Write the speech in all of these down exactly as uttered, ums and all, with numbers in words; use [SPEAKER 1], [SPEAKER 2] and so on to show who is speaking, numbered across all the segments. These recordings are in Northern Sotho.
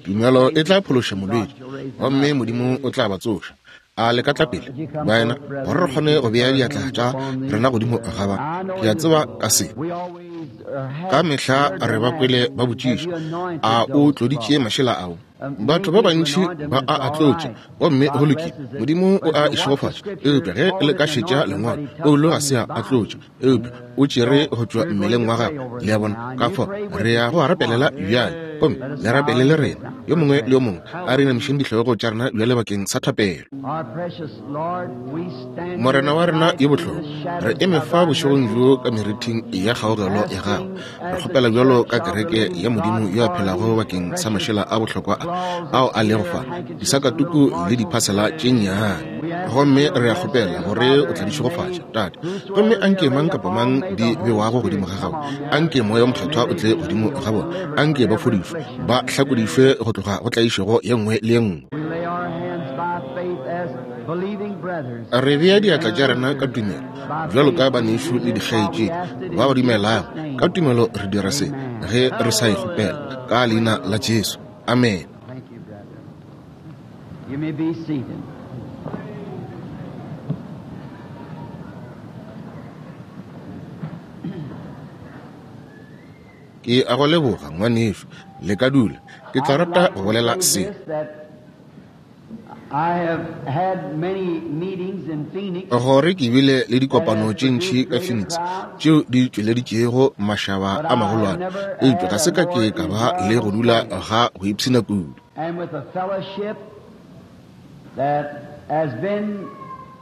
[SPEAKER 1] Tumelo e tla phološa molwetši, gomme Modimo o tla ba tsoša. A le ka tla pele, baena, gore re kgone go bea diatla tša rena godimo ga ba. Ke a tseba ka se. Ka mehla re ba kwele ba botšiša, a o tloditše mašela ao? Batho ba bantši ba a a tlotša, gomme go lokile, Modimo o a e šegofatša. Eupša ge le ka šetša lengwalo, Paulo ga se a a tlotša, eupša o tšere go tšwa mmeleng wa gagwe. Le a bona? Ka fao re ya go a rapelela bjale, gomme le rapele le rena, yo mongwe le yo mongwe. A re inamišeng dihlogo tša rena bjale bakeng sa thapelo. Morena wa rena yo bohlokwa, re eme fa bošegong bjo ka merithing ya kgaogelo ya gago. Re kgopela bjalo ka kereke ya Modimo yo a phelago bakeng sa mašela a bohlokwa a ao a lego fa, disakatuku le diphasela tše nnyane. Gomme re a kgopela gore o tla di šegofatša, Tate. Gomme anke mang kapa mang di bewago godimo ga gago, anke Moya o Mokgethwa o tle godimo ga bona, anke ba fodišwe, ba hlakodišwe go tloga go tlaišego ye nngwe le ye nngwe. Re bea diatla tša rena ka tumelo, bjalo ka banešu le dikgaetšedi ba ba dumelago. Ka tumelo re dira se ge re sa e kgopela, ka leina la Jesu. Amen.
[SPEAKER 2] You may be seated.
[SPEAKER 1] Ke a go leboga, ngwanešu. Le ka dula. Ke tla rata go bolela se.
[SPEAKER 2] I have had many meetings in Phoenix
[SPEAKER 1] Gore ke bile le dikopano tše ntši ka Phoenix tšeo di tšweleditšego mašaba a magolwane, eupša ga se ka ke ka ba le go dula ga go ipshina kudu.
[SPEAKER 2] and with a fellowship that has been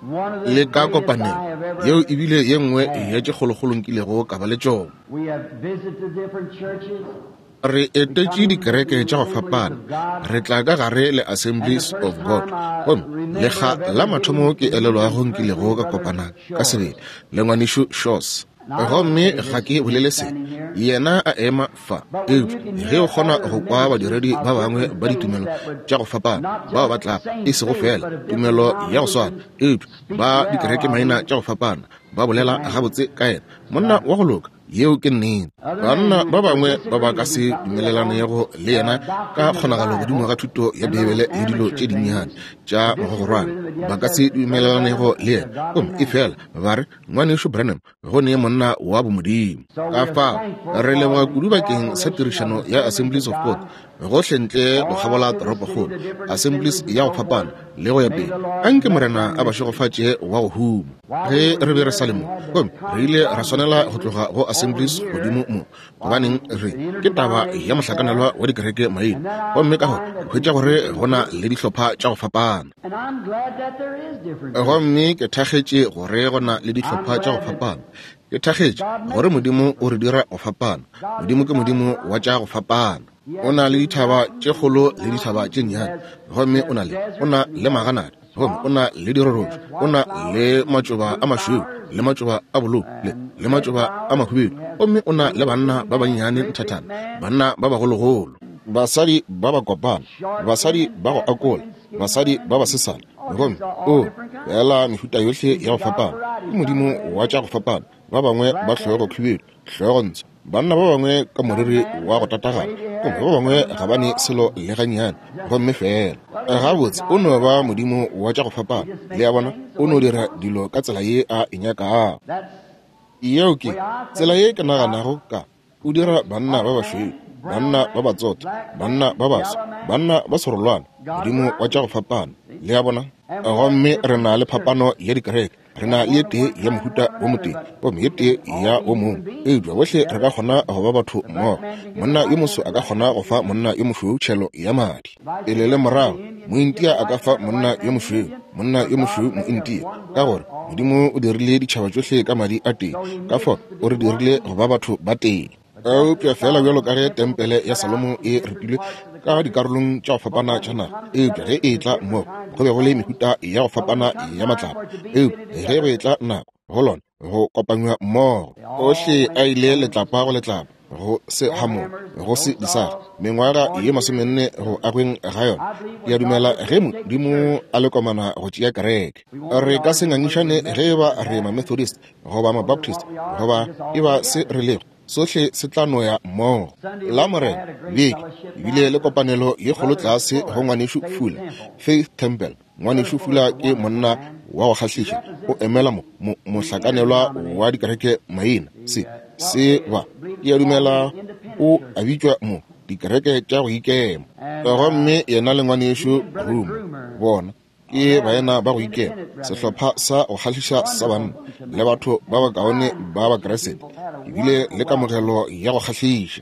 [SPEAKER 2] one of the
[SPEAKER 1] Le ka
[SPEAKER 2] greatest I
[SPEAKER 1] kopanelo
[SPEAKER 2] have ever
[SPEAKER 1] yeo e bile ye nngwe
[SPEAKER 2] had.
[SPEAKER 1] ya tše kgolokgolo nkilego ka ba le tšona.
[SPEAKER 2] We have visited different churches.
[SPEAKER 1] Re etetše dikereke tša go fapana, re tla ka gare le Assemblies of God, gomme lekga la mathomo ke elelwago nkilego ka kopana ka sebele le ngwanešu Shores. Gomme ga ke bolele se, yena a ema fa, eupša ge o kgona go kwa badiredi ba bangwe ba ditumelo tša go fapana bao ba tlago, e sego fela tumelo ya go swana, eupša ba dikereke maina tša go fapana, ba bolela gabotse ka yena, monna wa go loka. Yeo ke nnete. Banna ba bangwe ba ba ka se dumelelanego le yena ka kgonagalo godimo ga thuto ya Beibele le dilo tše dinnyane tša mogogorwana, ba ka se dumelelanego le yena, gomme efela ba re, Ngwanešu Branham go ne monna wa bomodimo. Ka fao re leboga kudu bakeng sa tirišano ya Assemblies of God gohle ntle go kgabola toropokgolo, Assemblies ya go fapana le go ya pele. Anke Morena a ba šegofatše wa go huma. Ge re be re sa le mo, gomme re ile ra swanela go tloga go Assemblies godimo mo, gobaneng re ke taba ya mohlakanelwa wa dikereke maina, gomme ka gore hwetša gore go na le dihlopha tša go fapana.
[SPEAKER 2] And I'm glad that there is different.
[SPEAKER 1] Gomme ke thakgetše gore go na le dihlopha tša go fapana. Ke thakgetše gore Modimo o re dira go fapana. Modimo ke Modimo wa tša go fapana. O na le dithaba tše kgolo le dithaba tše nnyane, gomme o na le o na le maganata, gomme o na le dirorotšo, o na le matšoba a mašweu le matšoba a bolou le le matšoba a mahubedu, gomme o na le banna ba bannyane nthathana, banna ba bagologolo, basadi ba ba kopana, basadi ba go akola, basadi ba basesane, gomme o fela mehuta yohle ya go fapana. Ke Modimo wa tša go fapana. Ba bangwe ba hlogo khubedu, hlogo ntsho, banna ba bangwe ka moriri wa go tatagana, gomme ba bangwe ga ba ne selo le gannyane, gomme fela gabotse o no ba Modimo wa tša go fapana. Le a bona, o no dira dilo ka tsela ye a e nyakago. Yeo ke tsela ye ke naganago ka. O dira banna ba bašweu, banna ba batsotho, banna ba baso, banna ba serolwana, Modimo wa tša go fapana. Le a bona? Gomme re na le phapano ya dikereke. Re na le ye tee ya mohuta wo motee, gomme ye tee ya wo mongwe, eupša bohle re ka kgona go ba batho mmogo. Monna yo moso a ka kgona go fa monna yo mošweu tšhelo ya madi pele le morago. Mointia a ka fa monna yo mošweu, monna yo mošweu mointia, ka gore Modimo o dirile ditšhaba tšohle ka madi a tee. Ka fao o re dirile go ba batho ba tee. Eupša fela bjalo ka ge tempele ya Salomo e repilwe ka dikarolong tša go fapana tša naga, eupša ge e etla mmogo go be go le mehuta ya go fapana ya matlapa, eupša ge go etla nako go lona go kopanywa mmogo, ohle a ile letlapa go letlapa, go se hamola, go se disaga, mengwaga ye masomenne go agweng ga yona. Ke a dumela ge Modimo a le komana go tšea kereke, re ka se ngangišane ge e ba re ma-Methodist goba ma-Baptist goba e ba se re lego. Sohle se tla no ya mmogo. La Morena beke ebile le kopanelo ye kgolo tlase go ngwanešu Fula, Faith Temple. Ngwanešu Fula ke monna wa go kgahliša, o emela mo, mo mohlakanelwa wa dikereke maina. Se se ba ke a dumela o a bitšwa mo dikereke tša go ikema. Gomme yena le ngwanešu Groomer bona ke baena ba go ikema, sehlopha sa go kgahliša sa banna le batho ba bakaone ba Bakreste, ebile le kamogelo ya go kgahliša.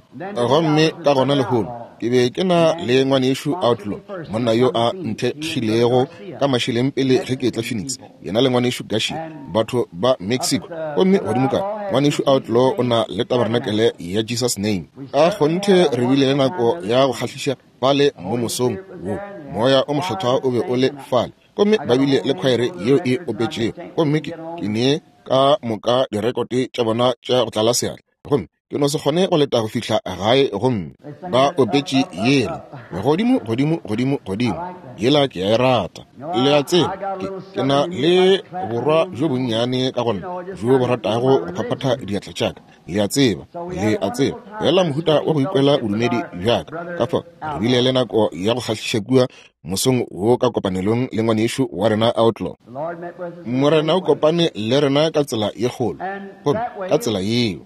[SPEAKER 1] Gomme ka gona lehono ke be ke na le ngwanešu Outlaw, monna yo a nthekgilego ka mašeleng pele ge ke etla Phoenix, yena le ngwanešu Garcia, batho ba Mexico. Gomme godimo ka ngwanešu Outlaw o na le tabernacle ya Jesus Name. Ka kgonthe re bile le nako ya go kgahliša fale mo mosong wo. Moya o mokgethwa o be o le fale, gomme ba bile le khwaere yeo e opetšego, gomme ke ke ne ka moka direkote tša bona tša go tlala seatla, gomme ke no se kgone go leta go fihla gae. Gomme ba opetše yela godimo godimo godimo godimo, yela ke a e rata. Le a tseba, ke ke na le borwa bjo bonnyane ka gona bjo bo ratago go phaphatha diatla tša ka. Le a tseba, le a tseba, fela mohuta wa go ikwela bodumedi bja ka. Ka fao re bile le nako ya go kgahliša kua mosong wo ka kopanelong le ngwanešu wa rena Outlaw. Morena o kopane le rena ka tsela ye kgolo, gomme ka tsela yeo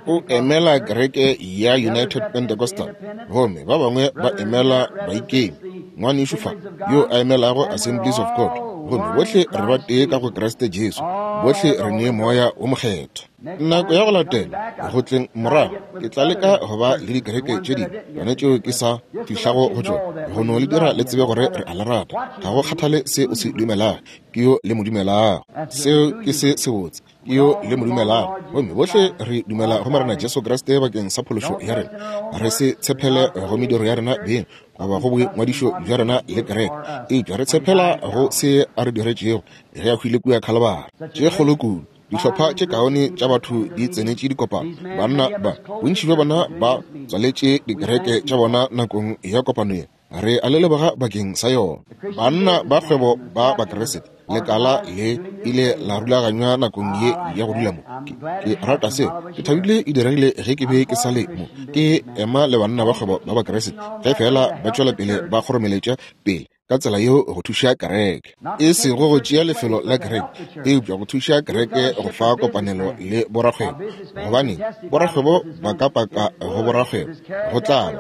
[SPEAKER 1] o emela kereke ya United Pentecostal, gomme ba bangwe ba emela baikemi. Ngwanešu fa yo a emelago Assemblies of God, gomme bohle re ba tee ka go Kriste Jesu, bohle re ne moya o mokgethwa. Nako ya go latela go tleng morago ke tla leka go ba le dikereke tše dingwe yone tšeo ke sa fihlago go tšona, go no le dira le tsebe gore re a le rata. Ga go kgathale se o se dumelago, ke yo le mo dumelago. Seo ke se sebotse, ke yo le mo dumelago. Gomme bohle re dumela go Morena Jesu Kriste bakeng sa phološo ya rena. Re se tshepele go mediro ya rena beng goba go boingwadišo bja rena le kereke, eupša re tshepela go se a re diretšego ge a hwile kua Khalibari. Tše kgolo kudu dihlopha tše kaone tša batho di tsenetše dikopano. Banna ba bontši bja bona ba tswaletše dikereke tša bona nakong ya kopano ye. Re a le leboga bakeng sa yona. Banna ba kgwebo ba Bakriste, lekala le ile la rulaganywa nakong ye ya go dula mo. Ke, ke rata seo. Ke thabile e diregile ge ke be ke sa le mo. Ke ema le banna ba kgwebo ba Bakriste ge fela ba tšwela pele ba kgoromeletša pele ka tsela yeo go thuša kereke, e sego go tšea lefelo la kereke, eupša go thuša kereke go fa kopanelo le borakgwebo. Gobane borakgwebo ba ka paka go borakgwebo, go tla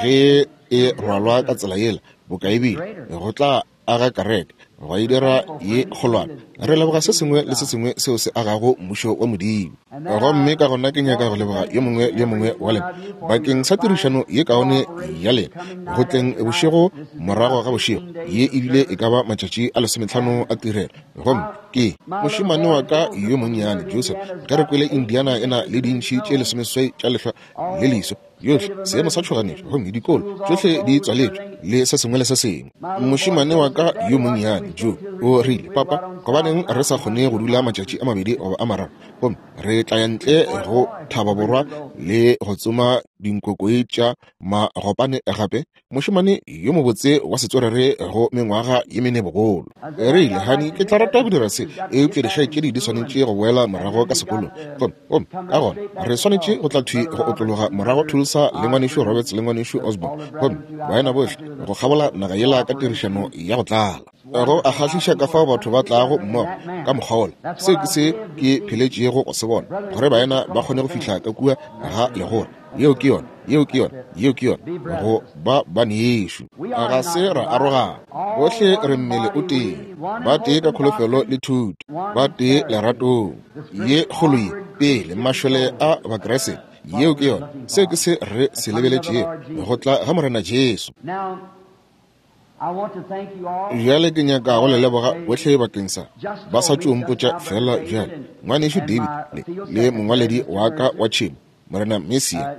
[SPEAKER 1] ge e rwalwa ka tsela yela bokaebile, go tla aga kereke, gwa e dira ye kgolwana. Re leboga se sengwe le se sengwe seo se agago mmušo wa Modimo. Gomme ka gona ke nyaka go leboga yo mongwe le yo mongwe wa lena bakeng sa tirišano ye kaone ya lena go tleng bošego morago ga bošego ye ebile e ka ba matšatši a lesometlhano a tirelo. Gomme ke mošemane wa ka yo monnyane Joseph, ge re kwele Indiana e na le dintšhi tše lesomeseswai tša lehlwa le leso, yohle seemo sa tšhoganetšo, gomme dikolo tšohle di tswaletšwe le se sengwe le se sengwe. Mošemane wa ka yo monnyane Joe o rile, papa, gobaneng re sa kgone go dula matšatši a mabedi goba a mararo, gomme re tla ya ntle go Thaba Borwa le go tsoma dinkokoi tša magopane gape? Mošemane yo mobotse wa setswerere go mengwaga ye mene bogolo. Re ile, hani, ke tla rata go dira se, eupša dikgaetšedi di swanetše go boela morago ka sekolong. Gomme gomme ka gona re swanetše go tla thwi go otlologa morago Tulsa le ngwanešu Roberts le ngwanešu Osborne, gomme baena bohle go kgabola naga yela ka tirišano ya go tlala. Go a kgahliša ka fao batho ba tlago mmogo ka mokgwa wola. Seo ke se ke pheletšego go se bona, gore baena ba kgone go fihla ka kua ga legora. Yeo ke yona, yeo ke yona, yeo ke yona, go ba banešu. Ga se ra arogana, bohle re mmele o tee, ba tee ka kholofelo le thuto, ba tee leratong. Ye kgolo ye pele mašole a Bakriste, yeo ke yona. Seo ke se re se lebeletšego, go tla ga Morena Jesu. Bjale ke nyaka go le leboga bohle bakeng sa ba sa tšo mpotša fela bjale. Ngwanešu David le, le mongwaledi wa ka wa tšhemo Morena Mesia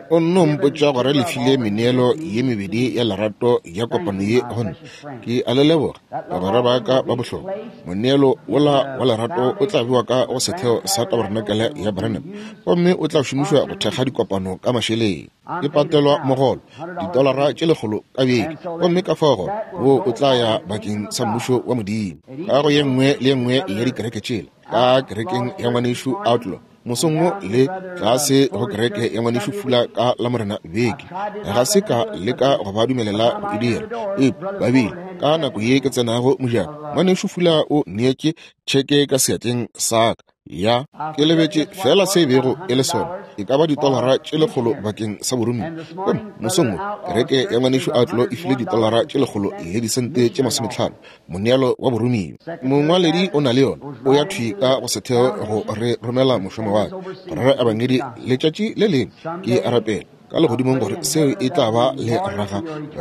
[SPEAKER 1] o nno mpotša gore le file meneelo ye mebedi ya lerato ya kopano ye gomme ke a le leboga bagwera ba ka ba bohlokwa. Moneelo wola wa lerato o tla bewa ka go setheo sa tabarenakele ya Branham gomme o tla šomišwa go thekga dikopano ka mašeleng. Ke patelwa mogolo ditolara tše lekgolo ka beke, gomme ka fao gore wo o tla ya bakeng sa mmušo wa Modimo ka go ye nngwe le ye nngwe ya dikereke tšela, ka kerekeng ya ngwanešu Outlaw mosong wo le tlase go kereke ya ngwanešu Fula ka la Morena beke. Ga se ka leka go ba dumelela go e dira, eupša ba bile ka nako ye ke tsenago mojako, ngwanešu Fula o neetše tšheke ka seatleng sa ka ya ke lebetše fela se bego e le sona, e ka ba ditolara tše lekgolo bakeng sa boromiwa. Gomme mosong wo kereke ya ngwanešu Outlaw e file ditolara tše lekgolo le disente tše masometlhano moneelo wa boromiwa. Mongwaledi o na le yona, o ya thwi ka go setheo go re romela mošomo wa ka go rera ebangedi letšatši le lengwe. Ke a rapela ka legodimong gore seo e tla ba le raga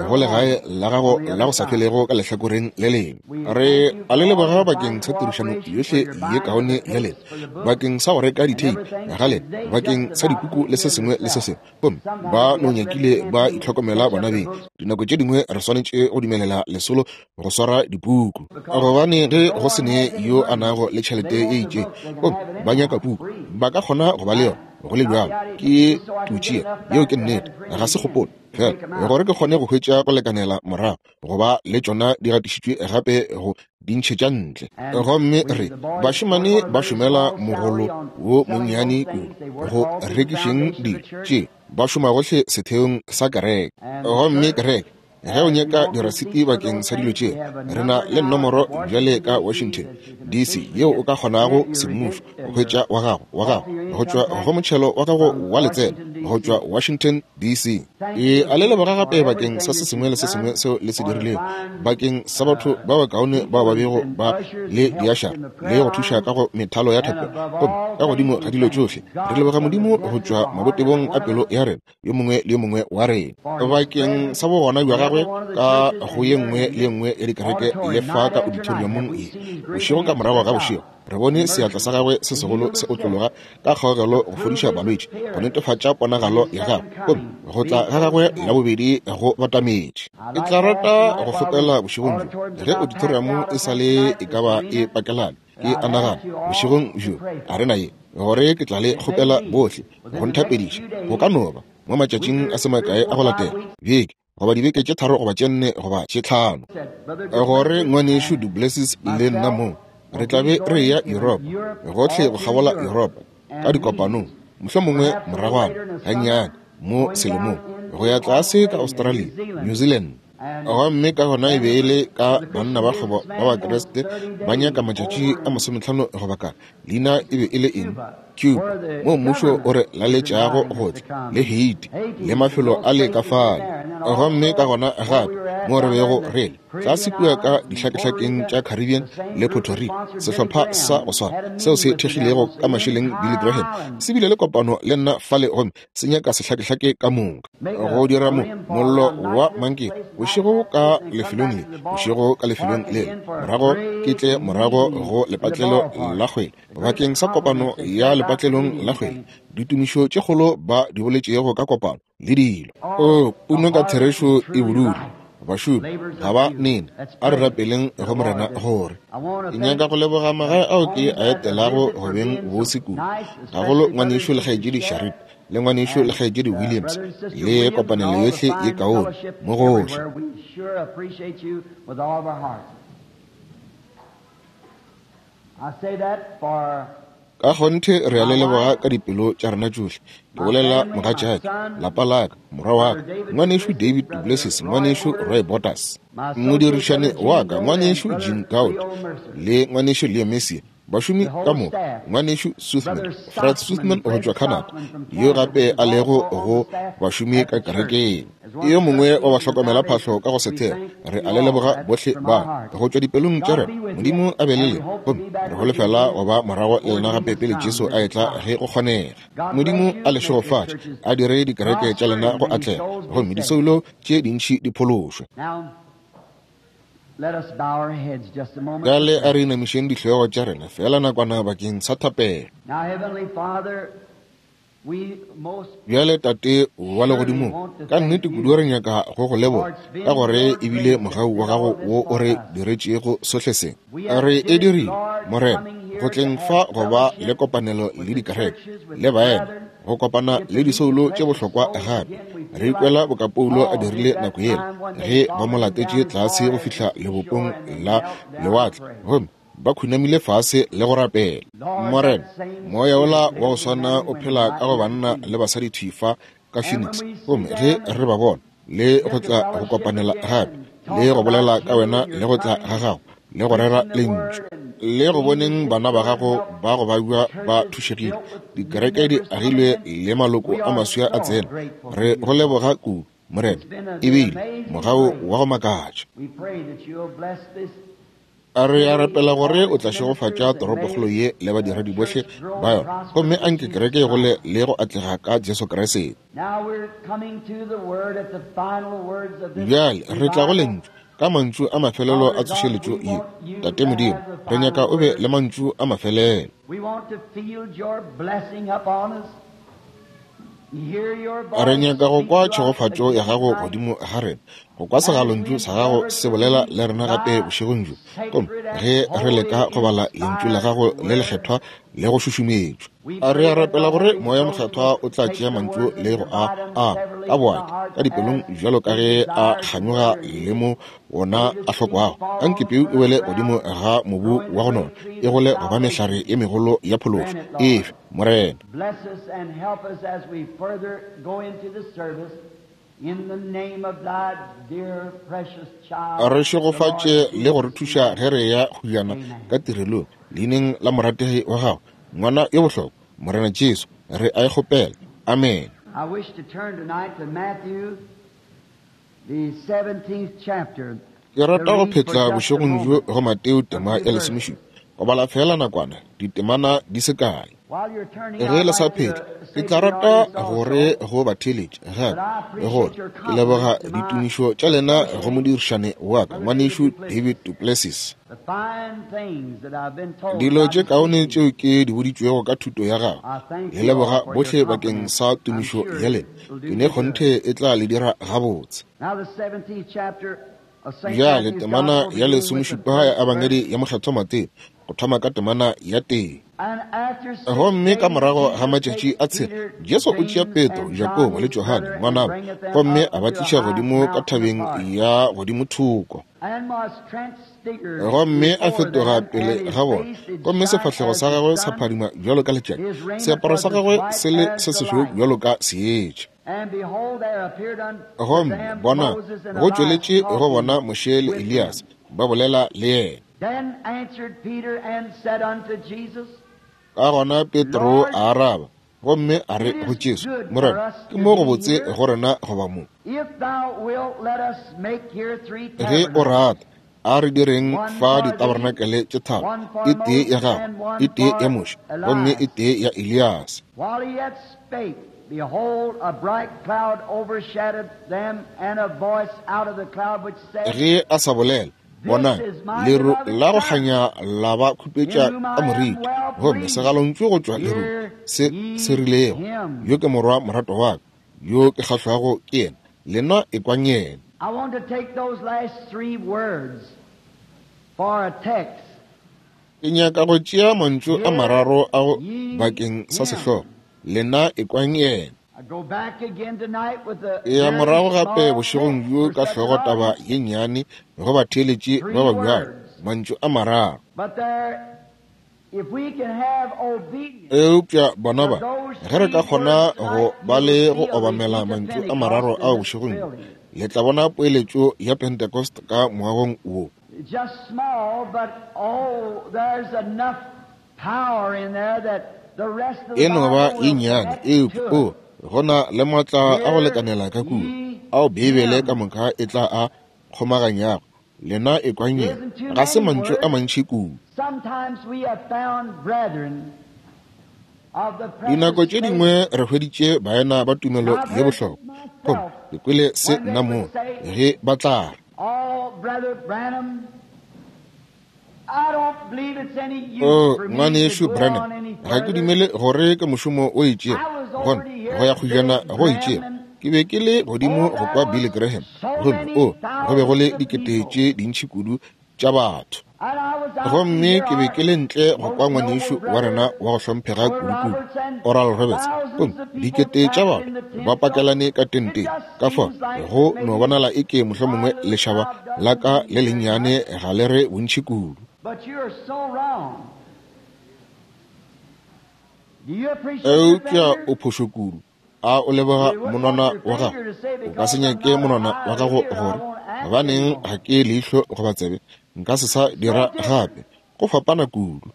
[SPEAKER 1] go legae la gago la go sa felego ka lehlakoreng le lengwe. Re a le leboga bakeng sa tirišano yohle ye kaone ya lena, bakeng sa go reka ditheipi ga lena, bakeng sa dipuku le se sengwe le se sengwe. Gomme ba no nyakile ba itlhokomela bona beng. Dinako tše dingwe re swanetše go dumelela lesolo go swara dipuku, gobane ge go se ne yo a nago le tšhelete e itšeng gomme ba nyaka puku, ba ka kgona go ba le yona. Go le bjalo ke tutšea yeo ke nnete, ga se kgopolo fela gore ke kgone go hwetša go lekanela morago go ba le tšona di gatišitšwe gape go di ntšhetša ntle. Gomme re bašemane ba šomela mogolo wo monnyane kudu go rekišeng dilo tše, ba šoma gohle setheong sa kereke. Gomme kereke ge o nyaka dirasiti bakeng sa dilo tše, re na le nomoro bjale ka Washington D C yeo o ka kgonago semmušo go hwetša wa gago wa gago go tšwa go motšhelo wa gago wa letseno go tšwa Washington D C. E a le leboga gape bakeng sa se sengwe le se sengwe seo le se dirilego bakeng sa batho ba bakaone bao ba bego ba le diašara le go thuša ka go methalo ya thapelo. Gomme ka godimo ga dilo tšohle re leboga Modimo go tšwa mabotebong a pelo ya rena yo mongwe le yo mongwe wa rena bakeng sa bogona bja gagwe ka go ye nngwe le ye nngwe ya dikereke le fa ka auditoriumong ye. Bošego ka morago ga bošego re bone seatla sa gagwe se segolo se otlologa ka kgaogelo go fodiša balwetši, go netefatša ponagalo ya gagwe, gomme go tla ga gagwe la bobedi go batametše. Ke tla rata go kgopela bošegong bjo ge auditorium e sa le e ka ba e pakelane, ke a nagana bošegong bjo a rena ye gore ke tla le kgopela bohle go nthapediša go ka no ba mo matšatšing a se makae a go latela beke goba dibeke tše tharo goba tše nne goba tše tlhano, gore ngwanešu Du Plessis le nna mong re tla be re ya Yuropa, gohle go kgabola Yuropa ka dikopanong, mohlomongwe moragwana gannyane mo selemong go ya tlase ka Australia, New Zealand. Gomme ka gona e be e le ka banna ba kgwebo ba Bakriste ba nyaka matšatši a masometlhano goba ka leina e be e le eng, Cuba, mo mmušo o re laletšago go tla, le Haiti le mafelo a le ka fale. Gomme ka gona gape mo re bego re le tlase kua ka dihlakehlakeng tša Caribbean le Puerto Rico, sehlopha sa go swana seo se thekgilego ka mašeleng Billy Graham se bile le kopano le nna fale gomme se nyaka sehlakehlake ka moka go dira mo mollo wa mankeng bošego ka lefelong le bošego ka lefelong le morago ke tle morago go lepatlelo la kgwele bakeng sa kopano ya lepatlelong la kgwele, ditumišo tše kgolo ba di boletšego ka kopano le dilo. O puno ka therešo e bodule, bašomi ga ba nene. A re rapeleng go Morena gore ke nyaka go leboga magae ao ke a etelago go beng bose kudu, gagolo ngwanešu le kgaetšedi Sharip le ngwanešu le kgaetšedi Williams le kopanelo yohle ye kaone mo gohle. Ka kgonthe re a le leboga ka dipelo tša rena tšohle. Ke bolela mogatšaka, lapa la ka, morwa wa ka, ngwanešu David Du Plessis, ngwanešu Roy Bottas, modirišane wa ka, ngwanešu Jim Gout le ngwanešu Leo Messi, bašomi ka moka, ngwanešu Suthman, Fred Suthman go tšwa Canada, yo gape a lego go bašomi ka kerekeng, yo mongwe wa bahlokomela phahlo ka go setheo. Re a le leboga bohle ba go tšwa dipelong tša rena. Modimo a be le lena, gomme re holofela go ba morago le lena gape pele Jesu a etla ge go kgonega. Modimo a le šegofatše, a dire dikereke tša lena go atlega, gomme disoulo tše dintši di phološwe. Bjale a re inamišeng dihlogo tša rena fela nakwana bakeng sa thapelo.
[SPEAKER 2] Now, Heavenly Father,
[SPEAKER 1] Bjale Tate wa legodimong, ka nnete kudu re nyaka go go leboga ka gore ebile mogau wa gago wo o re diretšego sohle se. Re e dirile, Morena, go tleng fa go ba le kopanelo le dikereke le baena, go kopana le disoulo tše bohlokwa gape. Re ikwela boka Paulo a dirile nako yela ge ba mo latetše tlase go fihla lebopong la lewatle, gomme ba khunamile fase le go rapela. Morena, moya ola wa go swana o phela ka go banna le basadi thwi fa ka Phoenix, gomme ge re ba bona le go tla go kopanela gape le go bolela ka wena le go tla ga gago le go rera lentšu le go boneng bana ba gago ba go babja ba thušegile, dikereke di agilwe le maloko a maswa a tsena. Re go leboga kudu, Morena, ebile mogau wa go makatša. A re a rapela gore o tla šegofatša toropokgolo ye le badiredi bohle ba yona, gomme anke kereke e gole le go atlega ka Jesu Kriste. Bjale re tla go lentšu ka mantšu a mafelelo a tsošeletšo ye. Tate Modimo, re nyaka o be le mantšu a mafelelo. Re nyaka go kwa tšhegofatšo ya gago godimo ga rena, go kwa segalontšu sa gago se bolela le rena gape bošegong bjo, gomme ge re leka go bala lentšu la gago le lekgethwa le go šušumetšwa. A re a rapela gore moya mokgethwa o tla tšea mantšu le go a a ka boati ka dipelong bjalo ka ge a kganyoga le mo wona a hlokwago. Anke peu e wele godimo ga mobu wa go nona, e gole go ba mehlare ye megolo ya phološo. Efe, Morena. Re šegofatše le go re thuša ge re ya go jana ka tirelong, leineng la morategi wa gago, ngwana yo bohlokwa, Morena Jesu, re a e kgopela. Amen.
[SPEAKER 2] I wish to turn tonight to Matthew, the seventeenth chapter.
[SPEAKER 1] Ke rata go phetla bošegong bjo go Mateo tema ya lesomešupa, go bala fela nakwana ditemana di se kae. Ge le sa phetla, ke tla rata gore go ba theeletše gape gore ke leboga ditumišo tša lena go modirišane wa ka, ngwanešu David Duplessis. Dilo tše kaone tšeo ke di boditšwego ka thuto ya gago, le leboga bohle bakeng sa tumišo ya lena. Ke ne kgonthe e tla le dira gabotse. Bjale temana ya lesomešupa ya Ebangedi ya Mokgethwa Mateo, go thoma ka temana ya tee. Gomme ka morago ga matšatši a tshela, Jesu o tšea Petro, Jakobo le Johane ngwanabo, gomme a ba tliša godimo ka thabeng ya godimo thoko. Gomme a fetoga pele ga bona, gomme sefahlego sa gagwe sa phadima bjalo ka letšatši, seaparo sa gagwe se le se sešweu bjalo ka seetša. Gomme bona, go tšweletše go bona Moshe le Elias ba bolela le yena. Ka gona Petro a araba gomme a re go Jesu, Morena, ke mo go botse go rena go ba mo. Ge o rata, a re direng fa ditabarenakele tše tharo, e tee ya gago, e tee ya Moshe, gomme e tee ya Elias.
[SPEAKER 2] Behold, a bright cloud overshadowed them, and a voice out of the cloud which said,
[SPEAKER 1] Ge a sa bolela, bona, leru la go kganya la ba khupetša ka moriti, gomme segalontšu go tšwa lerung se se rilego, yo ke morwa morato wa ka, yo ke kgahlwago ke yena, lena ekwang yena.
[SPEAKER 2] I want to take those last three words for a text.
[SPEAKER 1] Ke nyaka go tšea mantšu a mararo ao bakeng sa sehlogo, lena ekwang yena.
[SPEAKER 2] I
[SPEAKER 1] Ya morago gape bošegong bjo ka hlogo taba ye nnyane go batheeletši ba ba bjalo, mantšu a mararo. Eupša bona ba, ge re ka kgona go ba le go obamela mantšu a mararo ao bošegong bjo, le tla bona poeletšo ya Pentecost ka moagong wo. E no ba ye nnyane, eupša o gona le matla a go lekanela ka kua ao Beibele ka moka e tla a kgomaganyago. Lena ekwang yena. Ga se mantšu a mantši kudu. Dinako tše dingwe re hweditše baena ba tumelo ye bohlokwa, gomme ke kwele se nna moo ge ba tla re, O ngwanešu Branham, ga ke dumele gore ke mošomo o itšego Gona go ya kgojana go itšego, ke be ke le godimo go kwa Billy Graham, gomme o go be go le dikete tše dintši kudu tša batho. Gomme ke be ke le ntle go kwa ngwanešu wa rena wa go hlomphega kudukudu, Oral Roberts, gomme dikete tša batho ba pakelane ka tenteng. Ka fao go no bonala eke mohlomongwe lešaba la ka le lennyane ga le re bontši kudu. Eupša o phošo kudu. A o leboga monwana wa gago? O ka se nyake monwana wa gago gore gobaneng ga ke leihlo goba tsebe, nka se sa dira gape. Go fapana kudu.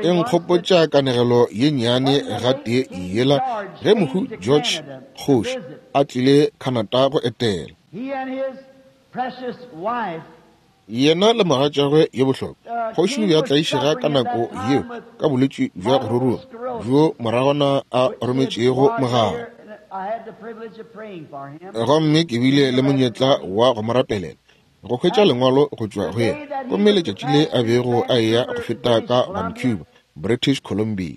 [SPEAKER 1] E nkgopotša kanegelo ye nnyane gatee yela ge mohu George kgoši a tlile Canada go etela. Yena le mogatšagwe ye bohlokwa, kgoši o be a tlaišega ka nako yeo ka bolwetši bja go ruruga bjo moragwana a rometšego mogala. Gomme ke bile le monyetla wa go mo rapelela, go hwetša lengwalo go tšwa go yena. Gomme letšatši le a bego a eya go feta ka Vancouver, British Columbia,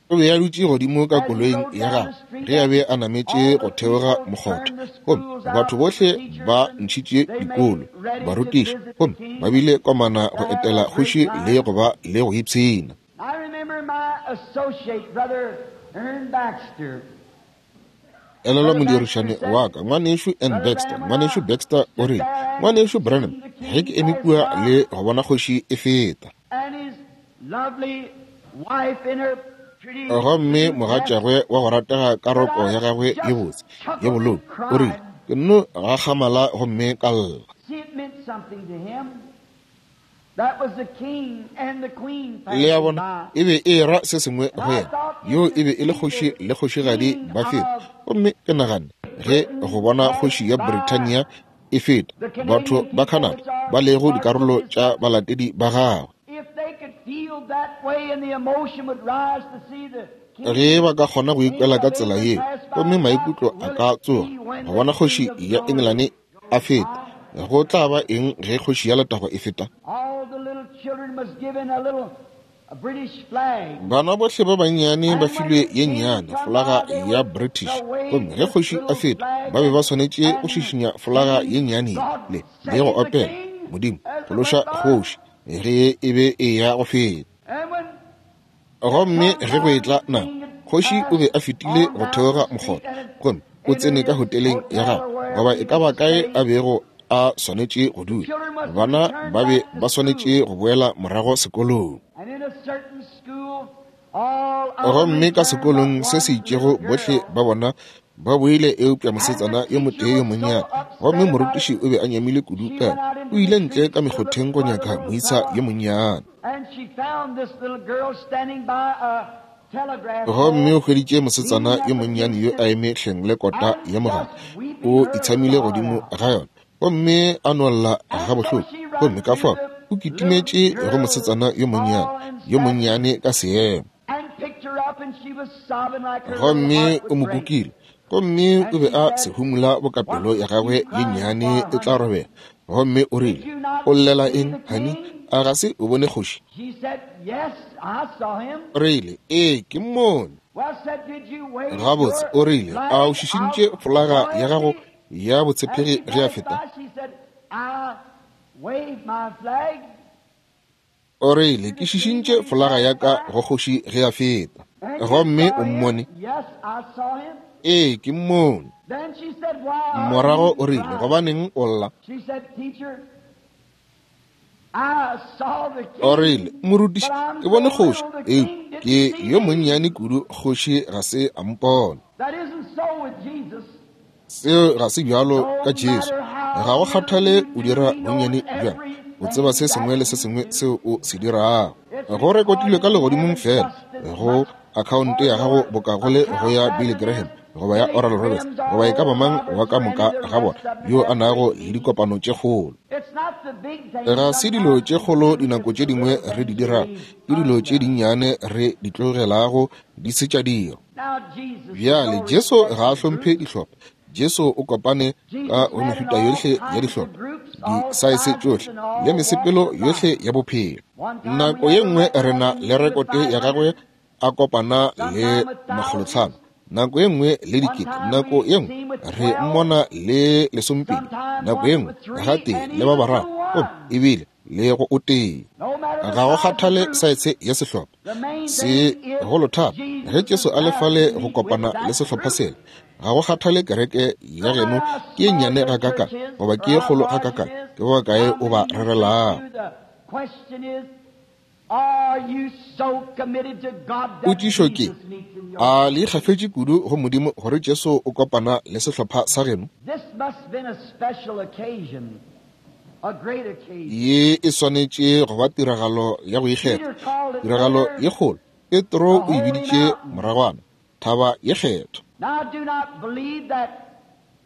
[SPEAKER 1] o be a dutše godimo ka koloing ya gagwe ge a be a nametše go theoga mokgotha. Gomme batho bohle ba ntšhitše dikolo, barutiši, gomme ba bile komana go etela kgoši le go ba le go ipshina. Elelwa modirišane wa ka, ngwanešu N. Baxter. Ngwanešu Baxter o rile, ngwanešu Branham, ge ke eme kua le go bona kgoši e feta, gomme mogatšagwe wa go ratega ka roko ya gagwe ye botse ye bolou, o rile, ke nno gakgamala gomme ka lla. Le a bona, e be e ra se sengwe go yena. Yo e be e le kgoši le kgošigadi ba feta. Gomme ke nagane ge go bona kgoši ya Brithania e feta, batho ba Canada ba lego dikarolo tša balatedi ba gagwe, ge ba ka kgona go ikwela ka tsela yeo, gomme maikutlo a ka tsoga go bona kgoši ya Engelane a feta, go tla ba eng ge kgoši ya letago e feta? Bana bohle ba bannyane ba filwe ye nnyane folaga ya British, gomme ge kgoši a feta ba be ba swanetše go šišinya folaga ye nnyane le le go opela Modimo phološa kgoši ge e be e ya go feta. Gomme ge go etla nako, kgoši o be a fetile go theoga mokgotha, gomme o tsene ka hoteleng ya gagwe, goba e ka ba kae a bego a swanetše go dula. Bana ba be ba swanetše go boela morago sekolong. Gomme ka sekolong se se itšego bohle ba bona ba boile eupša mosetsana yo motee yo monnyane. Gomme morutiši o be a nyamile kudu ka o ile ntle ka mekgotheng go nyaka moisa yo monnyane. Gomme o hweditše mosetsana yo monnyane yo a eme hleng le kota ya mogala, o itshamile godimo ga yona, gomme a nolla gabohloko. Gomme ka fao o kitimetše go mosetsana yo monnyane yo monnyane ka seemo, gomme o mo kukile, gomme o be a sehumula bokapelo ya gagwe ye nnyane e tla robela. Gomme o rile, o llela eng, honey? A ga se o bone kgoši? O rile, ee, ke mmone. Gabotse, o rile, a o šišintše folaga ya gago ya botshepegi ge a feta? O rile, ke šišintše folaga ya ka go kgoši ge a feta. Gomme o mmone? Ee, ke mmone. Morago o rile, gobaneng o lla? O rile, morutiši, ke bone kgoši, eupša ke yo monnyane kudu, kgoši ga se a mpona. Seo ga se bjalo ka Jesu. Ga go kgathale o dira bonnyane bjang, o tseba se sengwe le se sengwe seo o se dirago. Go rekotilwe ka legodimong fela go akhaonte ya gago boka go le go ya Billy Graham goba ya Oral Roberts goba e ka ba mang wa ka moka ga bona yo a nago le dikopano tše kgolo. Ga se dilo tše kgolo dinako tše dingwe re di dirago, ke dilo tše dinnyane re di tlogelago di se tša dira. Bjale Jesu ga a hlomphe dihlopha. Jesu o kopane ka go mehuta yohle ya dihlopha, disaese tšohle le mesepelo yohle ya bophelo. Nako ye nngwe re na le rekote ya gagwe a kopana le makgolotlhano, nako ye nngwe le dikete, nako ye nngwe re mmona le lesompedi, nako ye nngwe gatee le ba bararo, gomme ebile le go o tee. Ga go kgathale saetse ya sehlopha se golo thata ge Jesu a le fale go kopana le sehlopha sela. Ga go kgathale kereke ya geno ke ye nnyane gakakang goba ke ye kgolo gakakang, ke ba bakae o ba rerelago. Potšišo ke, a le ikgafetše kudu go Modimo gore Jesu o kopana le sehlopha sa geno? Ye e swanetše go ba tiragalo ya go ikgetha, tiragalo ye kgolo. Petro o e biditše moragwana thaba ye kgethwa.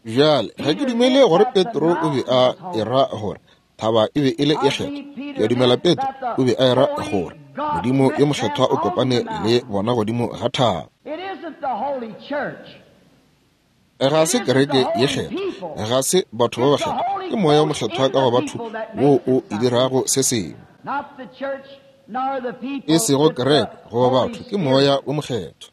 [SPEAKER 1] Bjale ga ke dumele gore Petro o be a era gore thaba e be e le ye kgethwa. Ke a dumela Petro o be a era gore Modimo yo mokgethwa o kopane le bona godimo ga thaba. Ga se kereke ye kgethwa, ga se batho ba bakgethwa, ke moya o mokgethwa ka go batho wo o e dirago se sengwe. E sego kereke goba batho, ke moya o mokgethwa.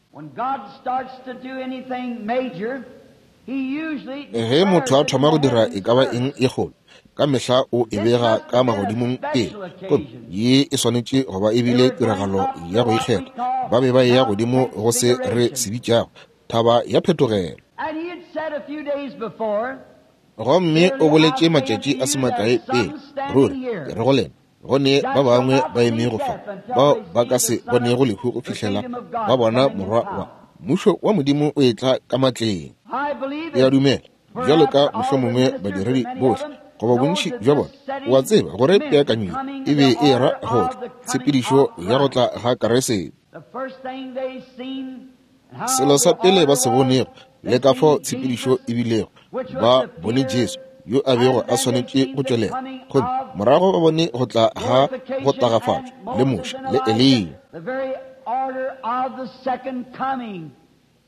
[SPEAKER 1] Ge motho a thoma go dira e ka ba eng ye kgolo, ka mehla o e bega ka magodimong pele, gomme ye e swanetše go ba e bile tiragalo ya go ikgetha. Ba be ba eya godimo go se re se bitšago thaba ya phetogelo. Gomme o boletše matšatši a se makae pele, ruri ke re go lena, go ne ba bangwe ba emego fa bao ba ka se bonego lehu go fihlela ba bona Morwa wa Mmušo wa Modimo o etla ka matleng. Ke a dumela bjalo ka mohlomongwe badiredi bohle goba bontši bja bona, o a tseba gore peakanyo e be e ra go tla tshepedišo ya go tla ga Keresete. Selo sa pele ba se bonego le ka fao tshepedišo e bilego, ba bone Jesu yo a bego a swanetše go tšwelela, gomme morago ba bone go tla ga go tagafatšwa le Moshe le Eliya.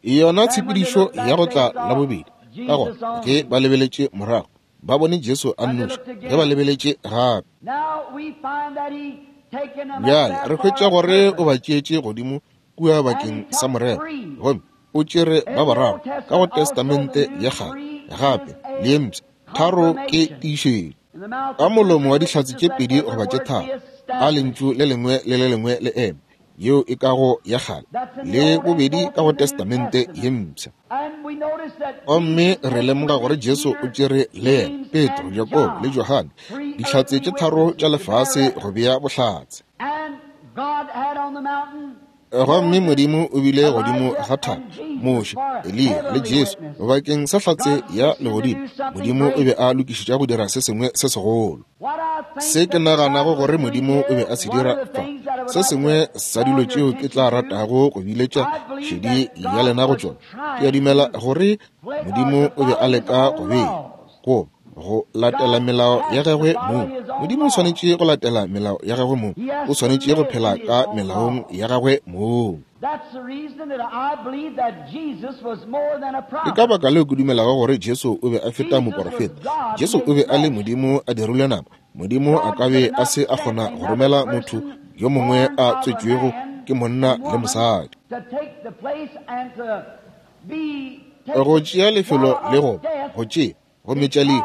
[SPEAKER 1] Yona tshepedišo ya go tla la bobedi. Ka gona ge ba lebeletše morago, ba bone Jesu a nnoši. Ge ba lebeletše gape, bjale re hwetša gore o ba tšeetše godimo kua bakeng sa morero, gomme o tšere ba bararo ka go Testamente ya kgale gape le ye mpsha. Tharo ke tiišetšo. Ka molomo wa dihlatse tše pedi goba tše tharo, a lentšu le lengwe le le lengwe le eme, yeo e ka go ya kgale le bobedi ka go Testamente ye mpsha. Gomme re lemoga gore Jesu o tšere le yena Petro, Jakobo le Johane, dihlatse tše tharo tša lefase go bea bohlatse. Gomme Modimo o bile godimo ga thaba Moshe, Eliya le Jesu bakeng sa hlatse ya legodimo. Modimo o be a lokišetša go dira se sengwe se segolo. Se ke naganago gore Modimo o be a se dira fa, se sengwe sa dilo tšeo ke tla ratago go biletša šedi ya lena go tšona, ke a dumela gore Modimo o be a leka go bea go go latela melao ya gagwe mong. Modimo o swanetše go latela melao ya gagwe mong, o swanetše go phela ka melaong ya gagwe mong. Ke ka baka leo ke dumelago gore Jesu o be a feta moporofeta. Jesu o be a le Modimo a dirilwe nama. Modimo a ka be a se a kgona go romela motho yo mongwe a tswetšwego ke monna le mosadi go tšea lefelo le go go tšea go metša lehu,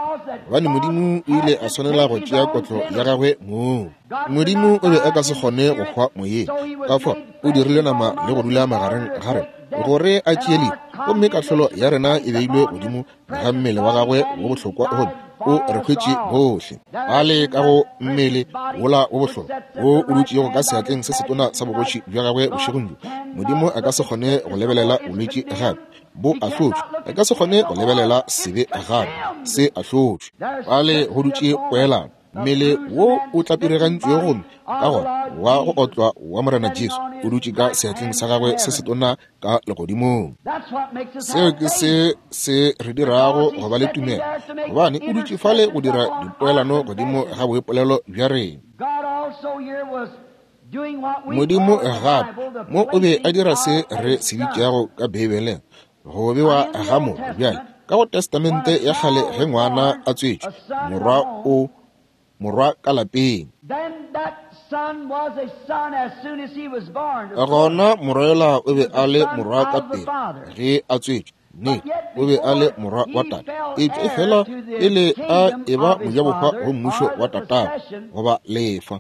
[SPEAKER 1] gobane Modimo o ile a swanela go tšea kotlo ya gagwe mong. Modimo o be a ka se kgone go hwa moyeng, ka fao o dirile nama le go dula magareng ga rena gore a tšee lehu, gomme kahlolo ya rena e beilwe godimo ga mmele wa gagwe wo bohlokwa, gomme o re hwetše bohle a le ka go mmele wola wo bohlokwa wo o dutšego ka seatleng se setona sa bogoši bja gagwe bošegong bjo. Modimo a ka se kgone go lebelela bolwetši gape bo ahlotšwe, a ka se kgone go lebelela sebe gape se ahlotšwe. Bale go dutše poelano, mmele wo o tlapiregantšwego gomme ka gona wa go otlwa wa Morena Jesu o dutše ka seatleng sa gagwe se setona ka legodimong. Seo ke se se re dirago go ba le tumelo, gobane o dutše fale go dira dipoelano godimo ga boipolelo bja rena. Modimo gape mo o be a dira se re se bitšago ka Beibeleng go bewa ga motho. Bjale Ka go Testamente ya kgale ge ngwana a tswetšwe, morwa o morwa ka lapeng. Gona morwa yola o be a le morwa ka pele ge a tswetšwe. Nnete, o be a le morwa wa tate. Eupša efela pele a eba mojabohwa go mmušo wa tatagwe goba lefa.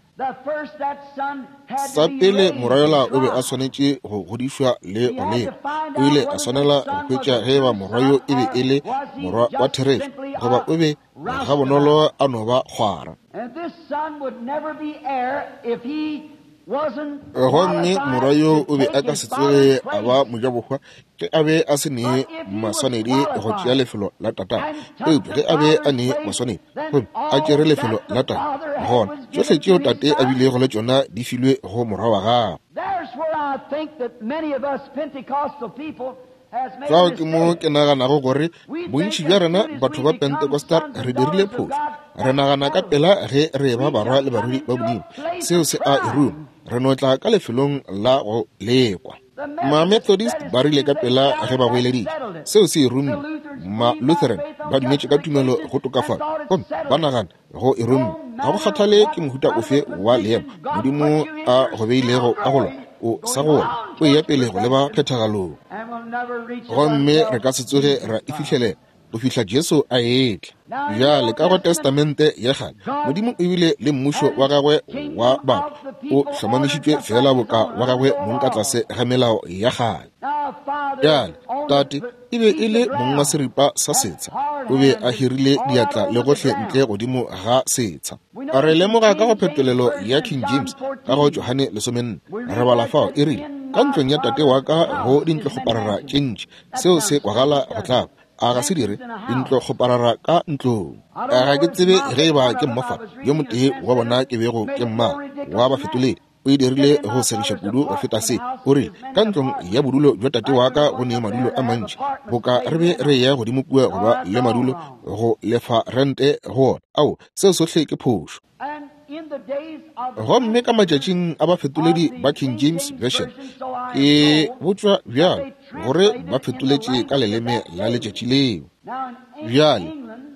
[SPEAKER 1] Sa pele morwa yola o be a swanetše go godišwa le go lekwa. O ile a swanela go hwetša ge eba morwa yo e be e le morwa wa therešo goba o be gabonolo a no ba kgwara. Gomme morwa yo o be a ka se tsoge a ba mojabohwa ge a be a se ne maswanedi go tšea lefelo la tatagwe. Eupša ge a be a ne maswanedi gomme a tšere lefelo la tate, gona tšohle tšeo tate a bilego le tšona di filwe go morwa wa gagwe. Fao ke mo ke naganago gore bontši bja rena batho ba Pentecostal re dirile phošo. Re nagana ka pela ge re ba barwa le barwedi ba Modimo. Seo se a e ruma. Re no tla ka lefelong la go lekwa. Ma-Methodist ba rile ka pela ge ba goeleditše. Seo se e rumme. Ma-Lutheran ba dumetše ka tumelo go tokafala gomme ba nagana go e rumme. Ga go kgathale ke mohuta ofe wa leemo Modimo a go beilego ka go lona, o sa go wona, o eya pele go leba phethagalong. Gomme re ka se tsoge ra e fihlelela go fihla Jesu a etla. Bjale ka go Testamente ya kgale, Modimo o bile le mmušo wa gagwe wa batho o hlomamišitšwe fela boka wa gagwe mong ka tlase ga melao ya kgale. Bjale tate e be e le mong wa seripa sa setsha, o be a hirile diatla le gohle ntle godimo ga setsha. Re lemoga ka go phetolelo ya King James ka go Johane lesomenne, re bala fao e rile, ka ntlong ya tate wa ka go dintlokgoparara tše ntši. Seo se kwagala go tlaba. A ga se dire dintlokgoparara ka ntlong. Ga ke tsebe ge eba ke mmofa yo motee wa bona ke bego ke mmala wa bafetoledi. O e dirile go segiša kudu go feta se. O rile, ka ntlong ya bodulo bja tate wa ka go ne madulo a mantši, boka re be re ya godimo kua go ba le madulo go lefa rente go ona. Ao, seo sohle ke phošo. Gomme ka matšatšing a bafetoledi ba King James Version, ke botšwa bjalo gore ba fetoletše ka leleme la letšatši leo. Bjale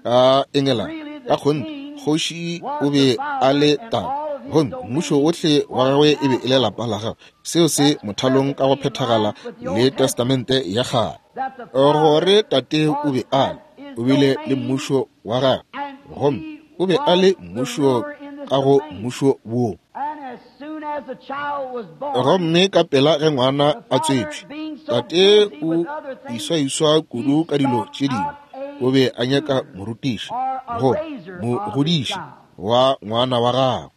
[SPEAKER 1] ka Engelane, ka kgonthe kgoši o be a le tate, gomme mmušo wohle wa gagwe e be e le lapa la gagwe. Seo se mothalong ka go phethagala le Testamente ya kgale, gore tate o be a le, o bile le mmušo wa gagwe, gomme o be a le mmušo ka go mmušo wo. Gomme ka pela ge ngwana a tswetšwe, tate o iswaiswa kudu ka dilo tše dingwe, o be a nyaka morutiši go mogodiši wa ngwana wa gagwe.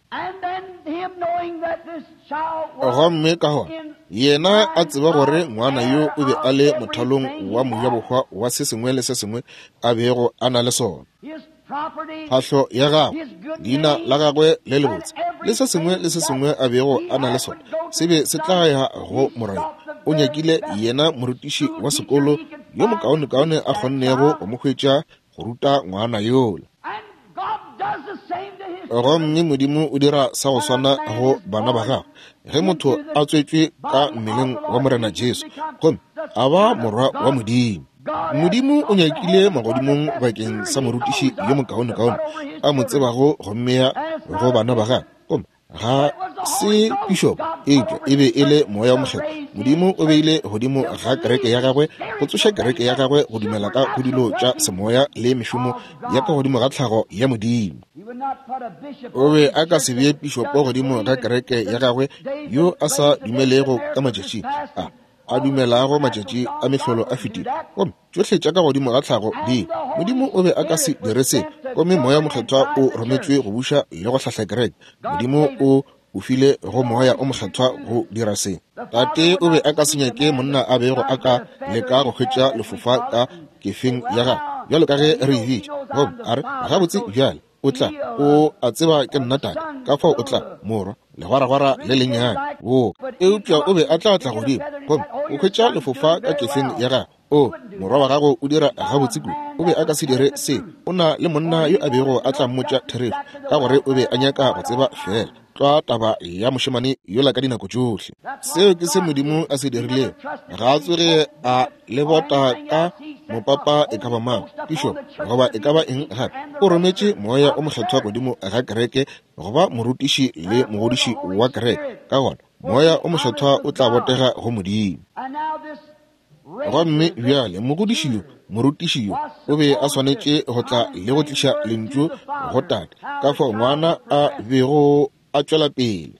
[SPEAKER 1] Gomme ka gona yena a tseba gore ngwana yo o be a le mothalong wa mojabohwa wa se sengwe le se sengwe a bego a na le sona. Phahlo ya gagwe, leina la gagwe le lebotse, le se sengwe le se sengwe a bego a na le sona se be se tla ya go morwa. O nyakile yena morutiši wa sekolo yo mokaonekaone a kgonnego go mo hwetša go ruta ngwana yola. Gomme Modimo o dira sa go swana go bana ba gagwe. Ge motho a tswetšwe ka mmeleng wa Morena Jesu gomme a ba morwa wa Modimo, Modimo o nyakile magodimong bakeng sa morutiši yo mokaonekaone a mo tsebago go mmea go bana ba gagwe. Gomme ga se bishop, eupša e be e le Moya o Mokgethwa. Modimo o beile godimo ga kereke ya gagwe go tsoša kereke ya gagwe go dumela ka go dilo tša semoya le mešomo ya ka godimo ga tlhago ya Modimo. O be a ka se bee pišopo godimo ga kereke ya gagwe yo a sa dumelego ka matšatši a a dumelago matšatši a mehlolo a fetile, gomme tšohle tša ka godimo ga tlhago di. Modimo o be a ka se dire se, gomme Moya Mokgethwa o rometšwe go buša le go hlahla kereke. Modimo o o file go Moya o Mokgethwa go dira se. Tate o be a ka se nyake monna a bego a ka leka go hwetša lefofa ka kefeng ya gagwe, bjalo ka ge re e bitša, gomme a re, gabotse bjale o tla, o a tseba ke nna tate, ka fao o tla, morwa, legwaragwara le lennyane wo. Eupša o be a tla tla godimo gomme o hwetša lefofa ka kefeng ya gagwe. O, morwa wa gago o dira gabotse kudu. O be a ka se dire se. O na le monna yo a bego a tla mmotša therešo, ka gore o be a nyaka go tseba fela. tlwa taba ya mošemane yola ka dinako tšohle. Seo ke se Modimo a se dirilego. Ga a tsoge a le bota ka mopapa e ka ba mang, pišopo goba e ka ba eng gape. O rometše Moya o Mokgethwa godimo ga kereke goba morutiši le mogodiši wa kereke. Ka gona Moya o Mokgethwa o tla botega go Modimo. Gomme bjale mogodiši yo, morutiši yo, o be a swanetše go tla le go tliša lentšu go tate, ka fao ngwana a bego a tšwela pele.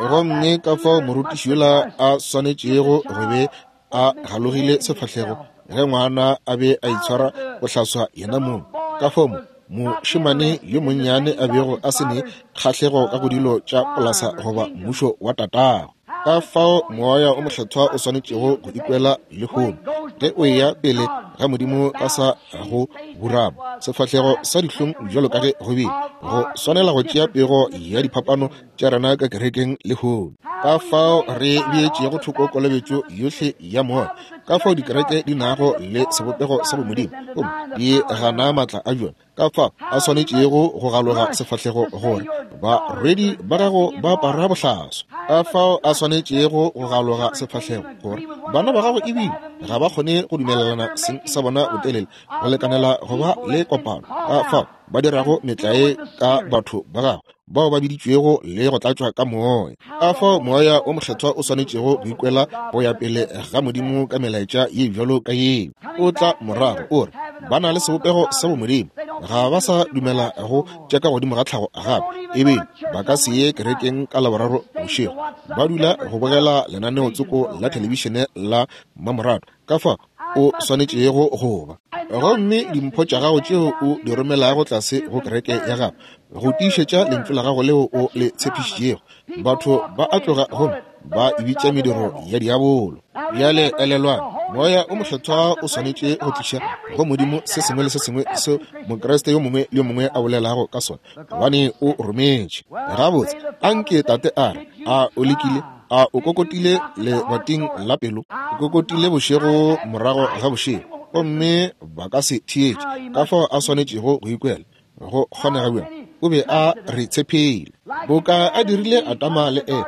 [SPEAKER 1] Gomme ka fao morutiši yola a swanetšego go be a galogile sefahlego ge ngwana a be a itshwara go hlaswa yena mong, ka fao mošemane yo monnyane a bego a se ne kgahlego ka go dilo tša polasa goba mmušo wa tatago. Ka fao Moya o Mokgethwa o swanetšego go ikwela lehono ge o eya pele ga Modimo ka sa go burama sefahlego sa dihlong bjalo ka ge go bile go swanela go tšea pego ya diphapano tša rena ka kerekeng lehono. Ka fao re beetšego thoko kolobetšo yohle ya moya, ka fao dikereke di nago le sebopego sa bomodimo gomme di gana maatla a bjona, ka fao a swanetšego go galoga sefahlego gore barwedi ba gago ba apara bohlaswa, ka fao a swanetšego go galoga sefahlego gore bana ba gago ebile ga ba kgone go dumelelana seng sa bona botelele go lekanela go ba le kopano, ka fao ba dirago metlae ka batho ba gago bao ba biditšwego le go tlatšwa ka moya. Ka fao Moya o Mokgethwa o swanetšego go ikwela go ya pele ga Modimo ka melaetša ye bjalo ka yeo. O tla morago o re ba na le sebopego sa bomodimo, ga ba sa dumela go tša ka godimo ga tlhago gape, ebile ba ka se ye kerekeng ka Laboraro bošego, ba dula go bogela lenaneo tsoko la thelebišene la mmamoratwa. Ka fao o swanetšego go ba. Gomme dimpho tša gago tšeo o di romelago tlase go kereke ya gago go tiišetša lentšu la gago leo o le tshepišitšego, batho ba a tloga gomme ba e bitša mediro ya diabolo. Bjale elelwang, Moya o Mokgethwa o swanetše go tliša go Modimo se sengwe le se sengwe seo Mokriste yo mongwe le yo mongwe a bolelago ka sona, gobane o rometše. Gabotse, anke tate a re, a o lekile? A o kokotile lebating la pelo? O kokotile bošego morago ga bošego, gomme ba ka se theetše. Ka fao a swanetšego go ikwela go kgonega bjang? O be a re tshepile boka a dirile Adama le Eva.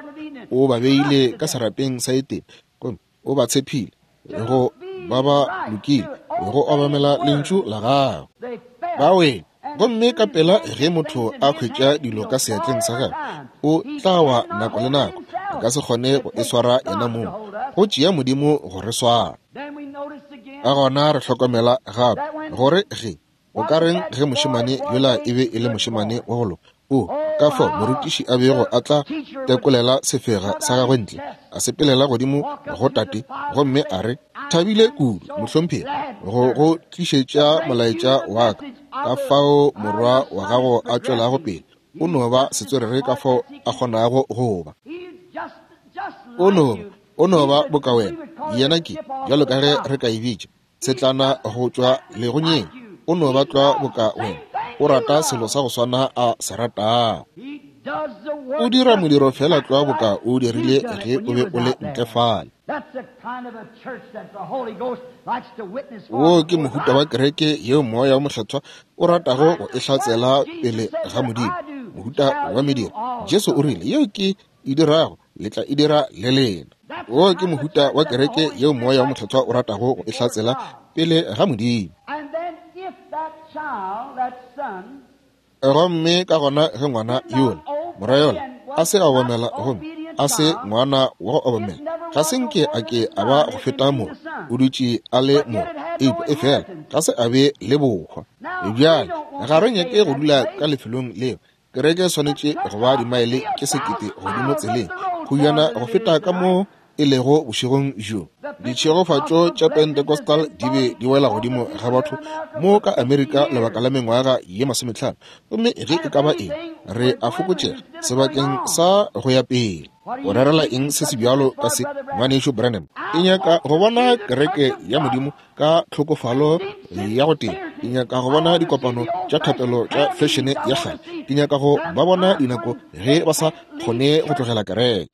[SPEAKER 1] O ba beile ka serapeng sa Edene gomme o ba tshepile go ba ba lokile go obamela lentšu la gagwe. Ba wele gomme ka pela ge motho a hwetša dilo ka seatleng sa gagwe, o tla wa nako le nako, a ka se kgone go e swara yena mong. Go tšea Modimo go re swara. Ka gona re hlokomela gape gore ge o ka reng ge mošemane yola e be e le mošemane wa go loka, o ka fao morutiši a bego a tla tekolela sefega sa gagwe ntle, a sepelela godimo go tate gomme a re, thabile kudu mohlomphegi go go tlišetša molaetša wa ka. Ka fao morwa wa gago a tšwelago pele, o no ba setswerere ka fao a kgonago go ba. O no o no ba boka wena, yena ke bjalo ka ge re ka e bitša setlana go tšwa legonyeng. O no ba tlwa boka wena, o rata selo sa go swana a se ratago. O dira modiro fela tlwa boka o dirile ge o be o le ntle fale. Wo ke mohuta wa kereke yeo Moya o Mokgethwa o ratago go e hlatsela pele ga Modimo, mohuta wa mediro. Jesu o rile, yeo ke e dirago le tla e dira le lena. Wo ke mohuta wa kereke yeo Moya o Mokgethwa o ratago go e hlatsela pele ga Modimo. Gomme ka gona ge ngwana yola, morwa yola, a se a obamela gomme a se ngwana wa go obamela, ga se nke a ke a ba go feta mo, o dutše a le mo, eupša e fela ga se a be le bohwa. Bjale ga re nyake go dula ka lefelong leo. Kereke e swanetše go ba dimaele tše sekete godimo tseleng, kgojana go feta ka mo e lego bošegong bjo. Ditšhegofatšo tša Pentecostal di be di wela godimo ga batho mo ka Amerika lebaka la mengwaga ye masometlhano, gomme ge e ka ba eng, re a fokotšega sebakeng sa go ya pele. O rerela eng se se bjalo ka se, ngwanešu Branham? Ke nyaka go bona kereke ya Modimo ka tlhokofalo ya go tee. Ke nyaka go bona dikopano tša thapelo tša fešene ya kgale. Ke nyaka go ba bona dinako ge ba sa kgone go tlogela kereke.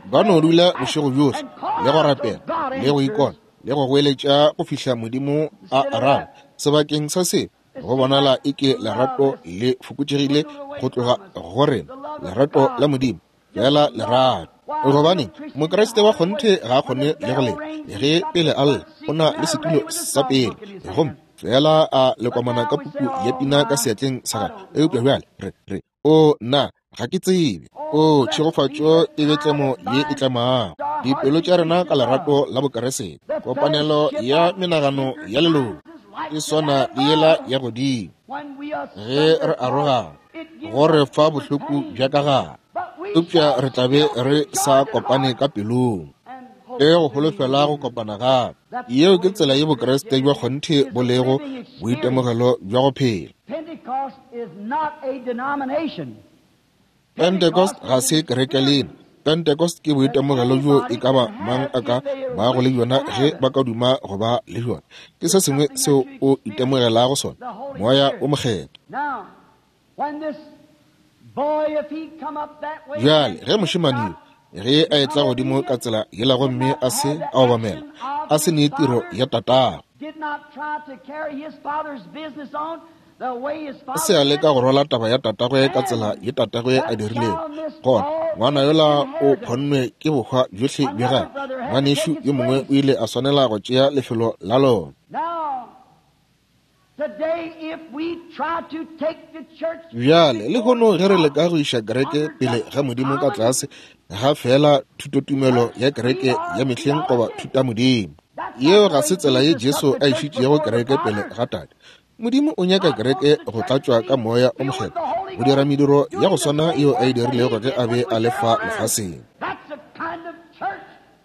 [SPEAKER 1] Ba no dula bošego bjohle le go rapela le go ikona le go goeletša go fihla Modimo a araba. Sebakeng sa se, Go bonala eke lerato le fokotšegile go tloga go rena, lerato la Modimo, fela lerato. Gobaneng, Mokriste wa kgonthe ga a kgone le go lela ge pele a lla, o na le setulo sa pele, gomme fela a lekomana ka puku ya pina ka seatleng sa gagwe. Eupša bjale re re o nna ga ke tsebe. O tšhegofatšo e be tlemo ye e tlemago dipelo tša rena ka lerato la Bokeresete. Kopanelo ya menagano ya leloko e swana le yela ya godimo ge re arogana, go re fa bohloko bja ka gare, eupša re tla be re sa kopane ka pelong le go holofela go kopana gape. Yeo ke tsela ye Bokreste bja kgonthe bo lego boitemogelo bja go phela. Pentecost ga se kereke lena. Pentecost ke boitemogelo bjo e ka ba mang a ka bago le bjona ge ba ka duma go ba le bjona. Ke se sengwe seo o itemogelago sona, Moya o Mokgethwa. Bjale ge mošemane yo ge a etla godimo ka tsela yela gomme a se a obamela, a se nee tiro ya tatago, a se a leka go rwala taba ya tatagwe ka tsela ye tatagwe a dirilego, gona ngwana yola o phonnwe ke bohwa bjohle bja gagwe. Ngwanešu yo mongwe o ile a swanela go tšea lefelo la lona. Bjale lehono ge re leka go iša kereke pele ga Modimo ka tlase ga fela thutotumelo ya kereke ya mehleng goba thutamodimo, yeo ga se tsela ye Jesu a išitšego kereke pele ga Tate. Modimo o nyaka kereke go tlatšwa ka Moya o Mokgethwa, go dira mediro ya go swana yeo a e dirilego ge a be a le fa lefaseng.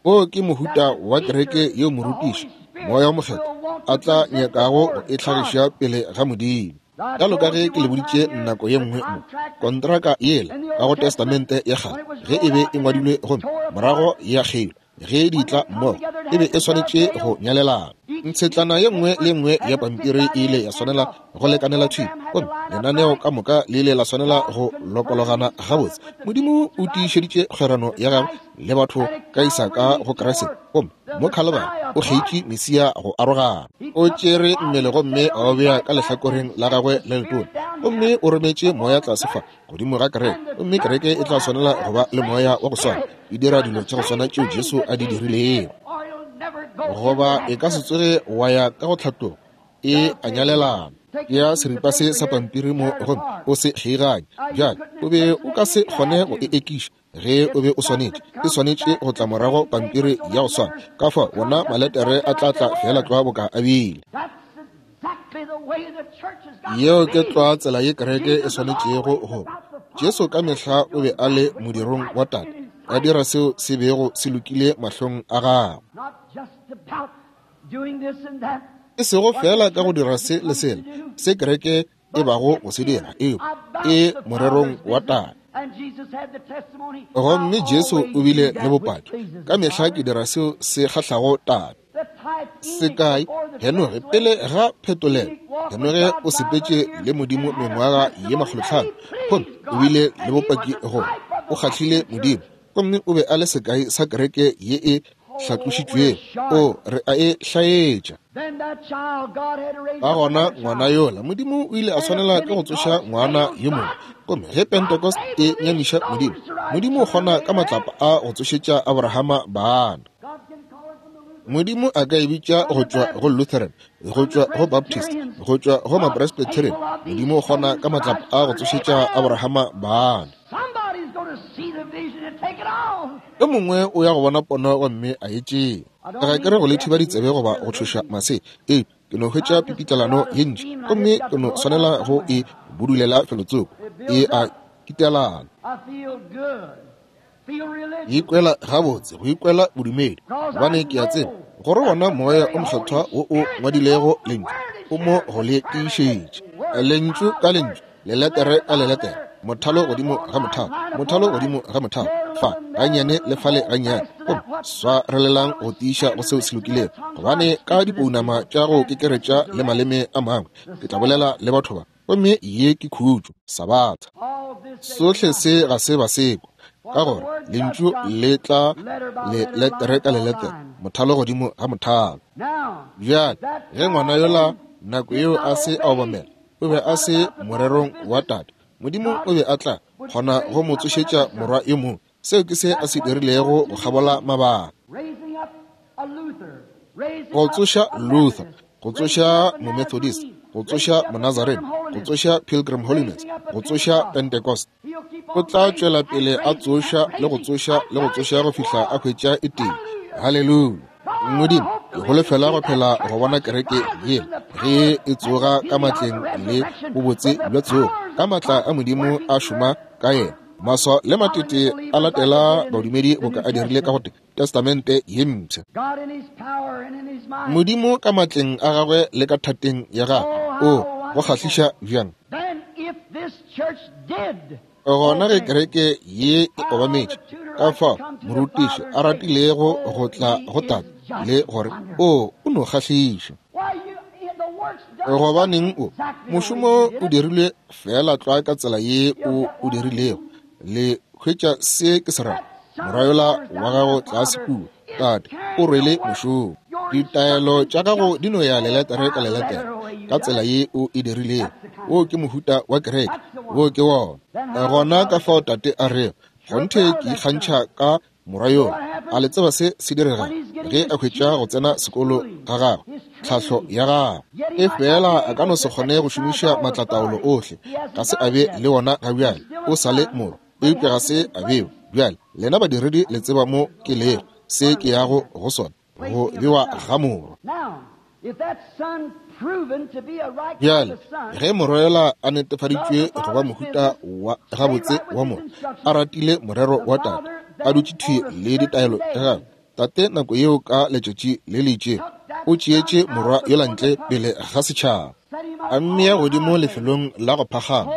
[SPEAKER 1] O ke mohuta wa kereke yeo morutiši Moya o Mokgethwa a tla nyakago go e hlagiša pele ga Modimo. Bjalo ka ge ke le boditše nako ye nngwe mo, kontraka yela ka go Testamente ya kgale ge e be e ngwadilwe gomme morago ya kgeilwa, ge di tla mmogo e be e swanetše go nyalelana. Ntshetlana ye nngwe le nngwe ya pampiri e ile ya swanela go lekanela thwi, gomme lenaneo ka moka le ile la swanela go lokologana gabotse. Modimo o tiišeditše kgwerano ya gagwe le batho ka Isaka go Kriste, gomme mo Khalibari o kgeitše Mesia go arogana. O tšere mmele gomme a o bea ka lehlakoreng la gagwe le letona, gomme o rometše moya tlase fa godimo ga kereke, gomme kereke e tla swanela go ba le moya wa go swana, e dira dilo tša go swana tšeo Jesu a di dirilego, goba e ka se tsoge wa ya ka go tlhatlogo e a nyalelana. Ya seripa se sa pampiri mo gomme o se kgeiganye. Bjale o be o ka se kgone go e ekiša ge o be o swanetše, e swanetše go tla morago pampiri ya go swana. Ka fao wona maletere a tla tla fela tlwa boka a bile. Yeo ke tlwa tsela ye kereke e swanetšego go. Jesu ka mehla o be a le modirong wa Tate, a dira seo se bego se lokile mahlong a gagwe, e sego fela ka go dira se le sela se kereke e bago go se dira, eo e morerong wa Tate. Gomme Jesu o bile le bopaki, ka mehla ke dira seo se kgahlago Tate. Sekai, Henoge pele ga phetolelo, Henoge o sepetše le Modimo mengwaga ye makgolotlhano, gomme o bile le bopaki gore o kgahlile Modimo, gomme o be a le sekai sa kereke ye e hlatlošitšwego, o re a e hlaetša. Ka gona ngwana yola Modimo o ile a swanela ke go tsoša ngwana yo mongwe, gomme ge Pentecost e nyamiša Modimo, Modimo o kgona ka matlapa a go tsošetša Abrahama bana. Modimo a ka e bitša go tšwa go Lutheran, go tšwa go Baptist, go tšwa go Mapresbyterian. Modimo o kgona ka matlapa a go tsošetša Abrahama bana. Yo mongwe o ya go bona pono gomme a e tšea. Ga ke re go le thiba ditsebe goba go tšhoša mase, ee, ke no hwetša pipitlelano ye ntši, gomme ke no swanela go e budulela felotsoko, e a kitelana. Ikwela gabotse, go ikwela bodumedi, gobane ke a tseba gore wona Moya o Mokgethwa wo o ngwadilego lentšu o mo go le tiišetše, lentšu ka lentšu, leletere ka leletere, mothalo godimo ga mothalo, mothalo godimo ga mothalo, fa gannyane le fale gannyane, gomme swarelelang go tiiša go seo se lokilego, gobane ka dipounama tša go kekeretša le maleme a mangwe ke tla bolela le batho ba, gomme ye ke khutšo, Sabatha. Sohle se ga se ba sekwa, ka gore lentšu le tla le letere ka leletere, mothalo godimo ga mothalo. Bjale ge ngwana yola nako yeo a se a obamela, O be a se morerong wa Tate. Modimo o be a tla kgona go mo tsošetša morwa yo mongwe. Seo ke se a se dirilego go kgabola mabaka. Go tsoša Luther, go tsoša Momethodist, go tsoša Monazarene, go tsoša Pilgrim Holiness, go tsoša Pentecost. O tla tšwela pele a tsoša le go tsoša le go tsoša go fihla a hwetša e tee. Haleluya. Modimo, ke holofela go phela go bona kereke ye ge e tsoga ka matleng le bobotse bja tsogo, ka matla a Modimo a šoma ka yena. Maswa le matete a latela badumedi boka a dirile ka go Testamente ye mpsha. Modimo ka matleng a gagwe le ka thateng ya gagwe, o go kgahliša bjang. Gona ge kereke ye e obametše, ka fao morutiši a ratilego go tla go Tate le gore o o no kgahliša. Gobaneng o mošomo o dirilwe fela tlwa ka tsela ye o o dirilego. Le hwetša se ke se rago. Morwa yola wa gago tlase kua, Tate, o rwele mošomo. Ditaelo tša gago di no ya leletere ka leletere ka tsela ye o e dirilego. Wo ke mohuta wa kereke, wo ke wona. Gona ka fao Tate a rego, kgonthe ke ikgantšha ka morwa yola. A le tseba se se diregago ge a hwetša go tsena sekolo ga gagwe, tlhahlo ya gagwe. E fela a ka no se kgone go šomiša matlataolo ohle, ga se a be le wona ga bjale. O sa le morwa, eupša ga se a bewe. Bjale lena badiredi le tseba mo ke lego, se ke yago go sona, go bewa ga morwa. Bjale ge morwa yola a netefaditšwe go ba mohuta wa gabotse wa morwa, a ratile morero wa Tate, a dutše thwi le ditaelo tša gagwe, Tate nako yeo ka letšatši le le itšego o tšeetše morwa yola ntle pele ga setšhaba, a mmea godimo lefelong la go phagama,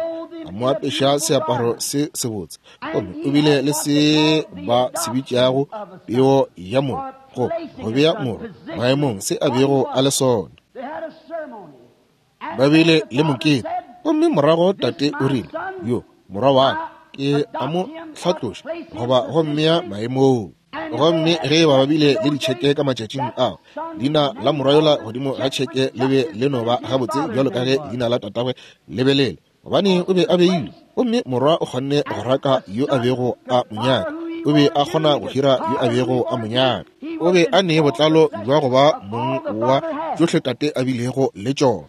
[SPEAKER 1] a mo apeša seaparo se sebotse, gomme o bile le se ba se bitšago peo ya morwa, go go bea morwa maemong se a bego a le sona. Ba bile le mokete, gomme morago Tate o rile, yo morwa wa ka ke a mo hlatloša goba go mmea maemong. Gomme ge ba bile le ditšheke ka matšatšing ao, leina la morwa yola godimo ga tšheke le be le no ba gabotse bjalo ka ge leina la tatagwe le be le le, gobane o be a beilwe. Gomme morwa o kgonne go raka yo a bego a mo nyaka, o be a kgona go hira yo a bego a mo nyaka. O be a ne botlalo bja go ba mong wa tšohle Tate a bilego le tšona.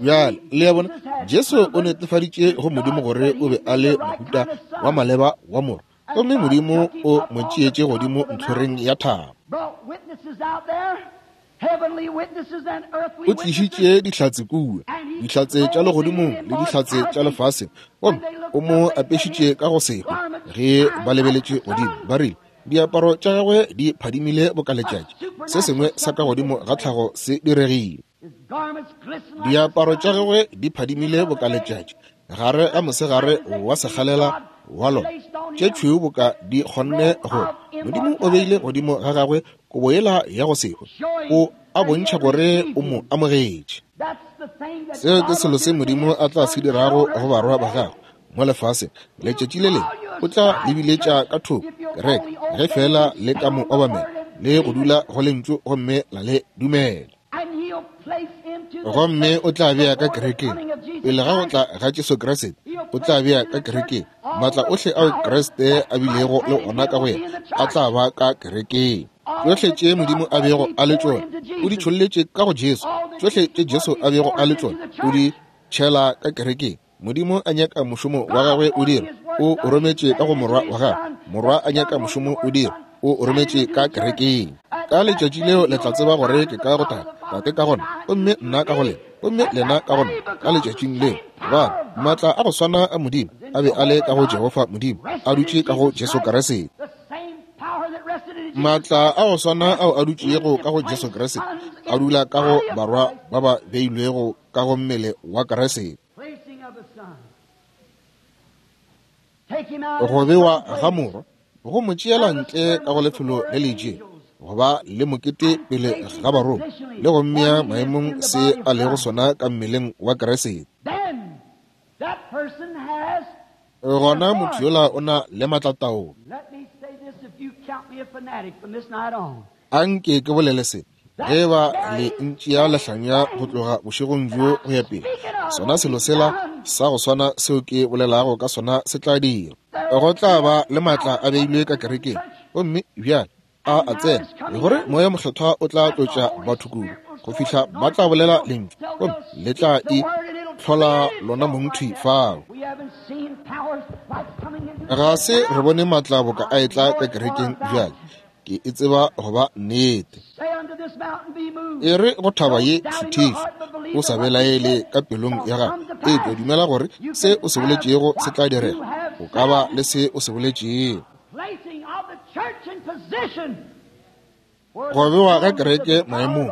[SPEAKER 1] Bjale le a bona, Jesu o netefaditše go Modimo gore o be a le mohuta wa maleba wa morwa, gomme Modimo o mo tšeetše godimo ntlhoreng ya thaba. O tlišitše dihlatse kua, dihlatse tša legodimong le dihlatse tša lefaseng, gomme o mo apešitše ka go sehwe. Ge ba lebeletše godimo, ba rile diaparo tša gagwe di phadimile boka letšatši. Se sengwe sa ka godimo ga tlhago se diregile. Diaparo tša gagwe di phadimile boka letšatši gare ga mosegare wa sekgalela wa lona, tše tšhweu boka di kgonne go. Modimo o beile godimo ga gagwe kobo yela ya go sehwe, o a bontšha gore o mo amogetše. Seo ke selo se Modimo a tla se dirago go barwa ba gagwe mo lefaseng letšatši le lengwe. O tla lebiletša ka thoko kereke ge fela le ka mo obamela le go dula go lentšu gomme la le dumela. Gomme o tla bea ka kerekeng pele ga go tla ga Jesu Kriste. O tla bea ka kerekeng matla ohle ao Kriste a bilego le ona ka go yena, a tla ba ka kerekeng. Tšohle tše Modimo a bego a le tšona o di tšholletše ka go Jesu. Tšohle tše Jesu a bego a le tšona o di tšhela ka kerekeng. Modimo a nyaka mošomo wa gagwe o dira, o o rometše ka go morwa wa gagwe. Morwa a nyaka mošomo o dira, o o rometše ka kerekeng. Ka letšatši leo le tla tseba gore ke ka go Tate, Tate ka gona, gomme nna ka go lena, gomme lena ka gona. Ka letšatšing leo, gobane maatla a go swana a Modimo a be a le ka go Jehofa Modimo, a dutše ka go Jesu Kriste. Maatla a go swana ao a dutšego ka go Jesu Kriste a dula ka go barwa ba ba beilwego ka go mmele wa Kriste. Go bewa ga morwa go mo tšeela ntle ka go lefelo le le itšego, go ba le mokete pele ga barongwa, le go mmea maemong se a lego sona ka mmeleng wa Kriste. Gona motho yola o na le matlataolo. Anke ke bolele se, Ge ba le ntšea lehlanya go tloga bošegong bjo go ya pele, sona selo sela sa go swana seo ke bolelago ka sona se tla dira. Go tla ba le maatla a beilwe ka kerekeng, gomme bjale a a tsena, gore Moya Mokgethwa o tla tlotša batho kudu go fihla ba tla bolela lentšu, gomme le tla e hlola lona mong thwi fao. Ga se re bone maatla boka a etla ka kerekeng bjale. Ke e tseba go ba nnete. E re go thaba ye šuthišwe, o sa belaele ka pelong ya gago, eupša dumela gore se o se boletšego se tla direga. O ka ba le se o se boletšego. Go bewa ga kereke maemong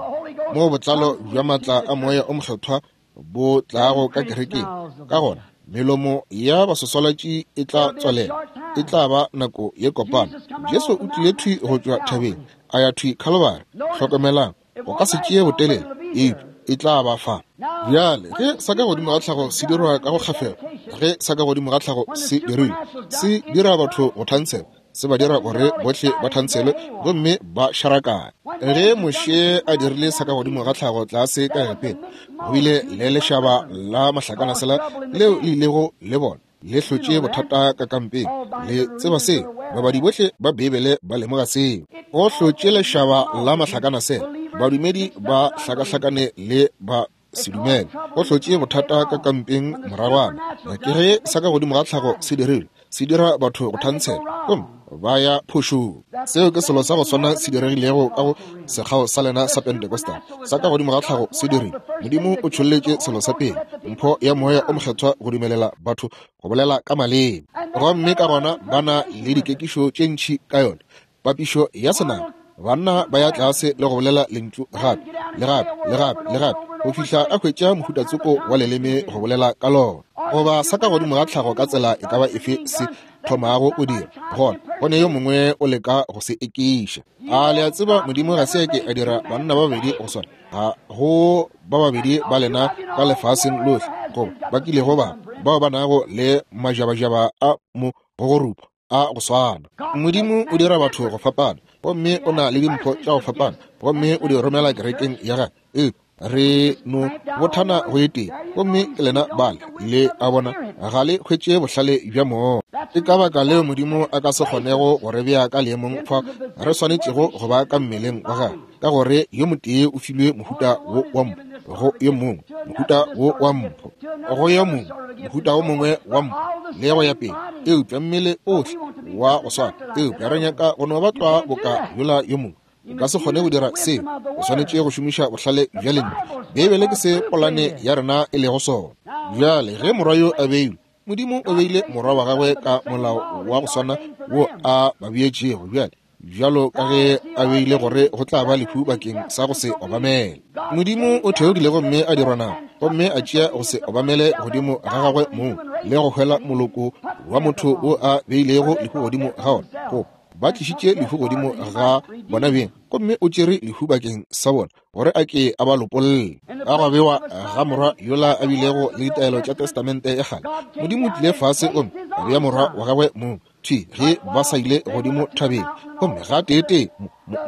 [SPEAKER 1] moo botlalo bja maatla a Moya o Mokgethwa bo tlago ka kerekeng, ka gona melomo ya baswaswalatši e tla tswalela. E tla ba nako ye kopana. Jesu o tlile thwi go tšwa thabeng a ya thwi Calvary. Hlokomelang, go ka se tšee botelele, eupša e tla ba fa. Bjale ge sa ka godimo ga tlhago se dirwa ka go kgafela, ge sa ka godimo ga tlhago se dirilwe, se dira batho go thantshelwa, se ba dira gore bohle ba thantshelwe gomme ba šarakane. Ge Moshe a dirile sa ka godimo ga tlhago tlase ka Egepeta, go bile le lešaba la mahlakanasela leo le ilego le bona le hlotše bothata ka kampeng. Le tseba seo, babadi bohle ba Beibele ba lemoga seo. Go hlotše lešaba la mahlakanasela, badumedi ba hlakahlakane le ba sedumele. Go hlotše bothata ka kampeng moragwana. Ke ge sa ka godimo ga tlhago se dirilwe, se dira batho go thantshelwa gomme ba ya phošong. Seo ke selo sa go swana se diregilego ka go sekgao sa lena sa Pentecostal. Sa ka godimo ga tlhago se dirile. Modimo o tšholletše selo sa pele, mpho ya Moya o Mokgethwa, go dumelela batho go bolela ka maleme, gomme ka gona ba na le dikekišo tše ntši ka yona. Papišo ya senama, banna ba ya tlase le go bolela lentšu gape le gape le gape le gape go fihla a hwetša mohutatsoko wa leleme go bolela ka lona. Goba sa ka godimo ga tlhago ka tsela e ka ba efe se thomago o dira, gona go ne yo mongwe o leka go se ekiša. A le a tseba Modimo ga se ke a dira banna ba babedi go swana? Ga go ba babedi ba lena ka lefaseng lohle goba ba kilego ba bao ba nago le majabajaba a mo gogorupa a go swana. Modimo o dira batho go fapana, gomme o na le dimpho tša go fapana, gomme o di romela kerekeng ya gagwe. Eupša re no bothana go e tee, gomme ke lena bale le a bona ga le hwetše bohlale bja moya. Ke ka baka leo Modimo a ka se kgonego go re bea ka leemong fa re swanetšego go ba ka mmeleng wa gagwe, ka gore yo motee o filwe mohuta wo wa mpho, go yo mongwe mohuta wo wa mpho, go yo mongwe mohuta wo mongwe wa mpho, le go ya pele. Eupša mmele ohle wa go swana, eupša re nyaka go no ba tlwa boka yola yo mongwe. O ka se kgone go dira seo, o swanetše go šomiša bohlale bja lentšu. Beibele ke se polane ya rena e lego sona. Bjale ge morwa yo a beilwe, Modimo o beile morwa wa gagwe ka molao wa go swana wo a ba beetšego bjale, bjalo ka ge a beile gore go tla ba lehu bakeng sa go se obamele. Modimo o theogile gomme a dirwa nama, gomme a tšea go se obamele godimo ga gagwe mong, le go hwela moloko wa motho wo a beilego lehu godimo ga ona. Go ba tlišitše lehu godimo ga bona beng, gomme o tšere lehu bakeng sa bona gore a ke a ba lopolle. Ka go bewa ga morwa yola a bilego le ditaelo tša Testamente ya kgale, Modimo o tlile fase gomme a bea morwa wa gagwe mong thwi ge ba sa ile godimo thabeng, gomme gateetee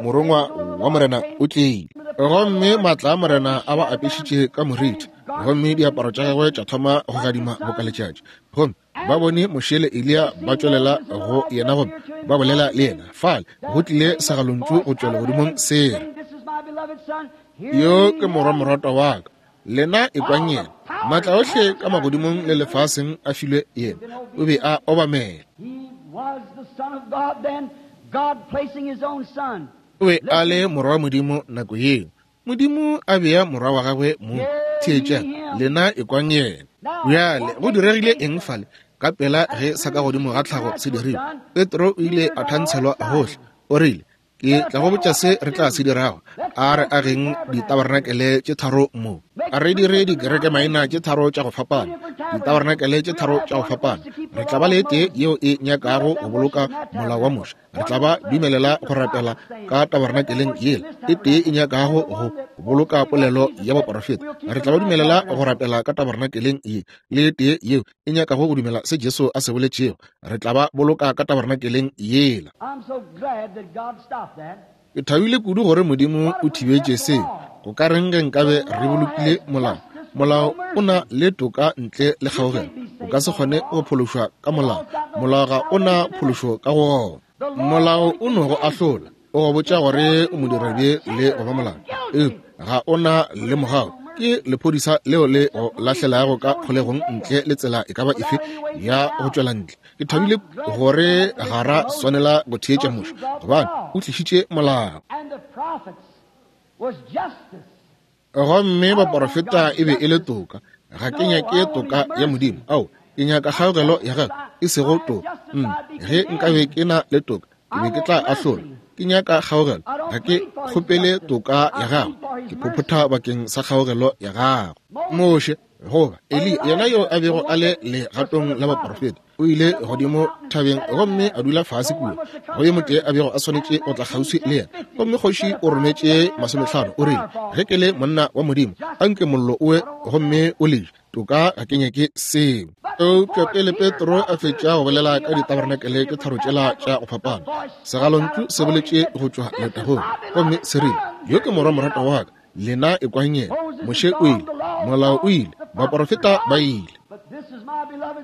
[SPEAKER 1] morongwa wa Morena o tlile, gomme maatla a Morena a ba apešitše ka moriti, gomme diaparo tša gagwe tša thoma go gadima boka letšatši. Gomme ba bone Moshe le Eliya ba tšwelela go yena gomme ba bolela le yena. Fale go tlile segalontšu go tšwa legodimong se re, Yo ke morwa moratwa wa ka, lena ekwang yena. Maatla ohle ka magodimong le lefaseng a filwe yena. O be a obamela. O be a le morwa wa Modimo nako yeo. Modimo a bea morwa wa gagwe mong. Theetšang, lena ekwang yena. Bjale go diregile eng fale? Ka pela ge sa ka godimo ga tlhago se dirilwe, Petro o ile a thantshelwa gohle. O rile, ke tla go botša se re tla se dirago. A re ageng ditabarenakele tše tharo mo, a re dire dikereke maina tše tharo tša go fapana, ditabarenakele tše tharo tša go fapana. Re tla ba le tee yeo e nyakago go boloka molao wa Moshe, re tla ba dumelela go rapela ka tabarenakeleng yela. E tee e nyakago go boloka polelo ya baporofeta, re tla ba dumelela go rapela ka tabarenakeleng ye. Le tee yeo e nyakago go dumela se Jesu a se boletšego, re tla ba boloka ka tabarenakeleng yela.
[SPEAKER 2] I'm so glad that God stopped that.
[SPEAKER 1] Ke thabile kudu gore Modimo o thibetše seo. Go ka reng ge nkabe re bolokile molao? Molao o na le toka ntle le kgaogelo. O ka se kgone go phološwa ka molao. Molao ga o na phološo ka go ona. Molao o no go ahlola, o go botša gore o modirabje le go ba molao, eupša ga o na le mogau. Ke lephodisa leo le go lahlelago ka kgolegong ntle le tsela e ka ba efe ya go tšwela ntle. Ke thabile gore ga ra swanela go theetša Moshe, gobane o tlišitše molao. Gomme baporofeta e be e le toka. Ga ke nyake toka ya Modimo. Ao, ke nyaka kgaogelo ya gagwe, e sego toka. Mm, ge nkabe ke na le toka, ke be ke tla ahlola. Ke nyaka kgaogelo, ga ke kgopele toka ya gagwe. Ke phophotha bakeng sa kgaogelo ya gagwe. Moshe goba Eli, yena yo a bego a le legatong la baporofeta, o ile godimo thabeng gomme a dula fase kua. Go yo motee a bego a swanetše go tla kgauswi le yena. Gomme kgoši o rometše masomehlano, o rile, ge ke le monna wa Modimo, anke mollo o we gomme o le je. Toka ga ke nyake seo. Eupša pele Petro a fetša go bolela ka ditabarenakele tše tharo tšela tša go fapana, segalontšu se boletše go tšwa letagong gomme se rile, yo ke morwa moratwa wa ka, lena ekwang yena. Moshe o ile, molao o ile, baporofeta ba ile,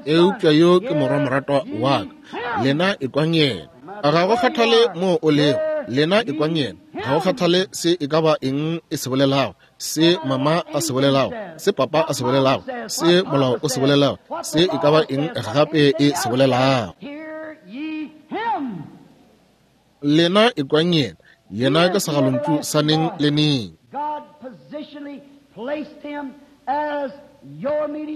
[SPEAKER 1] eupša yo ke morwa moratwa wa ka, lena ekwang yena. Ga go kgathale moo o lego, lena ekwang yena. Ga go kgathale se e ka ba eng e se bolelago, se mama a se bolelago, se papa a se bolelago, se molao o se bolelago, se e ka ba eng gape e se bolelago. Lena ekwang yena. Yena ke segalontšu sa neng le neng.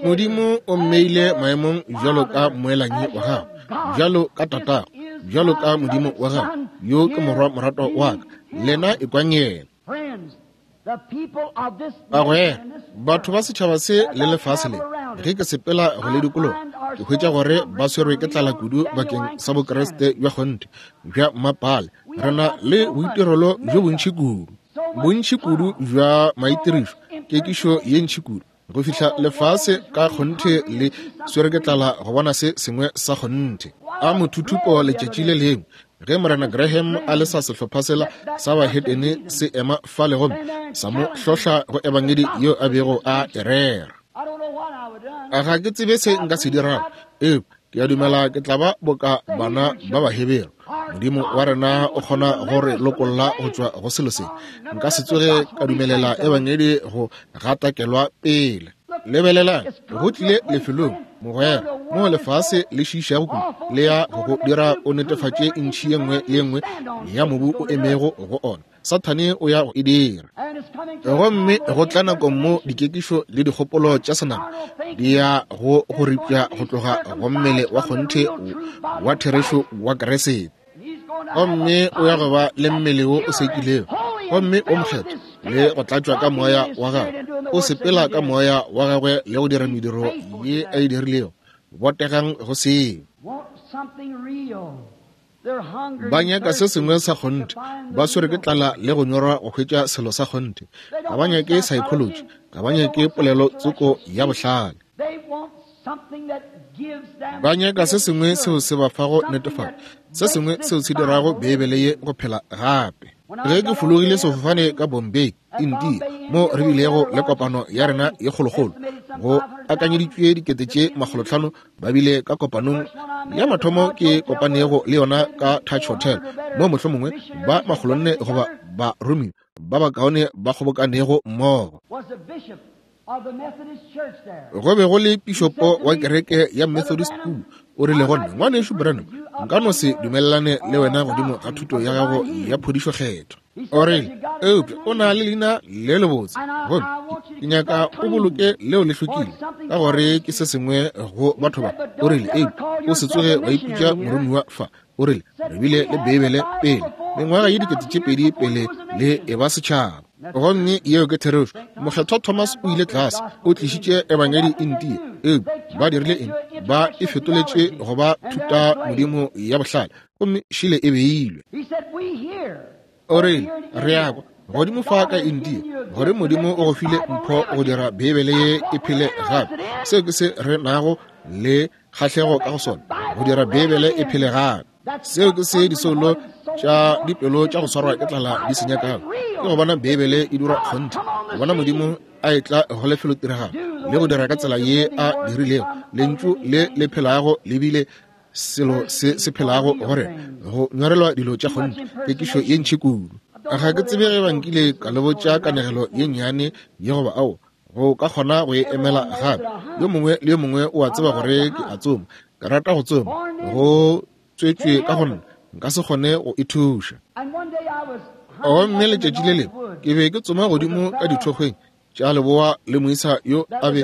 [SPEAKER 1] Modimo o mmeile maemong bjalo ka mmoelanyi wa gago, bjalo ka tatago, bjalo ka Modimo wa gago. Yo ke morwa moratwa wa ka, lena ekwang yena. Bagwera, batho ba setšhaba se le lefase le, ge ke sepela go le dikologa, ke hwetša gore ba swerwe ke tlala kudu bakeng sa Bokreste bja kgonthe bja mmapale. Re na le boitirelo bjo bontši kudu, bontši kudu bja maitirišo, kekišo ye ntši kudu, go fihla lefase ka kgonthe le swere ke tlala go bona se sengwe sa kgonthe. A mothuthupo letšatši le lengwe ge Morena Graham a le sa sehlopha sela sa bahetene se ema fale gomme sa mo hlohla go ebangedi yeo a bego a e rera. Ga ke tsebe se nka se dirago, eupša ke a dumela ke tla ba boka bana ba Bahebere. Modimo wa rena o kgona go re lokolla go tšwa go selo se. Nka se tsoge ka dumelela ebangedi go gatakelwa pele. Lebelelang, go tlile lefelong, mogwera, moo lefase le šiišago kudu, le ya go go dira o netefatše ntšhi ye nngwe le ye nngwe ya mobu o emego go ona. Sathane o ya go e dira. Gomme go tla nako mo dikekišo le dikgopolo tša senama di ya go go ripša go tloga go mmele wa kgonthe wa therešo wa Kriste. Gomme o ya go ba le mmele wo o sekilego gomme o mokgethwa le go tlatšwa ka moya wa gagwe. O sepela ka moya wa gagwe le go dira mediro ye a e dirilego. Botegang go seo. Ba nyaka se sengwe sa kgonthe, ba swere ke tlala le go nyorwa go hwetša selo sa kgonthe. Ga ba nyake psychology, ga ba nyake polelo tsoko ya bohlale. Ba nyaka se sengwe seo se ba fago netefatšo, se sengwe seo se dirago Beibele ye go phela gape. Ge ke fologile sefofane ka Bombay, India, mo re bilego le kopano ya rena ye kgolokgolo, go akanyeditšwe dikete tše makgolotlhano ba bile ka kopanong ya mathomo ke kopanego le yona ka Touch Hotel, mo mohlomongwe ba makgolonne goba baromiwa ba bakaone ba kgobokanego mmogo. Go be go le pišopo wa kereke ya Methodist kua, o rile go nna, ngwanešu Branham, nka no se dumelelane le wena godimo ga thuto ya gago ya phodišo kgethwa. O rile, eupša o na le leina le lebotse, gomme ke nyaka o boloke leo le hlwekile, ka gore ke se sengwe go batho ba. O rile, eupša o se tsoge wa ipitša moromiwa fa. O rile, re bile le Beibele pele, mengwaga ye dikete tše pedi pele le e ba setšhaba. Gomme yeo ke therešo. Mokgethwa Thomas o ile tlase, o tlišitše ebangedi India. Eupša ba dirile eng? Ba e fetoletše go ba thuta modimo ya bohlale, gomme šile e beilwe. O rile, re a kwa godimo fa ka India gore Modimo o go file mpho go dira Beibele ye e phele gape. Seo ke se re nago le kgahlego ka go sona, go dira Beibele e phele gape. Seo ke se disoulo tša dipelo tša go swarwa ke tlala di se nyakago, ke go bona Beibele e dira kgonthe, go bona Modimo a etla go lefelotiragalo le go dira ka tsela ye a dirilego, lentšu le le phelago le bile selo se se phelago gore go nyorelwa dilo tša kgonthe, kekišo ye ntši kudu. Ga ke tsebe ge ba nkile ka le botša kanegelo ye nnyane ye goba ao, go ka kgona go e emela gape. Yo mongwe le yo mongwe o a tseba gore ke a tsoma, ke rata go tsoma, go tswetšwe ka go nna, nka se kgone go e thuša. Gomme letšatši le lengwe ke be ke tsoma godimo ka dithokgweng tša leboa le moisa yo a be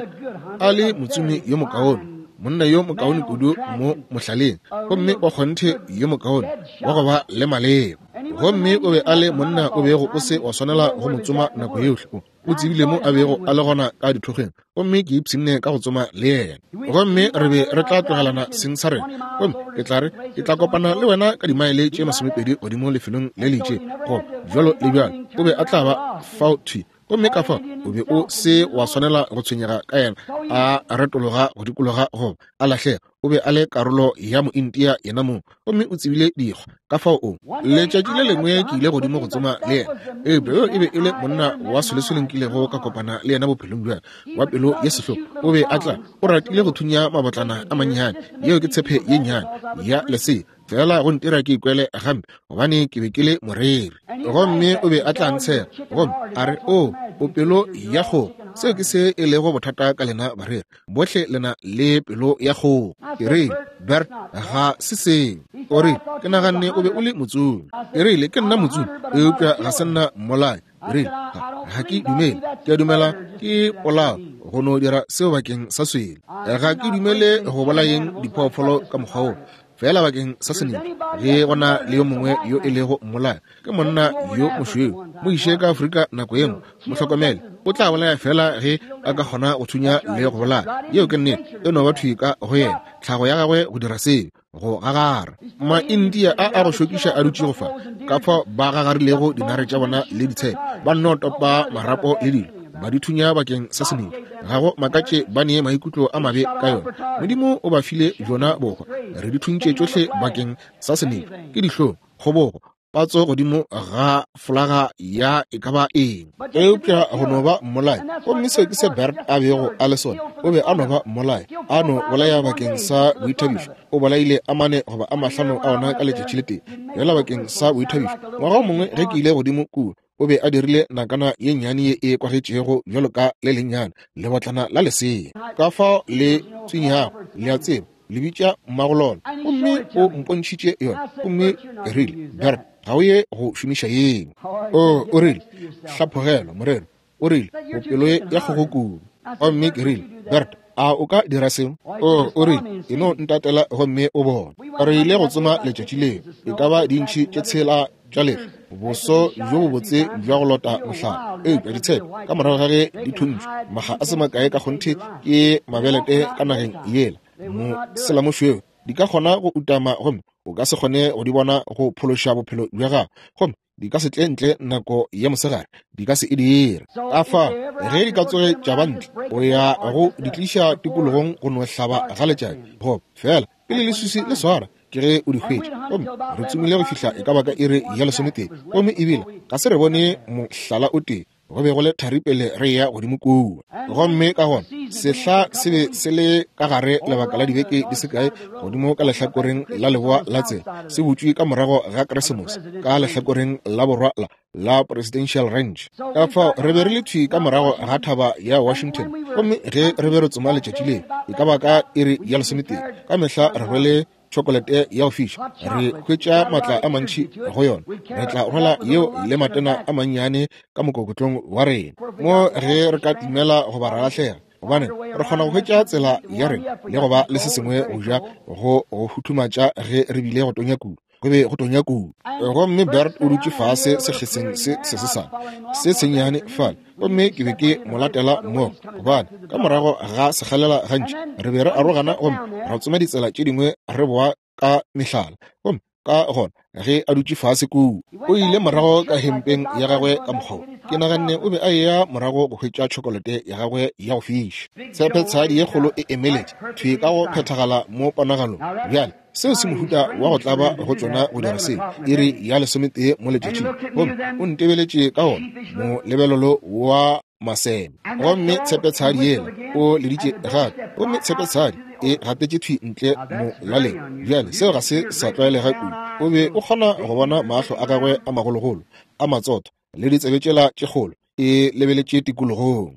[SPEAKER 1] a le motsomi yo mokaone, monna yo mokaone kudu mo mohlaleng, gomme wa kgonthe yo mokaone wa go ba le maleba. Gomme o be a le monna o bego o se wa swanela go mo tsoma nako yohle, o tsebile mo a bego a le gona ka dithokgweng, gomme ke ipshinne ka go tsoma le yena. Gomme re be re tla tlogelana seng sa rena, gomme ke tla re ke tla kopana le wena ka dimaele tše masomepedi godimo lefelong le le itšego, go bjalo le bjalo. O be a tla ba fao thwi, gomme ka fao o be o se wa swanela go tshwenyega ka yena a retologa go dikologa goba a lahlega. O be a le karolo ya mointia yena mong, gomme o tsebile dikgwa. Ka fao o letšatši le lengwe ke ile godimo go tsoma le yena, eupša yo e be e le monna wa solesole nkilego ka kopana le yena bophelong bja wa pelo ye sehlogo. O be a tla o ratile go thunya mabotlana a mannyane, yeo ke tshepe ye nnyane ya lesea, fela go ntira ke ikwele gampe gobane ke be ke le moreri. Gomme o be a tla ntshega gomme a re, o o pelo ya kgogo. Seo ke se e lego bothata ka lena bareri bohle, lena le pelo ya kgogo. Ke rile, Bert, ga se seo. O rile, ke naganne o be o le motsomi. Ke rile, ke nna motsomi, eupša ga se nna mmolai. Ke rile, ga ke dumele, ke a dumela ke polao go no dira seo bakeng sa swele. Ga ke dumele go bolayeng diphoofolo ka mokgwa wo, fela bakeng sa senepša. Ge go na le yo mongwe yo e lego mmolai, ke monna yo mošweu, mo iše ka Afrika nako ye nngwe, mo hlokomele, o tla bolaya fela ge a ka kgona go thunya le go bolaya. Yeo ke nnete, e no ba thwi ka go yena, tlhago ya gagwe go dira seo, go gagara. Maindia a a go šokiša a dutšego fa, ka fao ba gagarilego dinare tša bona le ditshepe, ba nno topa marapo le dilo, ba di thunya bakeng sa senepša. Ga go makatše ba nee maikutlo a mabe ka yona. Modimo o ba file bjona bohwa, re di thuntše tšohle bakeng sa senepša. Ke dihlong, kgobogo, patso godimo ga folaga ya e ka ba eng, eupša go no ba mmolai. Gomme seo ke se Bert a bego a le sona, o be a no ba mmolai, a no bolaya bakeng sa boithabišo. O bolaile a mane goba a mahlano a ona ka letšatši le tee, fela bakeng sa boithabišo. Ngwaga o mongwe ge ke ile godimo kua, o be a dirile nakana ye nnyane ye e kwagetšego bjalo ka le lennyane lebotlana la lesea, ka fao le tswinyago, le a tseba, le bitša mmagolona. Gomme o mpontšhitše yona, gomme ke rile, Bert, ga o ye go šomiša yeo. O o rile, hlaphogelwa morero. O rile, o pelo ya kgogo kudu. Gomme ke rile, Bert, a o ka dira seo? O o rile, e no ntatela gomme o bone. Re ile go tsoma letšatši leo, e ka ba dintšhi tše tshela tša lehlwa, boso bjo bobotse bja go lota mohlala, eupša ditshepe ka morago ga ge di thuntšwe maga a se makae ka kgonthe ke mabelete ka nageng yela moselamošweu, di ka kgona go utama gomme o ka se kgone go di bona go phološa bophelo bja gago, gomme di ka se tle ntle nako ya mosegare, di ka se e dire. Ka fao ge di ka tsoge tša ba ntle, o ya go di tliša tikologong go no hlaba ga letšatši, goba fela pele leswiswi le swara ke ge o di hwetša. Gomme re tsomile go fihla e ka ba ka iri ya lesometee, gomme ebile ga se re bone mohlala o tee. Go be go le thari pele re ya godimo kua. Gomme ka gona sehla se be se le ka gare lebaka la dibeke di se kae godimo ka lehlakoreng la leboa la tsela, se butšwe ka morago ga Keresemose ka lehlakoreng la borwa la la Presidential Ranch. Ka fao re be re le thwi ka morago ga thaba ya Washington, gomme ge re be re tsoma letšatši leo e ka ba ka iri ya lesometee, ka mehla re rwele tšhokolete ya go fiša, re hwetša maatla a mantši go yona, re tla rwala yeo le matena a mannyane ka mokokotlong wa rena mo ge re ka timela goba ra lahlega, gobane re kgona go hwetša tsela ya rena le go ba le se sengwe go ja go go futhumatša ge re bile go tonya kudu. Go be go tonya kudu. Gomme Bert o dutše fase sekgeseng se se sesane se sennyane fale, gomme ke be ke mo latela mmogo, gobane ka morago ga sekgalela gantši re be re arogana gomme ra tsoma ditsela tše dingwe re boa ka mehlala. Gomme Ka gona ge a dutše fase kua, o ile morago ka hempeng ya gagwe ka mokgwa. Ke naganne o be a eya morago go hwetša tšhokolete ya gagwe ya go fiša. Tshepetshadi ye kgolo e emeletše thwi ka go phethagala mo ponagalong. Bjale seo se mohuta wa go tlaba go tšona go dira seo iri ya lesometee mo letšatšing. Gomme o ntebeletše ka wona molebelelo wa maseme. Gomme tshepetshadi yela o leditše gape, gomme tshepetshadi e gatetše thwi ntle molaleng. Bjale seo ga se sa tlwaelega kudu. O be o kgona go bona mahlo a gagwe a magologolo a matsotho le ditsebe tšela tše kgolo e lebeletše tikologong.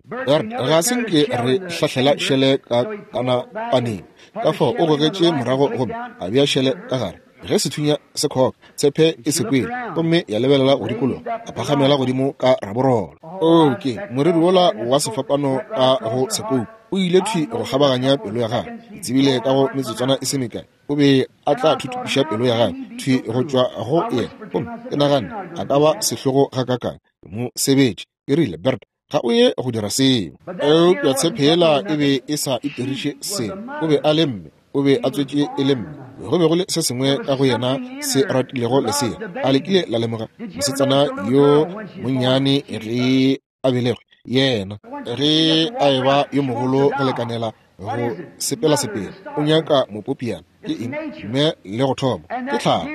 [SPEAKER 1] Ga se nke re hlahlela šele ka kanapaneng. Ka fao o gogetše morago gomme a bea šele ka gare. Ge sethunya se khoka, tshepe e se kwele gomme ya lebelela go dikologa, a phagamela godimo ka raborolo. O ke moriri wola wa sefapano ka go sekoupu o ile thwi go kgabaganya pelo ya gagwe. Ke tsebile ka go metsotswana e se mekae o be a tla thuthupiša pelo ya gagwe thwi go tšwa go yena. Gomme ke naganne a ka ba sehlogo gakakang. Ke mo sebetše. Ke rile, Bert, ga o ye go dira seo. Eupša tshephela e be e sa itiriše selo. O be a le mme, o be a tswetše e le mme. Go be go le se sengwe ka go yena se ratilego lesea. A le kile la lemoga mosetsana yo monnyane ge a belegwe? Yena ge a eba yo mogolo go lekanela go sepela sepela, o nyaka mopopiana. Ke eng? Mme le go thoma ke tlhago.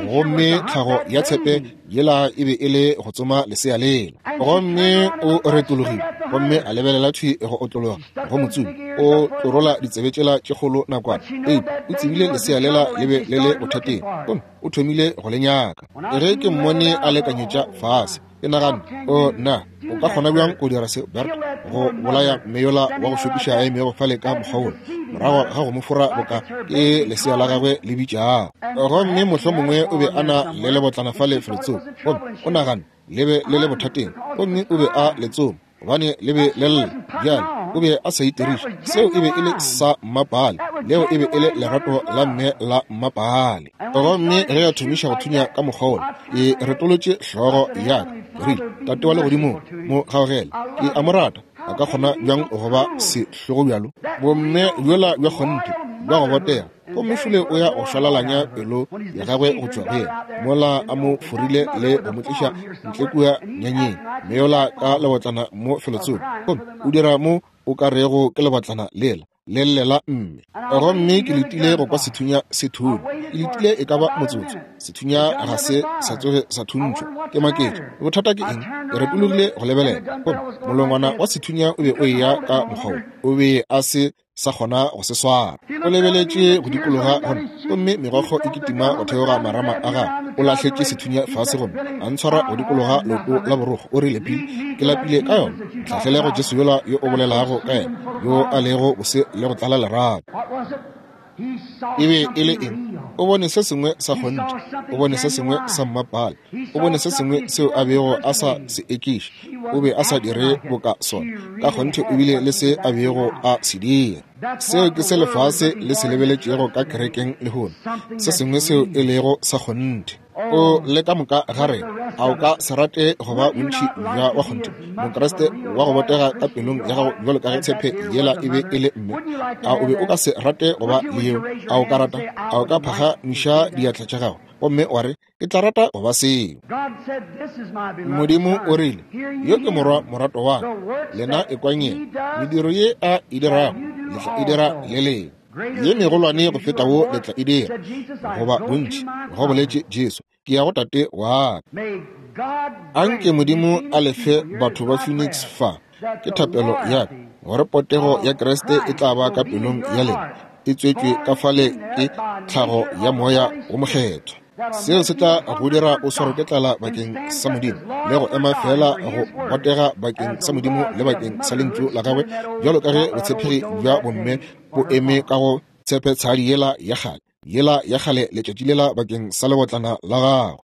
[SPEAKER 1] Gomme tlhago ya tshepe yela e be e le go tsoma lesea lela. Gomme o retologile gomme a lebelela thwi go otlologa go motsomi. O tlorola ditsebe tšela tše kgolo nakwana, eupša o tsebile lesea lela le be le le bothateng, gomme o thomile go le nyaka. Ge ke mmone a lekanyetša fase, ke naganne, o nna o ka kgona bjang go dira se, Bert, go bolaya mme yola wa go šokiša a emego fale ka mokgwa wola morago ga go mo fora boka ke lesea la gagwe le bitšago. Gomme mohlomongwe o be a na le lebotlana fale felotsoko, gomme o naganne le be le le bothateng, gomme o be a le tsoma gobane le be le lla. Bjale o be a sa itiriše. Seo e be e le sa mmapale. Leo e be e le lerato la mme la mmapale. Gomme ge a thomiša go thunya ka mokgwa wola, ke retolotše hlogo ya ka. Ke rile, Tate wa legodimong, mo gaogele. Ke a mo rata. A ka kgona bjang go ba sehlogo bjalo? Bomme bjola bja kgonthe bja go botega. Gomme šole o ya go šwalalanya pelo ya gagwe go tšwa go yena mola a mo forile le go mo tliša ntle kua nyanyeng, mme yola ka lebotlana mo felotsoko. Gomme o dira mo o ka rego ke lebotlana lela le llela mme. Gomme ke letile go kwa sethunya se thunya. Ke letile e ka ba motsotso. Sethunya ga se sa tsoge sa thuntšhwa. Ke maketše, bothata ke eng? Ke retologile go lebelela, gomme molongwana wa sethunya o be o eya ka mokgwa wo. O be a se sa kgona go se swara. O lebeletše go dikologa gomme gomme megokgo e kitima go theoga marama a gagwe. O lahletše sethunya fase gomme a ntshwara go dikologa leoto la borokgo. O rile, Bill, ke lapile ka yona. Ntlhahlele go Jesu yola yo o bolelago ka yena, yo a lego bose le go tlala lerato. E be e le eng? O bone se sengwe sa kgonthe. O bone se sengwe sa mmapale. O bone se sengwe seo a bego a sa se ekiše. O be a sa dire boka sona. Ka kgonthe o bile le se a bego a se dira. Seo ke se lefase le se lebeletšego ka kerekeng lehono, se sengwe seo e lego sa kgonthe. O le ka moka ga rena, a o ka se rate go ba bontši bja wa kgonthe, Mokriste wa go botega ka pelong ya gago bjalo ka ge tshepe yela e be e le mme? A o be o ka se rate go ba le yeo? A o ka rata? A o ka phagamiša diatla tša gago gomme wa re, ke tla rata go ba seo? Modimo o rile, yo ke morwa morato wa ka, lena ekwang yena. Mediro ye a e dirago le tla e dira le lena, ye megolwane go feta wo le tla e dira, goba bontši, go boletše Jesu, ke ya go Tate wa ka. Anke Modimo a lefe batho ba Phoenix fa. Ke thapelo ya ka gore potego ya Kriste e tla ba ka pelong ya lena, e tswetšwe ka fale ke tlhago ya Moya wo Mokgethwa. Seo se tla go dira o swarwe ke tlala bakeng sa Modimo le go ema fela go botega bakeng sa Modimo le bakeng sa lentšu la gagwe, bjalo ka ge botshepegi bja bomme bo eme ka go tshepetshadi yela ya kgale, yela ya kgale letšatši lela bakeng sa lebotlana la gago.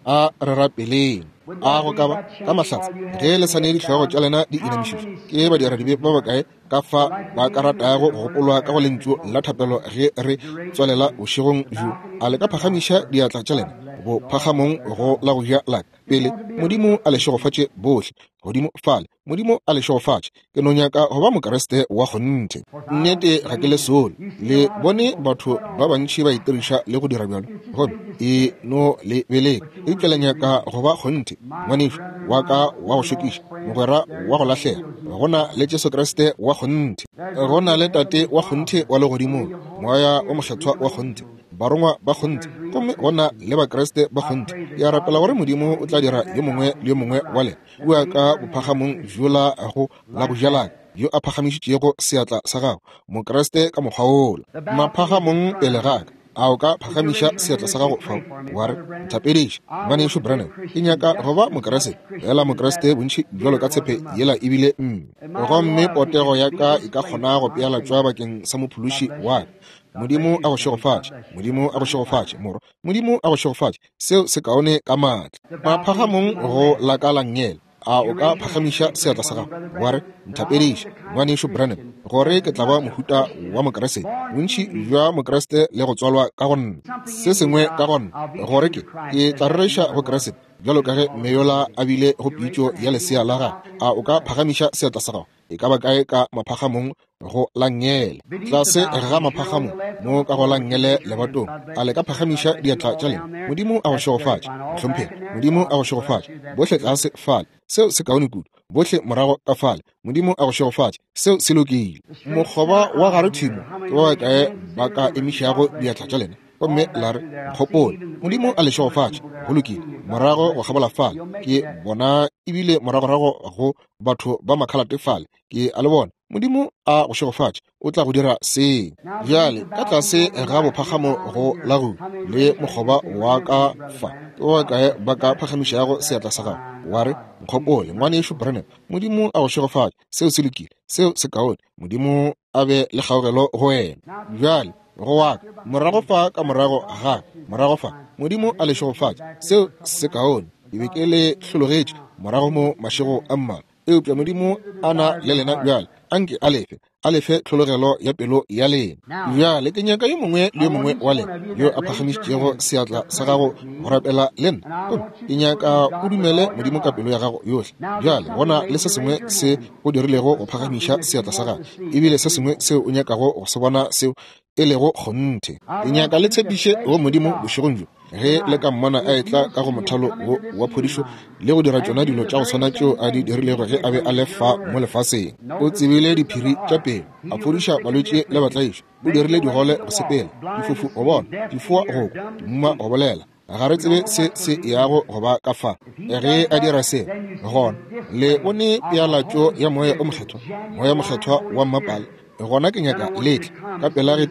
[SPEAKER 1] A re rapeleng. A go ka ba ka mahlatse ge le sa ne dihlogo tša lena di inamišitšwe? Ke badiradibe ba bakae ka fa ba ka ratago go gopolwa ka go lentšu la thapelo ge re tswalela bošegong bjo? A le ka phagamiša diatla tša lena bo phagamong go la go ja la ka pele? Modimo a le šegofatše bohle godimo fale. Modimo a le šegofatše. Ke no nyaka go ba Mokriste wa kgonthe. Nnete ga ke le sole. Le bone batho ba bantši ba itiriša le go dira bjalo, gomme e no le beleka. Eupša le nyaka go ba kgonthe, ngwanešu wa ka wa go šokiša, mogwera wa go lahlega. Go na le Jesu Kriste wa kgonthe, go na le Tate wa kgonthe wa legodimong, Moya o Mokgethwa wa kgonthe, barongwa ba kgonthe, gomme go na le Bakriste ba kgonthe. Ke a rapela gore Modimo o tla dira yo mongwe le yo mongwe wa lena kua ka bophagamong bjola go la go ja la ka, yo a phagamišitšego seatla sa gago, Mokriste ka mokgwa wola maphagamong pele ga ka. A o ka phagamiša seatla sa gago fao wa re, nthapediše, ngwanešu Branham, ke nyaka go ba Mokriste, fela Mokriste bontši bjalo ka tshepe yela ebile mme, gomme potego ya ka e ka kgona go pealatšwa bakeng sa mophološi wa ka. Modimo a go šegofatše. Modimo a go šegofatše, morwa. Modimo a go šegofatše. Seo se kaone ka maatla. Maphagamong go la ka la nngele. A o ka phagamiša seatla sa gago wa re, nthapediše, ngwanešu Branham, gore ke tla ba mohuta wa Mokriste, bontši bja Mokriste le go tswalwa ka go nna, se sengwe ka go nna, gore ke ke tla rereša go Kriste bjalo ka ge meyola a bile go pitšo ya lesea la gagwe. A o ka phagamiša seatla sa gago e ka ba kae ka maphagamong go la nngele, tlase ga maphagamong mo ka go la nngele lebatong? A le ka phagamiša diatla tša lena? Modimo a go šegofatše, mohlomphegi. Modimo a go šegofatše bohle tlase fale. Seo se kaone kudu. Bohle morago ka fale. Modimo a go šegofatše. Seo se lokile. Mokgoba wa gare thimo ke ba bakae ba ka emišago diatla tša lena gomme la re, nkgopole? Modimo a le šegofatše. Go lokile. Morago go kgabola fale ke bona, ebile moragorago go batho ba makhalate fale ke a le bona. Modimo a go šegofatše, o tla go dira seng. Bjale ka tlase ga bophagamo go la go le mokgoba wa ka fa, ke ba bakae ba ka phagamišago seatla sa gago wa re, nkgopole, ngwanešu Branham? Modimo a go šegofatše. Seo se lokile. Seo se kaone. Modimo a be le kgaogelo go wena. Bjale go wa ka morago fa, ka morago ga morago fa, Modimo a le šegofatše. Seo se kaone. Ke be ke le hlologetše morago mo mašego a mmalwa, eupša Modimo a na le lena bjale. Anke a lefe, a lefe tlhologelo ya pelo ya lena. Bjale ke nyaka yo mongwe le yo mongwe wa lena yo a phagamišitšego seatla sa gago go rapela le nna, gomme ke nyaka o dumele Modimo ka pelo ya gago yohle. Bjale gona le se sengwe se o dirilego go phagamiša seatla sa gago, ebile se sengwe seo o nyakago go se bona seo e lego kgonthe. Ke nyaka le tshepiše go Modimo bošegong bjo, ge le ka mmona a etla ka go mothalo wo wa phodišo le go dira tšona dilo tša go swana tšeo a di dirilego ge a be a le fa mo lefaseng. O tsebile diphiri tša pelo, a fodiša balwetši le batlaišwa, o dirile digole go sepela, difofu go bona, difoa go kwa, dimuma go bolela. Ga re tsebe se se yago go ba ka fa. Ge a dira se, gona le bone pealatšo ya Moya o Mokgethwa, Moya Mokgethwa wa mmapale. Gona ke nyaka letle ka pela ge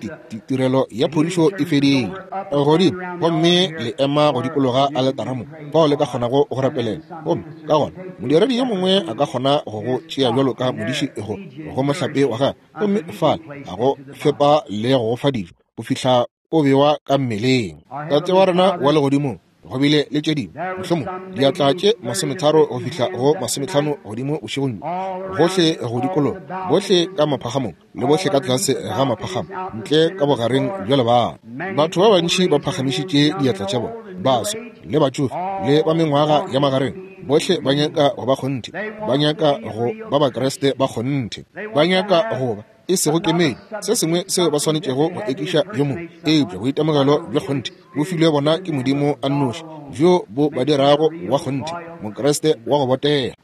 [SPEAKER 1] tirelo ya phodišo e fedile godimo, gomme le ema go dikologa aletara mo fao le ka kgonago go rapelela. Gomme ka gona modiredi yo mongwe a ka kgona go go tšea bjalo ka modiši go go mohlape wa gagwe, gomme fale a go fepa le go go fa dijo go fihla o bewa ka mmeleng. Tate wa rena wa legodimong, go bile le tše dingwe mohlomong diatla tše masometharo go fihla go masometlhano godimo bošegong bjo, gohle go dikologa, bohle ka maphagamong le bohle ka tlase ga maphagamo, ntle ka bogareng bja lebala. Batho ba bantši ba phagamišitše diatla tša bona, baswa le batšofe le ba mengwaga ya magareng, bohle ba nyaka go ba kgonthe, ba nyaka go ba Bakriste ba kgonthe, ba nyaka go ba e sego kemedi, se sengwe seo ba swanetšego go ekiša yo mongwe, eupša boitemogelo bja kgonthe bo filwe bona ke Modimo a nnoši, bjo bo ba dirago wa kgonthe, Mokriste wa go botega.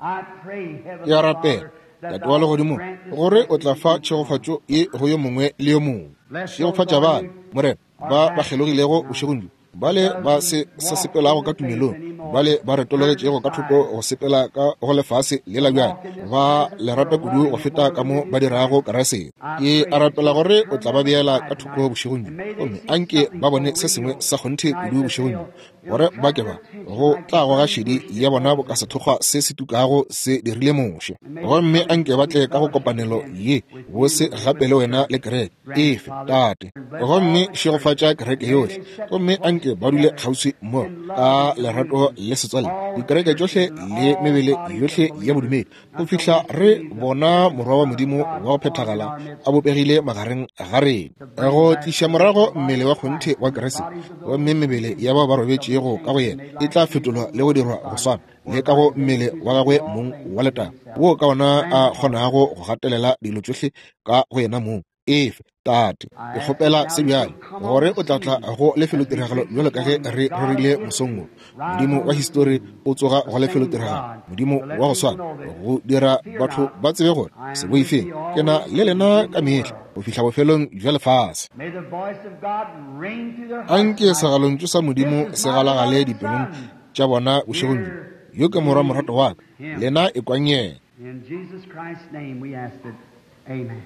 [SPEAKER 1] Ke a rapela, Tate wa legodimong, gore o tla fa tšhegofatšo ye go yo mongwe le yo mongwe. Šegofatša bana, Morena, ba ba kgelogilego bošegong bjo, bale ba se sa sepelago ka tumelong, bale ba retologetšego ka thoko go sepela ka go lefase lela bjale, ba le rata kudu go feta ka mo ba dirago Kriste. Ke a rapela gore o tla ba beela ka thoko bošegong bjo, gomme anke ba bone se sengwe sa kgonthe kudu bošegong bjo, gore ba ke ba go tla goga šedi ya bona boka sethokgwa se se tukago se dirile Moshe. Gomme anke ba tle ka go kopanelo ye bose gape le wena le kereke efe, Tate. Gomme šegofatša kereke yohle, gomme anke ba dule kgauswi mo ka lerato le setswalle, dikereke tšohle le mebele yohle ya bodumedi, go fihla re bona Morwa wa Modimo wa go phethagala a bopegile magareng ga rena, go tliša morago mmele wa kgonthe wa Kriste. Gomme mebele ya bao ba robetšego ka go yena e tla fetolwa le go dirwa go swana le ka go mmele wa gagwe mong wa letago, wo ka ona a kgonago go gatelela dilo tšohle ka go yena mong. Efe, Tate, ke kgopela se bjale gore o tla tla go lefelotiragalo bjalo ka ge re rerile mosong wo. Modimo wa histori o tsoga go lefelotiragalo, Modimo wa go swana, go dira batho ba tsebe gore se boifeng, ke na le lena ka mehla go fihla bofelong bja lefase. Anke segalontšu sa Modimo se galagale dipelong tša bona bošegong bjo. Yo ke Morwa morato wa ka, lena ekwang yena.
[SPEAKER 2] In Jesus Christ's name we ask it. Amen.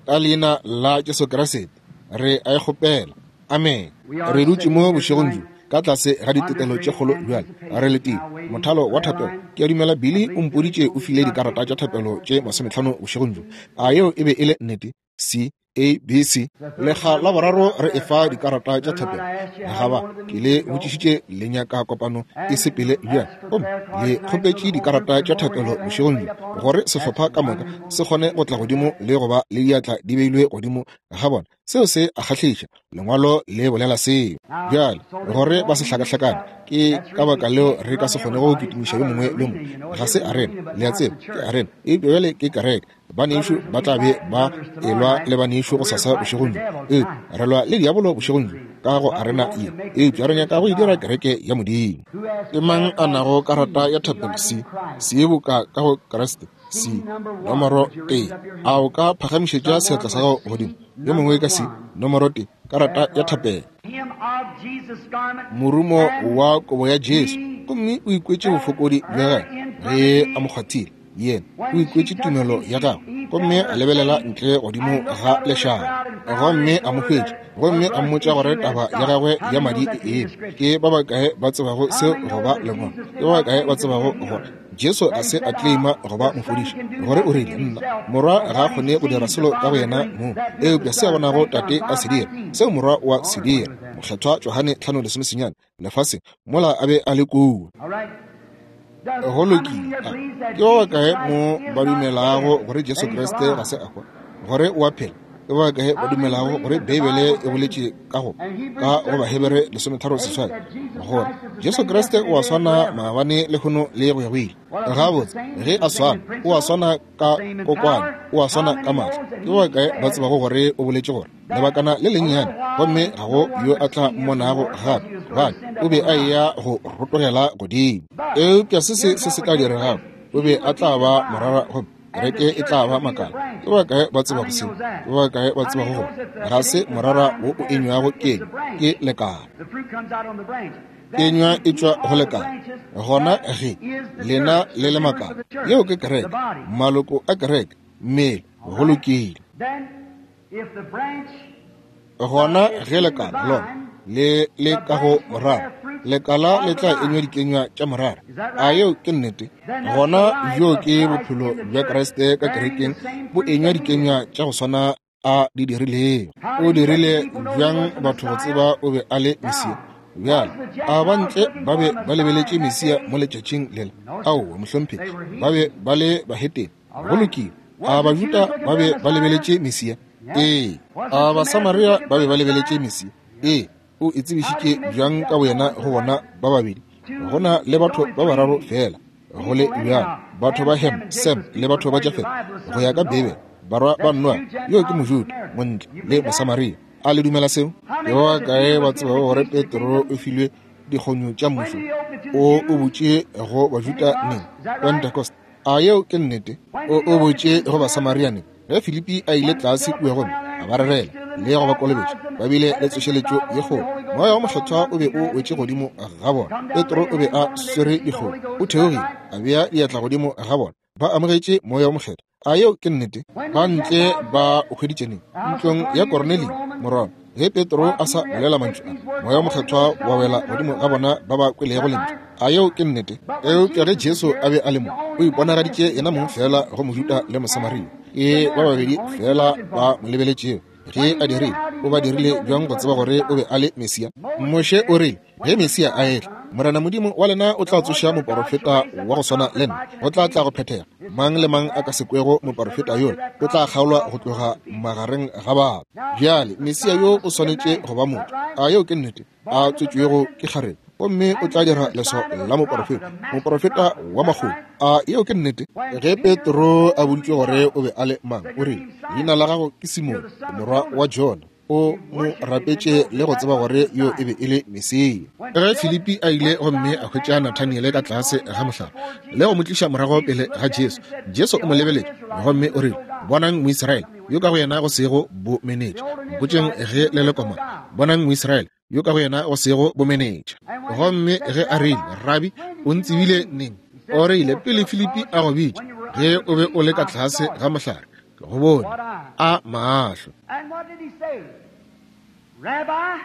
[SPEAKER 1] Ka leina la Jesu Kriste re a e kgopela. Amen. Re dutše mo bošegong bjo ka tlase ga ditetelo tše kgolo bjale re letile mothalo wa thapelo. Ke a dumela Billy o mpoditše o file dikarata tša thapelo tše masometlhano bošegong bjo. A yeo e be e le nnete? C A B C. Lekga la boraro re efa dikarata tša thapelo. Ga ba ke le botšišitše le nyaka kopano e sepele bjang, gomme le kgopetše dikarata tša thapelo bošegong bjo gore sehlopha ka moka se kgone go tla godimo le go ba le diatla di beilwe godimo ga bona. Seo se a kgahliša, lengwalo le bolela seo. Bjale gore ba se hlakahlakane, ke ka baka leo re ka se kgone go kitimiša yo mongwe le yo mongwe. Ga se arena, le a tseba, ke arena, eupša bjale ke kereke. Banešu ba tla be ba elwa le banešu go sasa bošegong bjo, eupša re lwa le diabolo bošegong bjo ka go arena ye, eupša re nyaka go e dira kereke ya Modimo. Ke mang a nago karata ya thapelo C? C boka ka go Kriste. C nomoro tee. A o ka phagamišetša seatla sa gago godimo? Yo mongwe ka C nomoro tee, karata ya thapelo. Morumo wa kobo ya Jesu, gomme o ikwetše bofokodi bja gagwe ge a mo kgwathile. Yena o ikwetše tumelo ya gagwe, gomme a lebelela ntle godimo ga lešaba, gomme a mo hwetša, gomme a mmotša gore taba ya gagwe ya madi e eme. Ke ba bakae ba tsebago seo go ba lengwalo? Ke ba bakae ba tsebago gore Jesu a se a claima go ba mofodiši, gore o rile nna Morwa ga a kgone go dira selo ka go yena mong, eupša se a bonago Tate a se dira, seo Morwa wa se dira. Mokgethwa Johane tlhano lesomesenyane lefaseng mola a be a le kua. Go lokile. Ke ba bakae mo ba dumelago gore Jesu Kriste ga se a hwa, gore o a phela? Ke ba bakae ba dumelago gore Beibele e boletše ka go ka go Bahebere lesometharo seswai gore Jesu Kriste o a swana maabane lehono le go ya go ile? Gabotse, ge a swana, o a swana ka kokwane, o a swana ka maatla. Ke ba bakae ba tsebago gore o boletše gore lebakana le lennyane, gomme ga go yo a tla mmonago gape, gobane o be a eya go rotogela godimo. Eupša se se se se tla diregago, o be a tla ba morara gomme kereke e tla ba makala. Ke ba bakae ba tsebago seo? Ke ba bakae ba tsebago gore ga se morara wo o enywago kenywa, ke lekala. Kenywa e tšwa go lekala. Gona ge lena le le makala, yeo ke kereke, maloko a kereke, mmele, go lokile. Gona ge lekala lona le le ka go morara, lekala le tla enywa dikenywa tša morara. A yeo ke nnete? Gona bjo ke bophelo bja Kriste ka kerekeng bo enywa dikenywa tša go swana a di dirilego. O dirile bjang batho go tseba o be a le Mesia? Bjale a ba ntle ba be ba lebeletše Mesia mo letšatšing lela? Aowa, mohlomphegi, ba be ba le bahetene. Go lokile. A Bajuda ba be ba lebeletše Mesia? Ee. A Basamaria ba be ba lebeletše Mesia? Ee. O e tsebišitše bjang ka boyena go bona ba babedi? Go na le batho ba bararo fela go le bjalo, batho ba Ham, Sem le batho ba Jafet, go ya ka Beibele, barwa ba Noa. Yo ke Mojuda, Montle le Mosamaria. A le dumela seo? Ke ba bakae ba tsebago gore Petro o filwe dikgonyo tša mmušo? O o botše go Bajuda neng? Pentecost. A yeo ke nnete? O o botše go Basamaria neng? Ge Filipi a ile tlase kua gomme a ba rerela le go ba kolobetša, ba bile le tsošeletšo ye kgolo. Moya wa Mokgethwa o be o wetše godimo ga bona. Petro o be a swere dikgomo, o theogile a bea diatla godimo ga bona, ba amogetše Moya wa Mokgethwa. A yeo ke nnete? Ba ntle ba o hweditše neng? Ntlong ya Kornelio, morwa. Ge Petro a sa bolela mantšu a, Moya Mokgethwa wa wela godimo ga bona ba ba kwelego lentšu. A yeo ke nnete? Eupša ge Jesu a be a le mo, o iponagaditše yena mong fela go Mojuda le Mosamaria. Ke ba babedi fela ba mo lebeletšego. Ge a dirile, o ba dirile bjang go tseba gore o be a le Mesia? Moshe o rile, ge Mesia a etla, Morena Modimo wa lena o tla tsoša moporofeta wa go swana le nna. Go tla tla go phethega. Mang le mang a ka se kwego moporofeta yola o tla kgaolwa go tloga magareng ga batho. Bjale Mesia yo o swanetše go ba motho. A yeo ke nnete? A tswetšwego ke kgarebe, gomme o tla dira leswao la moporofeta, moporofeta wa makgolo. A yeo ke nnete? Ge Petro a boditšwe gore o be a le mang, o rile, leina la gago ke Simone, morwa wa Jona. O mo rapetše le go tseba gore yo e be e le Mesia. Ge Filipi a ile gomme a hwetša Nathaniele ka tlase ga mohlare le go mo tliša morago pele ga Jesu, Jesu o mo lebeletše gomme o rile, bonang Moisraele yo ka go yena go sego bomenetša. Mpotšeng ge le le komana. Bonang Moisraele yo ka go yena go sego bomenetša. Gomme ge a rile, Rabi, o ntsebile neng? O rile, pele Filipi a go bitša, ge o be o le ka tlase ga mohlare, ke go bone. A mahlo.
[SPEAKER 2] And what did he say? Rabbi,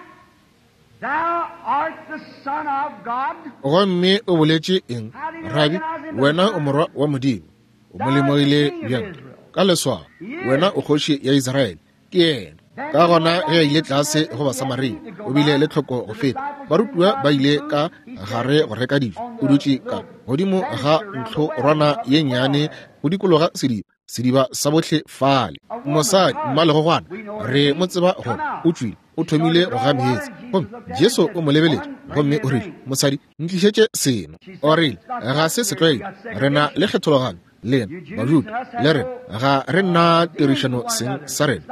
[SPEAKER 2] thou art the Son of God.
[SPEAKER 1] Gomme o boletše eng? Rabi, wena o morwa wa Modimo. O mo lemogile bjang? Ka leswao, wena o kgoši ya Israele. Ke yena. Ka gona ge a ile tlase go Basamaria, o bile le tlhoko go feta. Barutiwa ba ile ka gare go reka dijo. O dutše ka godimo ga ntlhorwana ye nnyane go dikologa sediba, sediba sa bohle fale. Mosadi mmalegogwana, re mo tseba gore o tšwile, o thomile go ga meetse. Gomme Jesu o mo lebeletše gomme o rile, mosadi, ntlišetše seno. O rile, ga se setlwaedi, re na le kgethologanyo lena Bajuda le rena, ga re nna tirišano seng sa rena.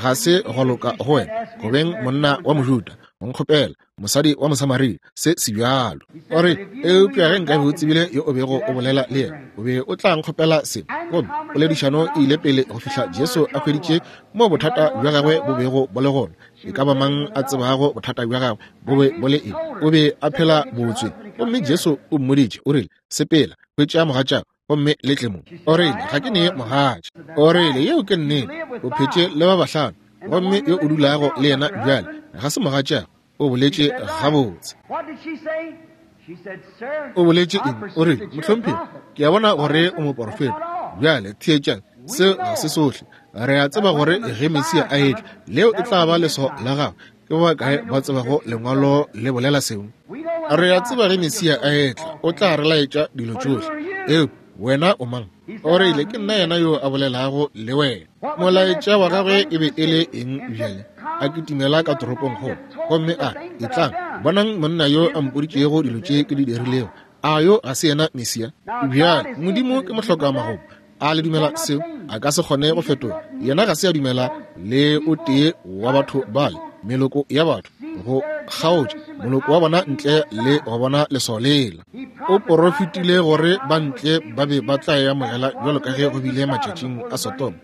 [SPEAKER 1] Ga se go loka go wena go beng monna wa Mojuda go nkgopela mosadi wa Mosamaria se se bjalo. O re, eupša ge nkabe o tsebile yo o bego o bolela le yena, o be o tla nkgopela seno. Gomme poledišano e ile pele go fihla Jesu a hweditše mo bothata bja gagwe bo bego bo le gona. E ka ba mang a tsebago bothata bja gagwe bo be bo le eng? O be a phela botswe. Gomme Jesu o mmoditše, o rile, sepela, hwetša mogatšago, gomme le tle mo. O rile, ga ke ne mogatša. O rile, yeo ke nnete, o phetše le ba bahlano, gomme yo o dulago le yena bjale ga se mogatšago. O boletše gabotse.
[SPEAKER 2] What did she say? She said, Sir,
[SPEAKER 1] O boletše
[SPEAKER 2] I
[SPEAKER 1] eng? O
[SPEAKER 2] perceive
[SPEAKER 1] rile,
[SPEAKER 2] that you're a
[SPEAKER 1] mohlomphegi,
[SPEAKER 2] prophet.
[SPEAKER 1] ke a bona gore o moporofeta. Bjale theetšang, seo ga se sohle. Re a tseba gore ge Mesia a etla, leo e tla ba leswao la gagwe. Ke ba bakae ba tsebago lengwalo le bolela seo?
[SPEAKER 2] We know when
[SPEAKER 1] Re a
[SPEAKER 2] the
[SPEAKER 1] tseba ge
[SPEAKER 2] Messiah
[SPEAKER 1] Mesia a etla, o tla re laetša dilo tšohle. Eupša wena o mang? O rile, ke nna yena yo a bolelago le wena. Molaetša wa gagwe e be e le eng bjale? A kitimela ka toropongkgolo gomme a re, etlang, bonang monna yo a mpoditšego dilo tše ke di dirilego. A yo ga se yena Mesia? Bjale Modimo ke mohlokamagomo. A le dumela seo? A ka se kgone go fetoga. Yena ga se a dumela le o tee wa batho bale, meloko ya batho, go kgaotša moloko wa bona ntle le go bona leswao lela. O porofetile gore ba ntle ba be ba tla e amogela bjalo ka ge go bile matšatšing a Sodoma,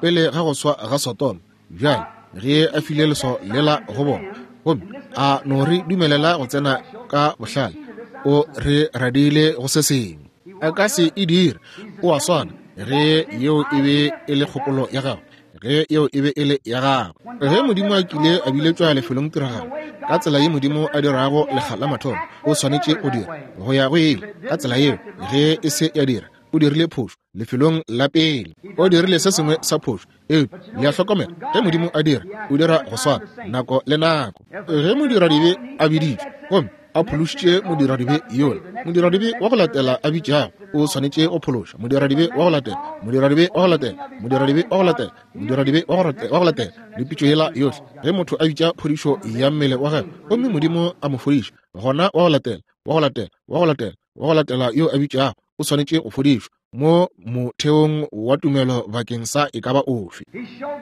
[SPEAKER 1] pele ga go swa ga Sodoma. Bjale ge a file leswao lela go bona, gomme a no re dumelela go tsena ka bohlale, o re radile go se sengwe. A ka se e dire. O a swana ge yeo e be e le kgopolo ya gagwe, ge yeo e be e le ya gagwe. Ge Modimo a kile a biletšwa lefelong tiragalo, ka tsela ye Modimo a dirago lekga la mathomo, o swanetše go dira go ya go ile ka tsela yeo. Ge e se ya dira, o dirile phošo lefelong la pele, o dirile se sengwe sa phošo. Eupša le a hlokomela, ge Modimo a dira, o dira go swana nako le nako. Ge modiradibe a biditšwe gomme a phološitše modiradibe yola, modiradibe wa go latela a bitšago o swanetše go phološa modiradibe wa go latela, modiradibe wa go latela, modiradibe wa go latela, modiradibe wa go latela, le pitšo yela yohle. Ge motho a bitša phodišo ya mmele wa gagwe gomme Modimo a mo fodiša, gona wa go latela, wa go latela, wa go latela, wa go latela yo a bitšago o swanetše go fodišwa mo motheong wa tumelo bakeng sa e ka ba ofe.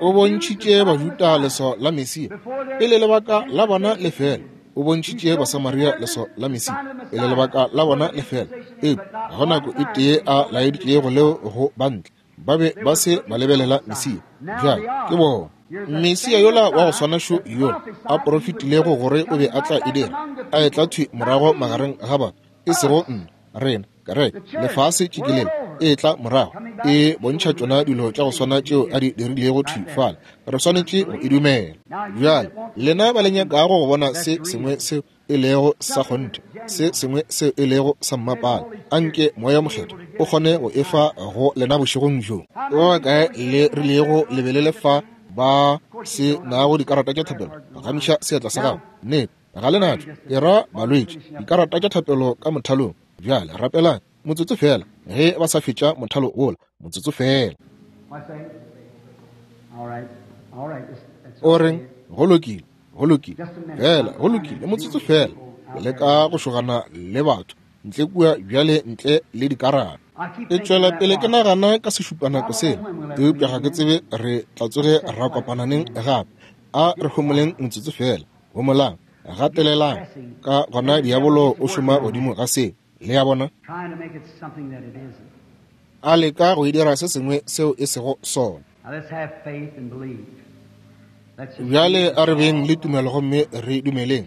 [SPEAKER 1] O bontšhitše Bajuda leswao la Mesia pele lebaka la bona le fela. O bontšhitše Basamaria leswao la Mesia pele lebaka la bona le fela. Eupša ga go nako e tee a laeditšego leo go bantle, ba be ba se ba lebelela Mesia. Bjale ke bona Mesia yola wa go swana šo yola a porofetilego gore o be a tla e dira, a etla thwi morago magareng ga batho, e sego nna, rena, kereke, lefase tšikelele, e tla morago e bontšha tšona dilo tša go swana tšeo a di dirilego thwi fale. Re swanetše go e dumela. Bjale lena ba le nyakago go bona se sengwe seo e lego sa kgonthe, se sengwe seo e lego sa mmapala, anke Moya Mokgethwa o kgone go efa go lena bošegong bjo. Ba bakae le rilego le be le le fa ba se nago dikarata tša thapelo? Gamiša seatla sa gago. Nnete, ga le natšo. Ke ra balwetši, dikarata tša thapelo ka mothalong. Bjale rapelang motsotso fela ge ba sa fetša mothalo wola, motsotso fela. O reng? Go lokile, go lokile fela, go lokile, motsotso fela. Ke leka go šogana le batho ntle kua bjale ntle le dikarata. Ke tšwela pele ke nagana ka sešupanako sela, eupša ga ke tsebe re tla tsoge ra kopana neng gape. A re homoleng motsotso fela. Homolang, gatelelang, ka gona diabolo o šoma godimo ga seo. Le a bona? A leka go e dira se sengwe seo e sego sona. Bjale a re beng le tumelo gomme re dumeleng.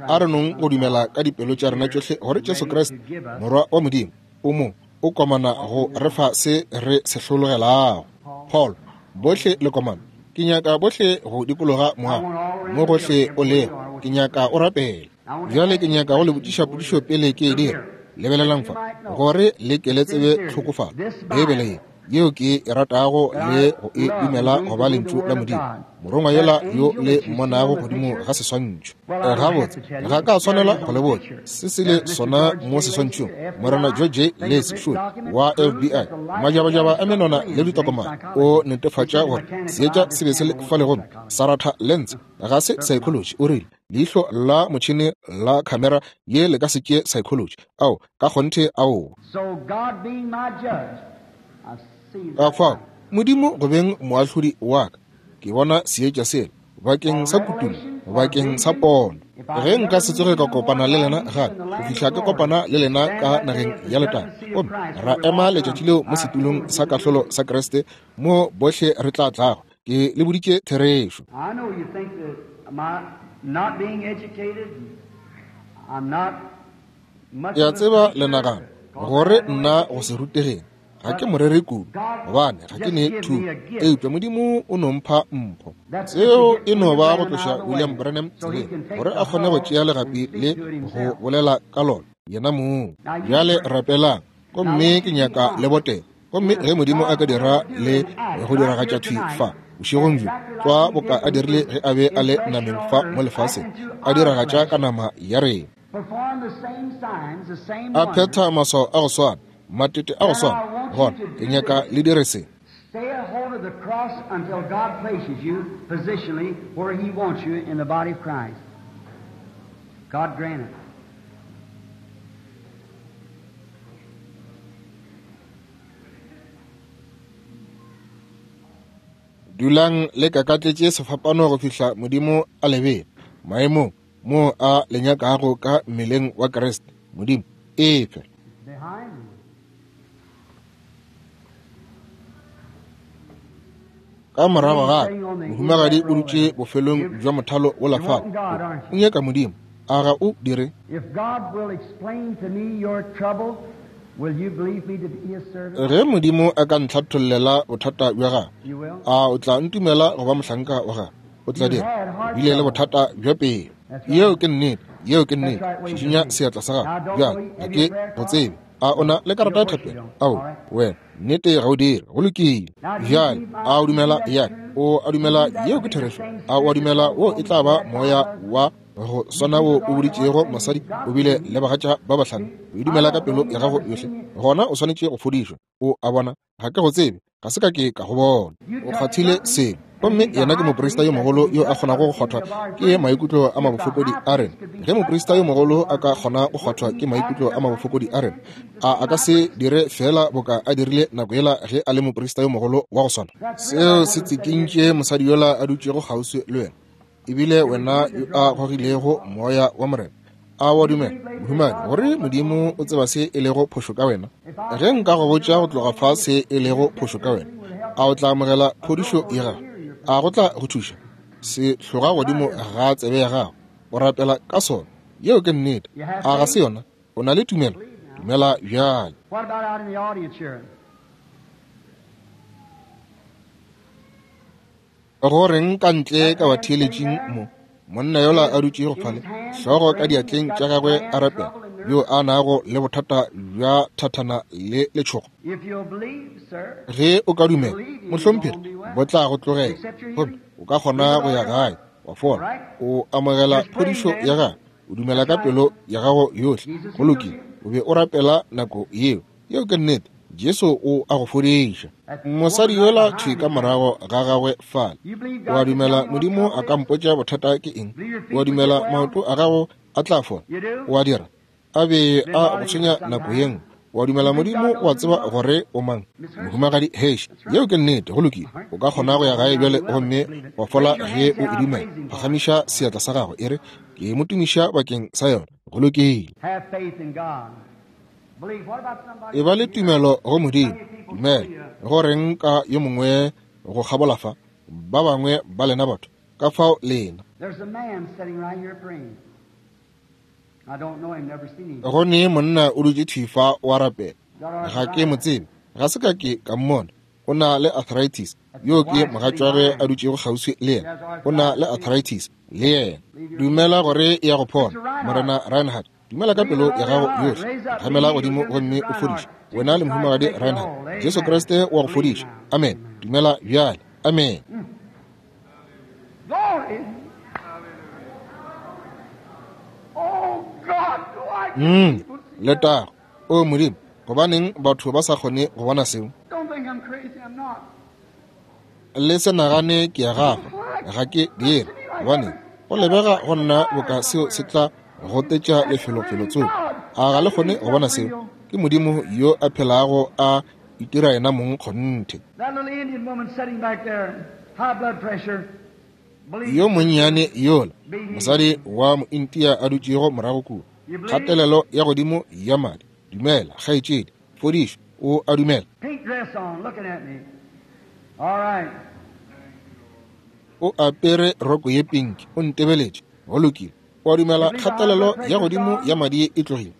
[SPEAKER 1] A re nong go dumela ka dipelo tša rena tšohle gore Jesu Kriste, Morwa wa Modimo, o mo o komana go re fa se re se hlologelago. Paul, bohle le komana. Ke nyaka bohle go dikologa moago mo gohle o lego. Ke nyaka o rapele. Bjale ke nyaka go le botšiša potšišo pele ke e dira. Lebelelang fa gore le ke le tsebe tlhokofalo. Beibele ye yeo ke e ratago le go e dumela go ba lentšu la Modimo, morongwa yola yo le mmonago godimo ga seswantšho. Gabotse, ga ka swanela go le botša se se le sona mo seswantšhong. Morena George Lacy Shule wa F B I, majabajaba a menwana le ditokomane, o netefatša gore seetša se be se le fale gomme sa ratha lens. Ga se psychology, o rile leihlo la motšhene la khamera ye le ka se tšee psychology. Ao, ka kgonthe, ao. Ka fao Modimo go beng moahlodi wa ka, ke bona seetša sela bakeng sa kutullo, bakeng sa pono. Ge nka se tsoge ka kopana le lena gape go fihla ke kopana le lena ka nageng ya letago, gomme ra ema letšatši leo mo setulong sa kahlolo sa Kriste, mo bohle re tla tlago, ke le boditše therešo. Ke a tseba le nagana gore nna go se rutegeng ga ke morere kudu, gobane ga ke ne thuto, eupša Modimo o no mpha mpho. Seo e no ba go tloša William Branham tseleng gore a kgone go tšea legapi le go bolela ka lona yena mong. Bjale rapelang, gomme ke nyaka le botela. Gomme ge Modimo a ka dira le go diragatša thwi fa bošegong bjo, tlwa boka a dirile ge a be a le nameng fa mo lefaseng, a diragatša ka nama ya rena, a phetha maswao a go swana, matete a go swana, gona ke nyaka le dire se.
[SPEAKER 2] Stay a hold of the cross until God places you positionally where He wants you in the body of Christ. God grant it.
[SPEAKER 1] Dulang le kakatletše sefapano go fihla Modimo a le bea maemong mo a le nyakago ka mmeleng wa Kriste. Modimo efe. Ka morago ga mohumagadi o dutše bofelong bja mothalo wola fale. O nyaka Modimo, a ga o dire? Ge Modimo a ka ntlhathollela bothata bja gago, a o tla ntumela go ba mohlanka wa gagwe? O tla dira. O bile le bothata bja pelo. Yeo ke nnete, yeo ke nnete. Šišinya seatla sa gago bjale, ga ke go tsebe. A o na le karata ya thapelo? Ao, wena, nnete ga o dire. Go lokile. Bjale, a o dumela ya? O a dumela yeo ke therešo? A o a dumela wo e tla ba moya wa go swana wo o boditšego mosadi o bile le bagatša ba bahlano? O e dumela ka pelo ya gago yohle, gona o swanetše go fodišwa. O a bona, ga ke go tsebe, ga se ka ke ka go bona. O kgwathile selo, gomme yena ke moprista yo mogolo yo a kgonago go kgwathwa ke maikutlo a mabofokodi a rena. Ge moprista yo mogolo a ka kgona go kgwathwa ke maikutlo a mabofokodi a rena, a a ka se dire fela boka a dirile nako yela ge a le moprista yo mogolo wa go swana? Seo se tsikintše mosadi yola a dutšego kgauswi le wena, ebile wena yo a gogilego moya wa Morena. A wa dumela, mohumadi, gore Modimo o tseba se e lego phošo ka wena? Ge nka go botša go tloga fa se e lego phošo ka wena, a o tla amogela phodišo ya gago? A go tla go thuša? Se hloga godimo ga tsebe ya gago, o rapela ka sona. Yeo ke nnete. A ga se yona? O na le tumelo? Dumela bjale.
[SPEAKER 2] What about out in the audience here?
[SPEAKER 1] Go reng ka ntle ka batheeletšing mo? Monna yola a dutšego fale, hlogo ka diatleng tša gagwe a rapela, yo a nago le bothata bja thathana le letšhogo. Ge o ka dumela, mohlomphegi, bo tla go tlogela, gomme o ka kgona go ya gae wa fola. O amogela phodišo ya gago, o dumela ka pelo ya gago yohle. Go lokile, o be o rapela nako yeo. Yeo ke nnete. Jesu o a go fodiša. Mosadi yola thwi ka morago ga gagwe fale, o a dumela Modimo a ka mpotša bothata ke eng? O a dumela maoto a gago a tla fola? O a dira? A be a go tshwenya nako ye nngwe. O a dumela Modimo o a tseba gore o mang? Mohumagadi Hesh, yeo ke nnete. Go lokile, o ka kgona go ya gae bjale gomme wa fola ge o e dumela. Phagamiša seatla sa gago e re, ke mo tumiša bakeng sa yona. Go lokile. E ba le tumelo go Modimo. Dumela. Go reng ka yo mongwe go kgabola fa? Ba bangwe ba lena batho ka fao lena. Go ne monna o dutše thwi fa wa rapela. Ga ke mo tsebe, ga se ka ke ka mmona. O na le arthritis. Yo ke mogatšwagwe a dutšego kgauswi le yena. O na le arthritis le yena. Dumela gore e ya go phola, Morena Reinhardt. Dumela ka pelo ya gago yohle. Phagamela godimo gomme o fodiše. Wena le mohumagadi Reinhardt, Jesu Kriste wa go fodiša. Amen. Dumela bjale. Amen. Mm, letago. O Modimo, gobaneng batho ba sa kgone go bona seo? Le se nagane ke ya gago, ga ke dire. Gobaneng go lebega go nna boka seo se tla gotetša lefelofelo tsoko. A ga le kgone go bona seo? Ke Modimo yo a phelago a itira yena mong kgonthe. Yo monnyane yola, mosadi wa mointia a dutšego morago kua, kgatelelo ya godimo ya madi. Dumela, kgaetšedi, fodišo, o a dumela. O apere roko ye pinki, o ntebeletše. Go lokile. O a dumela kgatelelo ya godimo ya madi e tlogile.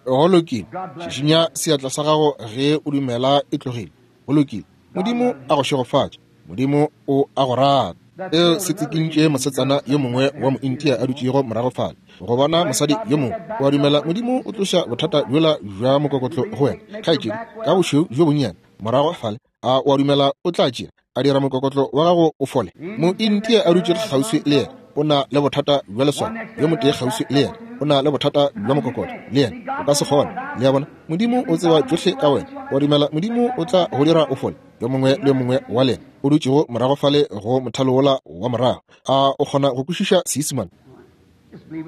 [SPEAKER 1] Go lokile. Šišinya seatla sa gago ge o dumela e tlogile. Go lokile. Modimo a go šegofatše. Modimo o a go rata. Eo se tsikintše mosetsana yo mongwe wa mointia a dutšego morago fale. Go bona mosadi yo mongwe, o a dumela Modimo o tloša bothata bjola bja mokokotlo go wena, kgaetšedi, ka bošweu bjo bonnyane morago fale. A o a dumela o tla tšea a dira mokokotlo wa gago o fole? Mointia a dutšego kgauswi le yena o na le bothata bja leswao. Yo motee kgauswi le yena o na le bothata bja mokokotlo le yena. O ka se kgone. Le a bona, Modimo o tseba tšohle ka wena. O a dumela Modimo o tla go dira o fole? Yo mongwe le yo mongwe wa lena o dutšego morago fale go mothalo wola wa morago, a o kgona go kwešiša Seisemane?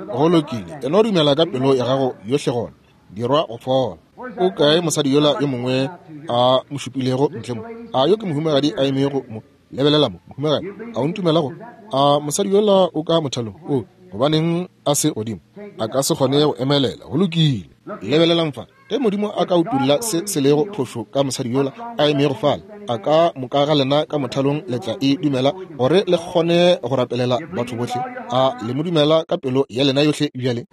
[SPEAKER 1] Go lokile, e no dumela ka pelo ya gago yohle gona. Dirwa go fola. O kae mosadi yola yo mongwe a mo šupilego ntle mo? A yo ke mohumagadi a emego mo? Lebelela mo, mohumagadi, a o ntumela go? A mosadi yola o ka mothalong? O, gobaneng a se godimo? A ka se kgone go emelela. Go lokile. Lebelelang fa. Ge Modimo a ka utulla se se lego phošo ka mosadi yola a emego fale, a ka moka ga lena ka mothalong le tla e dumela gore le kgone go rapelela batho bohle. A le mo dumela ka pelo ya lena yohle bjale?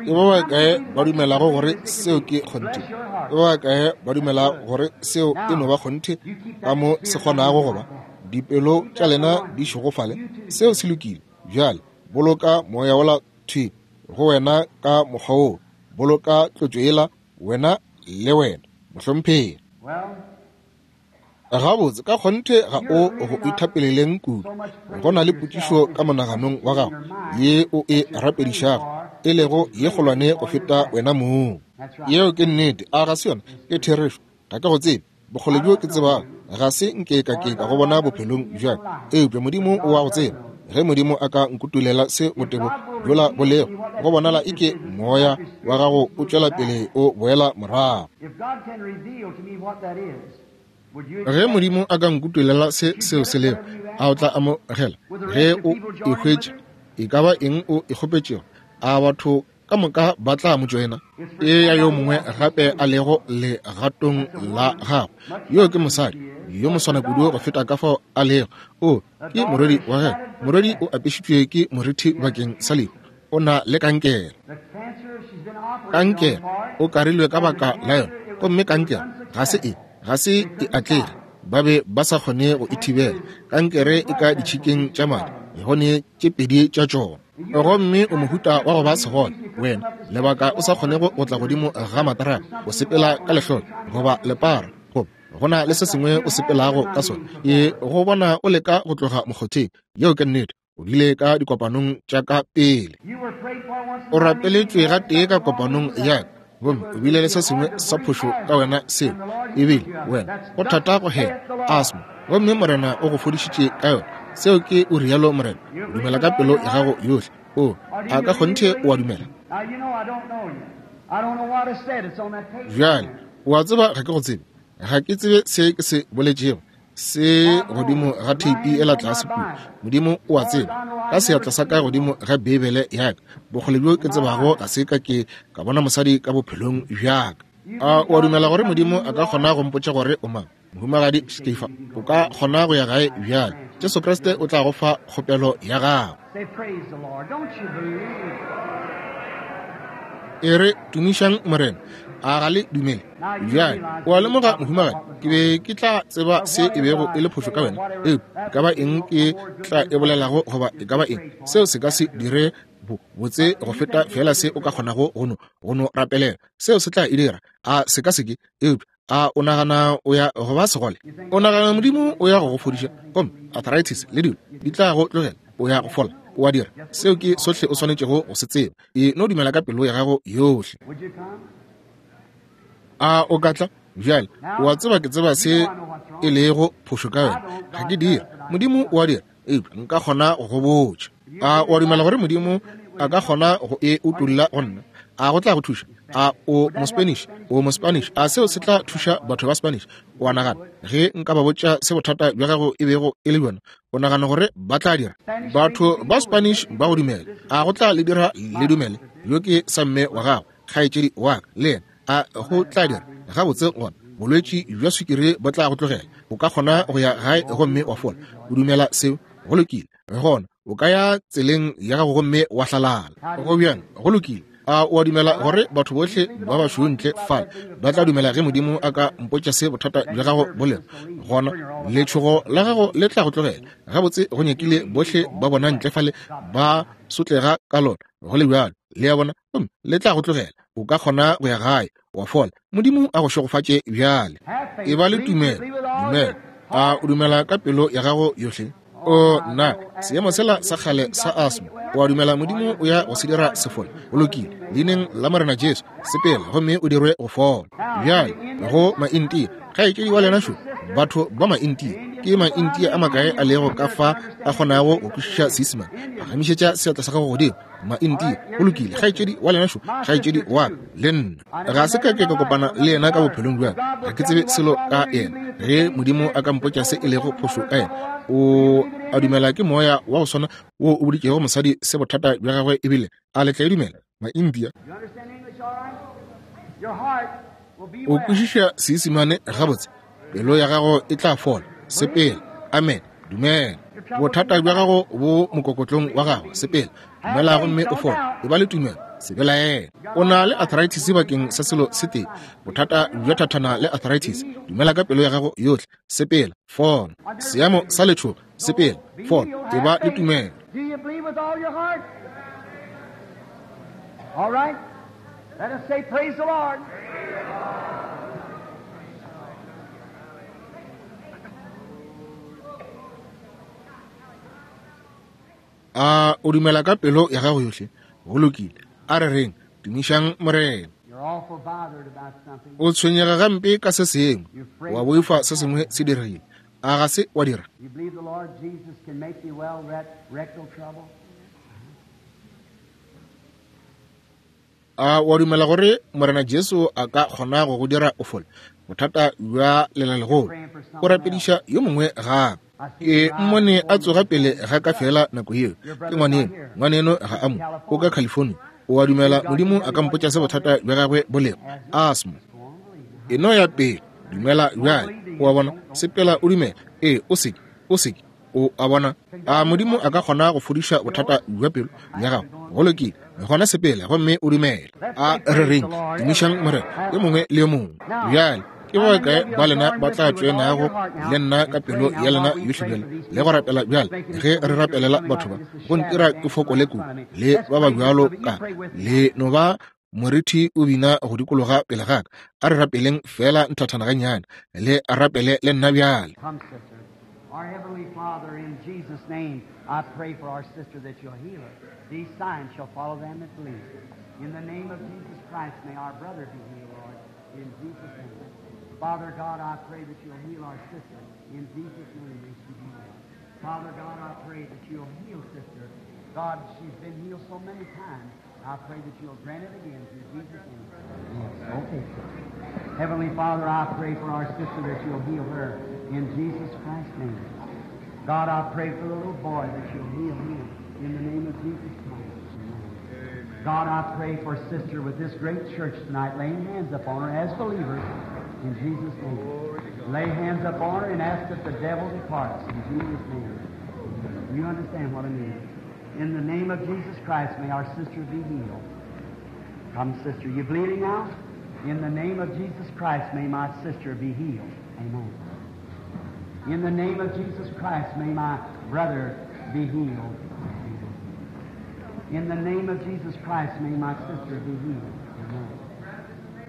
[SPEAKER 1] Ke ba bakae ba dumelago gore seo ke kgonthe? Ke ba bakae ba dumelago gore seo e no ba kgonthe ka mo se kgonago go ba? Dipelo tša lena di šegofale. Seo se lokile. Bjale boloka moya wola thwi go wena ka mokgwa woo. Boloka tlotšo yela wena le wena, mohlomphegi. Gabotse ka kgonthe ga o go ithapeleleng kudu. Go na le potšišo ka monaganong wa gago ye o e rapedišago, e lego ye kgolwane go feta wena mong. Yeo ke nnete. A ga se yona? Ke therešo. Ga ke go tsebe. Bokgole bjo ke tsebago, ga se nke ka ke ka go bona bophelong bja ka. Eupša Modimo o a go tseba. Ge Modimo a ka nkutulela se botebo bjola bo lego, go bonala eke moya wa gago o tšwela pele o boela morago. Ge Modimo a ka nkutulela se seo se lego, a o tla amogela? Ge o e hwetša, e ka ba eng o e kgopetšego, a batho ka moka ba tla mo tšoena? E ya yo mongwe gape a lego legatong la gagwe. Yo ke mosadi yo moswana kudu go feta ka fao a lego. O ke morwedi wa gagwe. Morwedi o apešitšwe ke morithi bakeng sa lehu. O na le kankere. Kankere o karilwe ka baka la yona. Gomme kankere ga se e ga se e atlege, ba be ba sa kgone go e thibela. Kankere e ka ditšhikeng tša madi, gone tše pedi tša tšona. Gomme o mohuta wa go ba segole wena, lebaka o sa kgonego go tla godimo ga matrapa, o sepela ka lehlolo goba lepara, goba go na le se sengwe o sepelago ka sona. E go bona o leka go tloga mokgotheng. Yeo ke nnete. O bile ka dikopanong tša ka pele. O rapeletšwe gatee ka kopanong ya ka, gomme o bile le se sengwe sa phošo ka wena seo ebile wena go thata go hema, asthma, gomme Morena o go fodišitše ka yona. Seo ke o rialo Morena. O dumela ka pelo ya gago yohle. O a ka kgonthe o a dumela. Bjale o a tseba ga ke go tsebe, ga ke tsebe se ke se boletšego se godimo ga theipi ela tlase kua. Modimo o a tseba, ka seatla sa ka godimo ga Beibele ya ka, bokgole bjo ke tsebago ga se ka ke ka bona mosadi ka bophelong bja ka. A o a dumela gore Modimo a ka kgona go mpotša gore o mang? Mohumagadi Skefa, o ka kgona go ya gae bjale. Jesu Kriste o tla go fa kgopelo ya gago. E re, tumišang Morena. A ga le dumele? Bjale o a lemoga, mohumagadi, ke be ke tla tseba se e bego e le phošo ka wena, eupša e ka ba eng ke tla e bolelago goba e ka ba eng, seo se ka se dire botse go feta fela se o ka kgonago go no go no rapelela. Seo se tla e dira. A se ka se ke? Eupša a o nagana o ya go ba segole? O nagana Modimo o ya go go fodiša? Gomme arthritis le dilo di tla go tlogela, o ya go fola. O a dira. Seo ke sohle o swanetšego go se tseba. E no dumela ka pelo ya gago yohle. A o ka tla? Bjale o a tseba ke tseba se e lego phošo ka wena. Ga ke dira. Modimo o a dira, eupša nka kgona go go botša. A o a dumela gore Modimo a ka kgona go e utolla go nna? A go tla go thuša? A o mo-Spanish? O mo-Spanish? A seo se tla thuša batho ba Spanish? O a nagana ge nka ba botša se bothata bja gago e bego e le bjona, o nagana gore ba tla dira? Batho ba Spanish ba go dumela. A go tla le dira le dumele? Yo ke sa mme wa gago, kgaetšedi wa ka, le yena. A go tla dira? Gabotse gona, bolwetši bja swikiri bo tla go tlogela. O ka kgona go ya gae gomme wa fola. O dumela seo? Go lokile. Gona o ka ya tseleng ya gago gomme wa hlalala. Go bjang? Go lokile. A o a dumela gore batho bohle ba bašweu ntle fale ba tla dumela ge Modimo a ka mpotša se bothata bja gago bo lego? Gona letšhogo la gago le tla go tlogela. Gabotse go nyakile bohle ba bona ntle fale ba sotlega ka lona. Go le bjalo, le a bona, gomme le tla go tlogela. O ka kgona go ya gae wa fola. Modimo a go šegofatše bjale. E ba le tumelo. Dumela. A o dumela ka pelo ya gago yohle? O nna, seemo sela sa kgale sa asthma, o a dumela Modimo o ya go se dira se fole? Go lokile. Leineng la Morena Jesu, sepela gomme o dirwe go fola. Bjale go Maintia, kgaetšedi wa lena šo, batho ba Maintia, ke Maintia a makae a lego ka fa a kgonago go kwešiša Seisemane? Phagamišetša seatla sa gago godimo. Maintia. Go lokile, kgaetšedi wa lena šo, kgaetšedi wa ka le nna. Ga se ka ke ka kopana le yena ka bophelong bja ka. Ga ke tsebe selo ka yena. Ge Modimo a ka mpotša se e lego phošo ka yena, o a dumela ke moya wa go swana wo o boditšego mosadi se bothata bja gagwe ebile a le tla e dumela? Maintia. O kwešiša Seisemane gabotse? Pelo ya gago e tla fola. Sepela. Amen. Dumela. Bothata bja gago bo mokokotlong wa gago. Sepela. Dumela gomme o fole. E ba le tumelo. Se belaele. O na le arthritis bakeng sa selo se tee. Bothata bja thathana le arthritis. Dumela ka pelo ya gago yohle. Sepela. Fola. Seemo sa letšhogo. Sepela. Fola. E ba le tumelo.
[SPEAKER 2] Do you believe with all your heart? All right. Let us say praise the Lord.
[SPEAKER 1] A o dumela ka pelo ya gago yohle? Go lokile. A re reng, tumišang Morena.
[SPEAKER 2] You're awful bothered about something.
[SPEAKER 1] O tshwenyega gampe ka se sengwe, wa boifa se sengwe se diregile. A ga se wa dira?
[SPEAKER 2] You believe the Lord Jesus can make thee well that rectal trouble?
[SPEAKER 1] A wa dumela gore Morena Jesu a ka kgona go go dira o fole? Bothata bja lelalegolo. O rapediša yo mongwe gape. Ke mmone a tsoga pele ga ka fela nako yeo. Ke ngwaneno. Ngwaneno ga a mo. O ka California. O a dumela Modimo a ka mpotša se bothata bja gagwe bo lego? Asthma. E no ya pele. Dumela bjale. O a bona? Sepela o dumela. Ee, o seke. O seke. O a bona? A Modimo a ka kgona go fodiša bothata bja pelo ya gago? Go lokile. Gona sepela gomme o dumele. A re reng, tumišang Morena yo mongwe le yo mongwe. Bjale ke ba kae ba lena ba tla tšoenago le nna ka pelo ya lena yohle bjale le go rapela bjale ge re rapelela batho ba go ntira ke fokole kudu le ba ba bjalo ka le no ba morithi o bina go dikologa pele ga ka. A re rapeleng fela nthathana gannyane, le rapele le nna bjale.
[SPEAKER 2] Come, sister. Our Heavenly Father, in Jesus' name, I pray for our sister that you'll heal her. These signs shall follow them that believe. In the name of Jesus Christ, may our brother be healed, Lord. In Jesus' name. Father God, I pray that you'll heal our sister. In Jesus' name, may she be healed. Father God, I pray that you'll heal sister. God, she's been healed so many times. I pray that you'll grant it again through Jesus' name. Yes, okay, sister. Heavenly Father, I pray for our sister that you'll heal her in Jesus Christ's name. God, I pray for the little boy that you'll heal him in the name of Jesus Christ. Amen. God, I pray for sister with this great church tonight, laying hands upon her as believers in Jesus' name. Lay hands upon her and ask that the devil departs in Jesus' name. You understand what I mean. In the name of Jesus Christ, may our sister be healed. Come, sister. You bleeding now? In the name of Jesus Christ, may my sister be healed. Amen. In the name of Jesus Christ, may my brother be healed. Amen. In the name of Jesus Christ, may my sister be healed. Amen.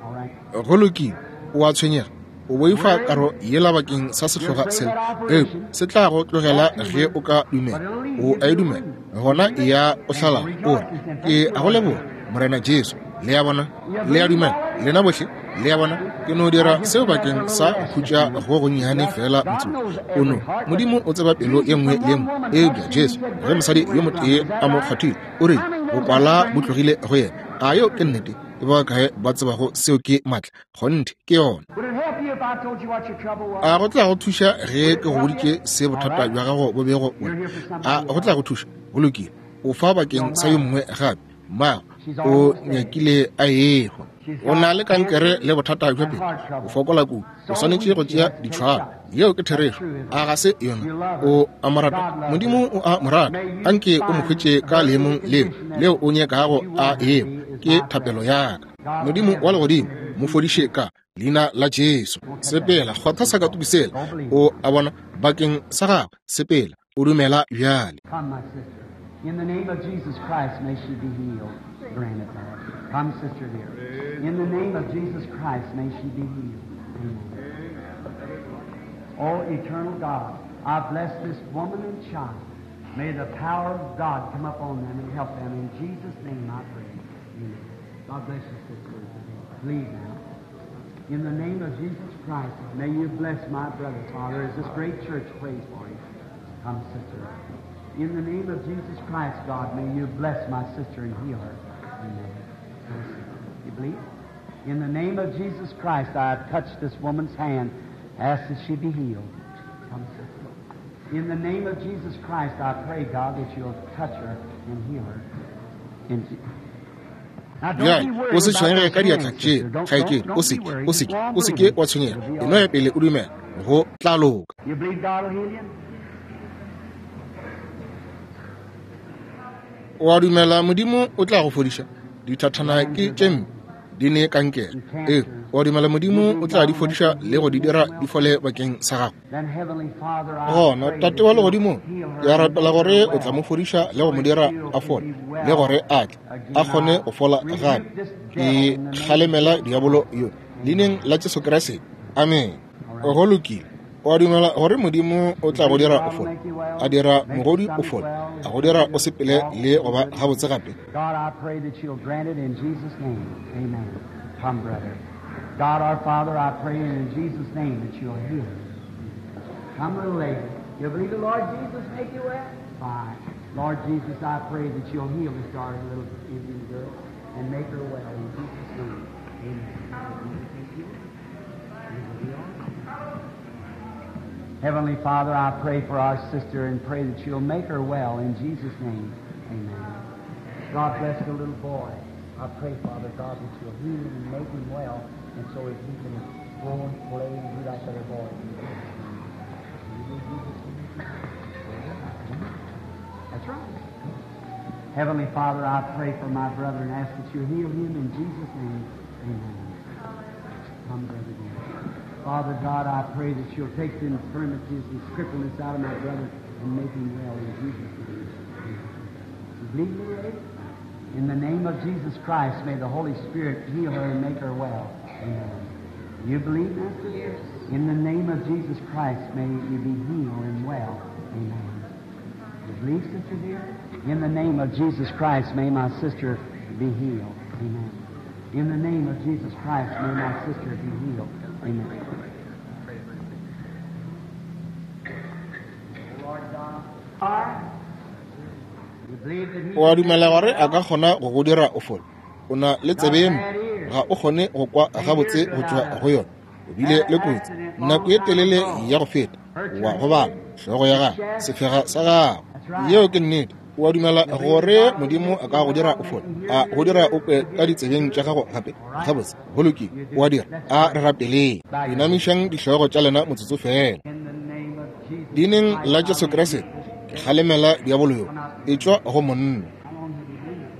[SPEAKER 2] All right.
[SPEAKER 1] Go lokile, o a tshwenyega, o boifa karo yela bakeng sa sehloga sela, eupša se tla go tlogela ge o ka dumela. O a e dumela, gona e ya o hlala o re, ke a go leboga Morena Jesu. Le a bona, le a dumela lena bohle, le a bona. Ke no dira seo bakeng sa go khutša go gonnyane fela motsotso o no. Modimo o tseba pelo ye nngwe le ye nngwe. Eupša Jesu, ge mosadi yo motee a mo kgwathile, o rile bokwala bo tlogile go yena. A yo ke nnete? Ke ba kae ba tsebago seo ke maatla? Kgonthe ke yona.
[SPEAKER 2] Would it help you if I told you what your trouble was?
[SPEAKER 1] A go tla go thuša ge ke go boditše se bothata bja gago bo bego bo le? A go tla go thuša? Go lokile. O fa bakeng sa yo mongwe gape. Mmago o nyakile a ehwa. O na le kankere le bothata bja pelo. O fokola kudu. O swanetše go tšea ditšhwalo. Yeo ke therešo. A ga se yona? O a mo rata. Modimo o a mo rata. Anke o mo hwetše ka leemong leo leo o nyakago a eo. Ke thapelo ya ka. Modimo wa legodimo, mo fodiše ka leina la Jesu. Sepela, kgotha sakatuku sela. O a bona bakeng sa gagwe. Sepela, o dumela bjale.
[SPEAKER 2] Come, my sister. In the name of Jesus Christ, may she be healed. Grant it, Lord. Come, sister dear. In the name of Jesus Christ, may she be healed. Amen. Oh, eternal God, I bless this woman and child. May the power of God come upon them and help them. In Jesus' name I pray. Amen. God bless you, sister. Believe now. In the name of Jesus Christ, may you bless my brother, Father, as this great church prays for him. Come, sister. In the name of Jesus Christ, God, may you bless my sister and heal her. Amen. You believe? In the name of Jesus Christ, I have touched this woman's hand, ask that she be healed. Come, sister. In the name of Jesus Christ, I pray, God, that you'll touch her and heal her. In Je- Now, don't be
[SPEAKER 1] Bjale
[SPEAKER 2] worried
[SPEAKER 1] o se
[SPEAKER 2] about
[SPEAKER 1] tshwenyege
[SPEAKER 2] those
[SPEAKER 1] ka diatla
[SPEAKER 2] hands,
[SPEAKER 1] tše,
[SPEAKER 2] sister. Don't,
[SPEAKER 1] kgaetšedi.
[SPEAKER 2] don't, don't
[SPEAKER 1] O
[SPEAKER 2] be
[SPEAKER 1] seke,
[SPEAKER 2] worried.
[SPEAKER 1] o
[SPEAKER 2] Just
[SPEAKER 1] seke,
[SPEAKER 2] go on
[SPEAKER 1] o seke
[SPEAKER 2] believing.
[SPEAKER 1] wa tshwenyega.
[SPEAKER 2] It'll be
[SPEAKER 1] E
[SPEAKER 2] all
[SPEAKER 1] no ya
[SPEAKER 2] right.
[SPEAKER 1] pele o dumela, go tla loka.
[SPEAKER 2] You believe God will heal you?
[SPEAKER 1] O a dumela Modimo o tla go fodiša? Dithathana ke tše mpe, di ne kankere. Ee, o a dumela Modimo o tla di fodiša le go di dira di fole bakeng sa gago?
[SPEAKER 2] Then, Heavenly Father, I
[SPEAKER 1] Gona,
[SPEAKER 2] pray
[SPEAKER 1] Tate
[SPEAKER 2] that
[SPEAKER 1] wa
[SPEAKER 2] you'll
[SPEAKER 1] legodimong,
[SPEAKER 2] heal
[SPEAKER 1] ke a
[SPEAKER 2] her and
[SPEAKER 1] rapela
[SPEAKER 2] make her
[SPEAKER 1] gore o tla mo
[SPEAKER 2] well,
[SPEAKER 1] fodiša le go
[SPEAKER 2] so
[SPEAKER 1] mo
[SPEAKER 2] that
[SPEAKER 1] dira
[SPEAKER 2] she'll
[SPEAKER 1] a
[SPEAKER 2] can
[SPEAKER 1] fole,
[SPEAKER 2] be
[SPEAKER 1] le
[SPEAKER 2] well
[SPEAKER 1] gore a tle a
[SPEAKER 2] again.
[SPEAKER 1] kgone
[SPEAKER 2] I
[SPEAKER 1] go fola gape.
[SPEAKER 2] rebuke this
[SPEAKER 1] Ke
[SPEAKER 2] devil in the name of
[SPEAKER 1] kgalemela
[SPEAKER 2] Jesus
[SPEAKER 1] diabolo
[SPEAKER 2] Christ.
[SPEAKER 1] yo leineng la Jesu Kriste. Amen.
[SPEAKER 2] All right.
[SPEAKER 1] Go lokile. O a dumela gore Modimo o
[SPEAKER 2] You
[SPEAKER 1] tla go
[SPEAKER 2] believe
[SPEAKER 1] dira o
[SPEAKER 2] God will
[SPEAKER 1] fole,
[SPEAKER 2] make you well,
[SPEAKER 1] a dira
[SPEAKER 2] make your
[SPEAKER 1] mogodi o
[SPEAKER 2] stomach
[SPEAKER 1] fole,
[SPEAKER 2] well,
[SPEAKER 1] a go dira
[SPEAKER 2] make
[SPEAKER 1] o
[SPEAKER 2] you
[SPEAKER 1] sepele
[SPEAKER 2] walk
[SPEAKER 1] le go ba
[SPEAKER 2] good.
[SPEAKER 1] gabotse gape.
[SPEAKER 2] God, I pray that you'll grant it in Jesus' name. Amen. Come, brother. God, our Father, I pray in Jesus' name that you'll heal her. Come, little lady. You believe the Lord Jesus make you well? Fine. Lord Jesus, I pray that you'll heal this darling little Indian girl and make her well in Jesus' name. Amen. You will be all right. Heavenly Father, I pray for our sister and pray that you'll make her well in Jesus' name. Amen. God bless the little boy. I pray, Father God, that you'll heal him and make him well, and so that he can go and play and do like other boys. In Jesus' name. You believe Jesus can make you well? That's right. Heavenly Father, I pray for my brother and ask that you heal him in Jesus' name. Amen. Come, brother dear. Father God, I pray that you'll take the infirmities and crippleness out of my brother and make him well in Jesus' name. Amen. You believe me, lady? In the name of Jesus Christ, may the Holy Spirit heal her and make her well. Amen. You believe, Master?
[SPEAKER 3] Yes.
[SPEAKER 2] In the name of Jesus Christ, may you be healed and well. Amen. You believe, sister dear? In the name of Jesus Christ, may my sister be healed. Amen. In the name of Jesus Christ, may my sister be healed. Amen. Lord God, you believe that he
[SPEAKER 1] O a dumela gore a ka kgona go go dira o fole? O na le tsebe ye mpe, ga o kgone go kwa gabotse go tšwa go yona. O bile le kotsi nako ye telele ya go feta, wa gobala hlogo ya gago, sefega sa gago. Yeo ke nnete. O a dumela gore Modimo a ka go dira o fole, a go dira o kwe ka ditsebeng tša gago gape? Gabotse, go lokile, o a dira. A re rapeleng. Inamišang dihlogo tša lena motsotso fela.
[SPEAKER 2] in the name of Jesus
[SPEAKER 1] Leineng la Jesu Kriste, ke kgalemela diabolo yo e tšwa go monna.
[SPEAKER 2] How long have you been with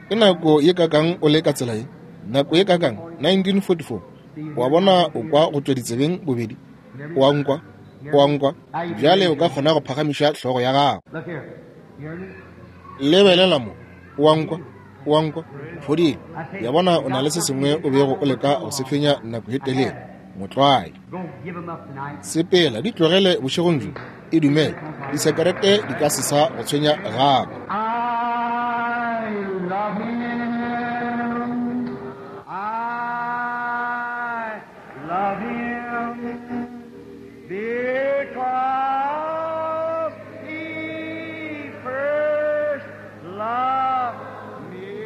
[SPEAKER 2] this?
[SPEAKER 1] Ke nako ye kakang o le ka tsela ye? Nako ye kakang? nineteen forty-four. Wa bona o kwa go tšwa ditsebeng bobedi? O a nkwa? O a nkwa? Bjale o ka kgona go phagamiša hlogo ya gago.
[SPEAKER 2] Look here. You heard me?
[SPEAKER 1] Lebelela mo. O a nkwa? O a nkwa? O fodile. Ya bona o na le se sengwe o bego o leka go se fenya nako ye telele. Motlwae.
[SPEAKER 2] Go give them up tonight.
[SPEAKER 1] Sepela, di tlogele bošegong bjo. E dumele. Disekerete di ka se sa go tshwenya gape.
[SPEAKER 2] I love him. I love him because he first loved me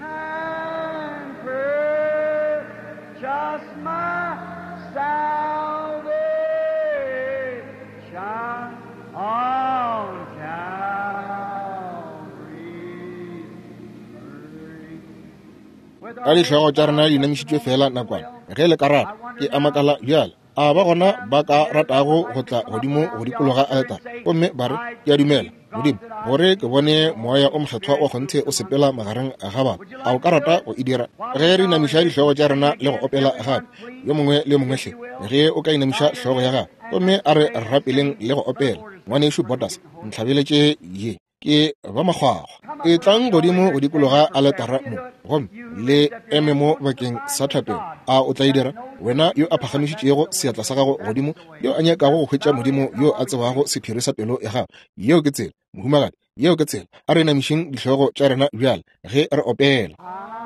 [SPEAKER 2] and purchased my salvation on Calvary.
[SPEAKER 1] Ka dihlogo tša rena di inamišitšwe fela nakwana, ge le ka rata, ke a makala bjale. A ba gona ba ka ratago go tla godimo go dikologa aletare gomme ba re, ke a dumela Modimo gore ke bone moya o mokgethwa wa kgonthe o sepela magareng ga batho. A o ka rata go e dira? Ge re inamiša dihlogo tša rena le go opela gape, yo mongwe le yo mongwe hle, ge o ka inamiša hlogo ya gago gomme a re rapeleng le go opela. Ngwanešu Botas, ntlhabeletše ye ke ba makgwakgwa. E tlang godimo go dikologa aletara mo gomme le eme mo bakeng sa thapelo. A o tla e dira? Wena yo a phagamišitšego seatla sa gago godimo, yo a nyakago go hwetša Modimo yo a tsebago sephiri sa pelo ya gago. Yeo ke tsela, mohumagadi, yeo ke tsela. A re inamišeng dihlogo tša rena bjale ge re opela.
[SPEAKER 2] I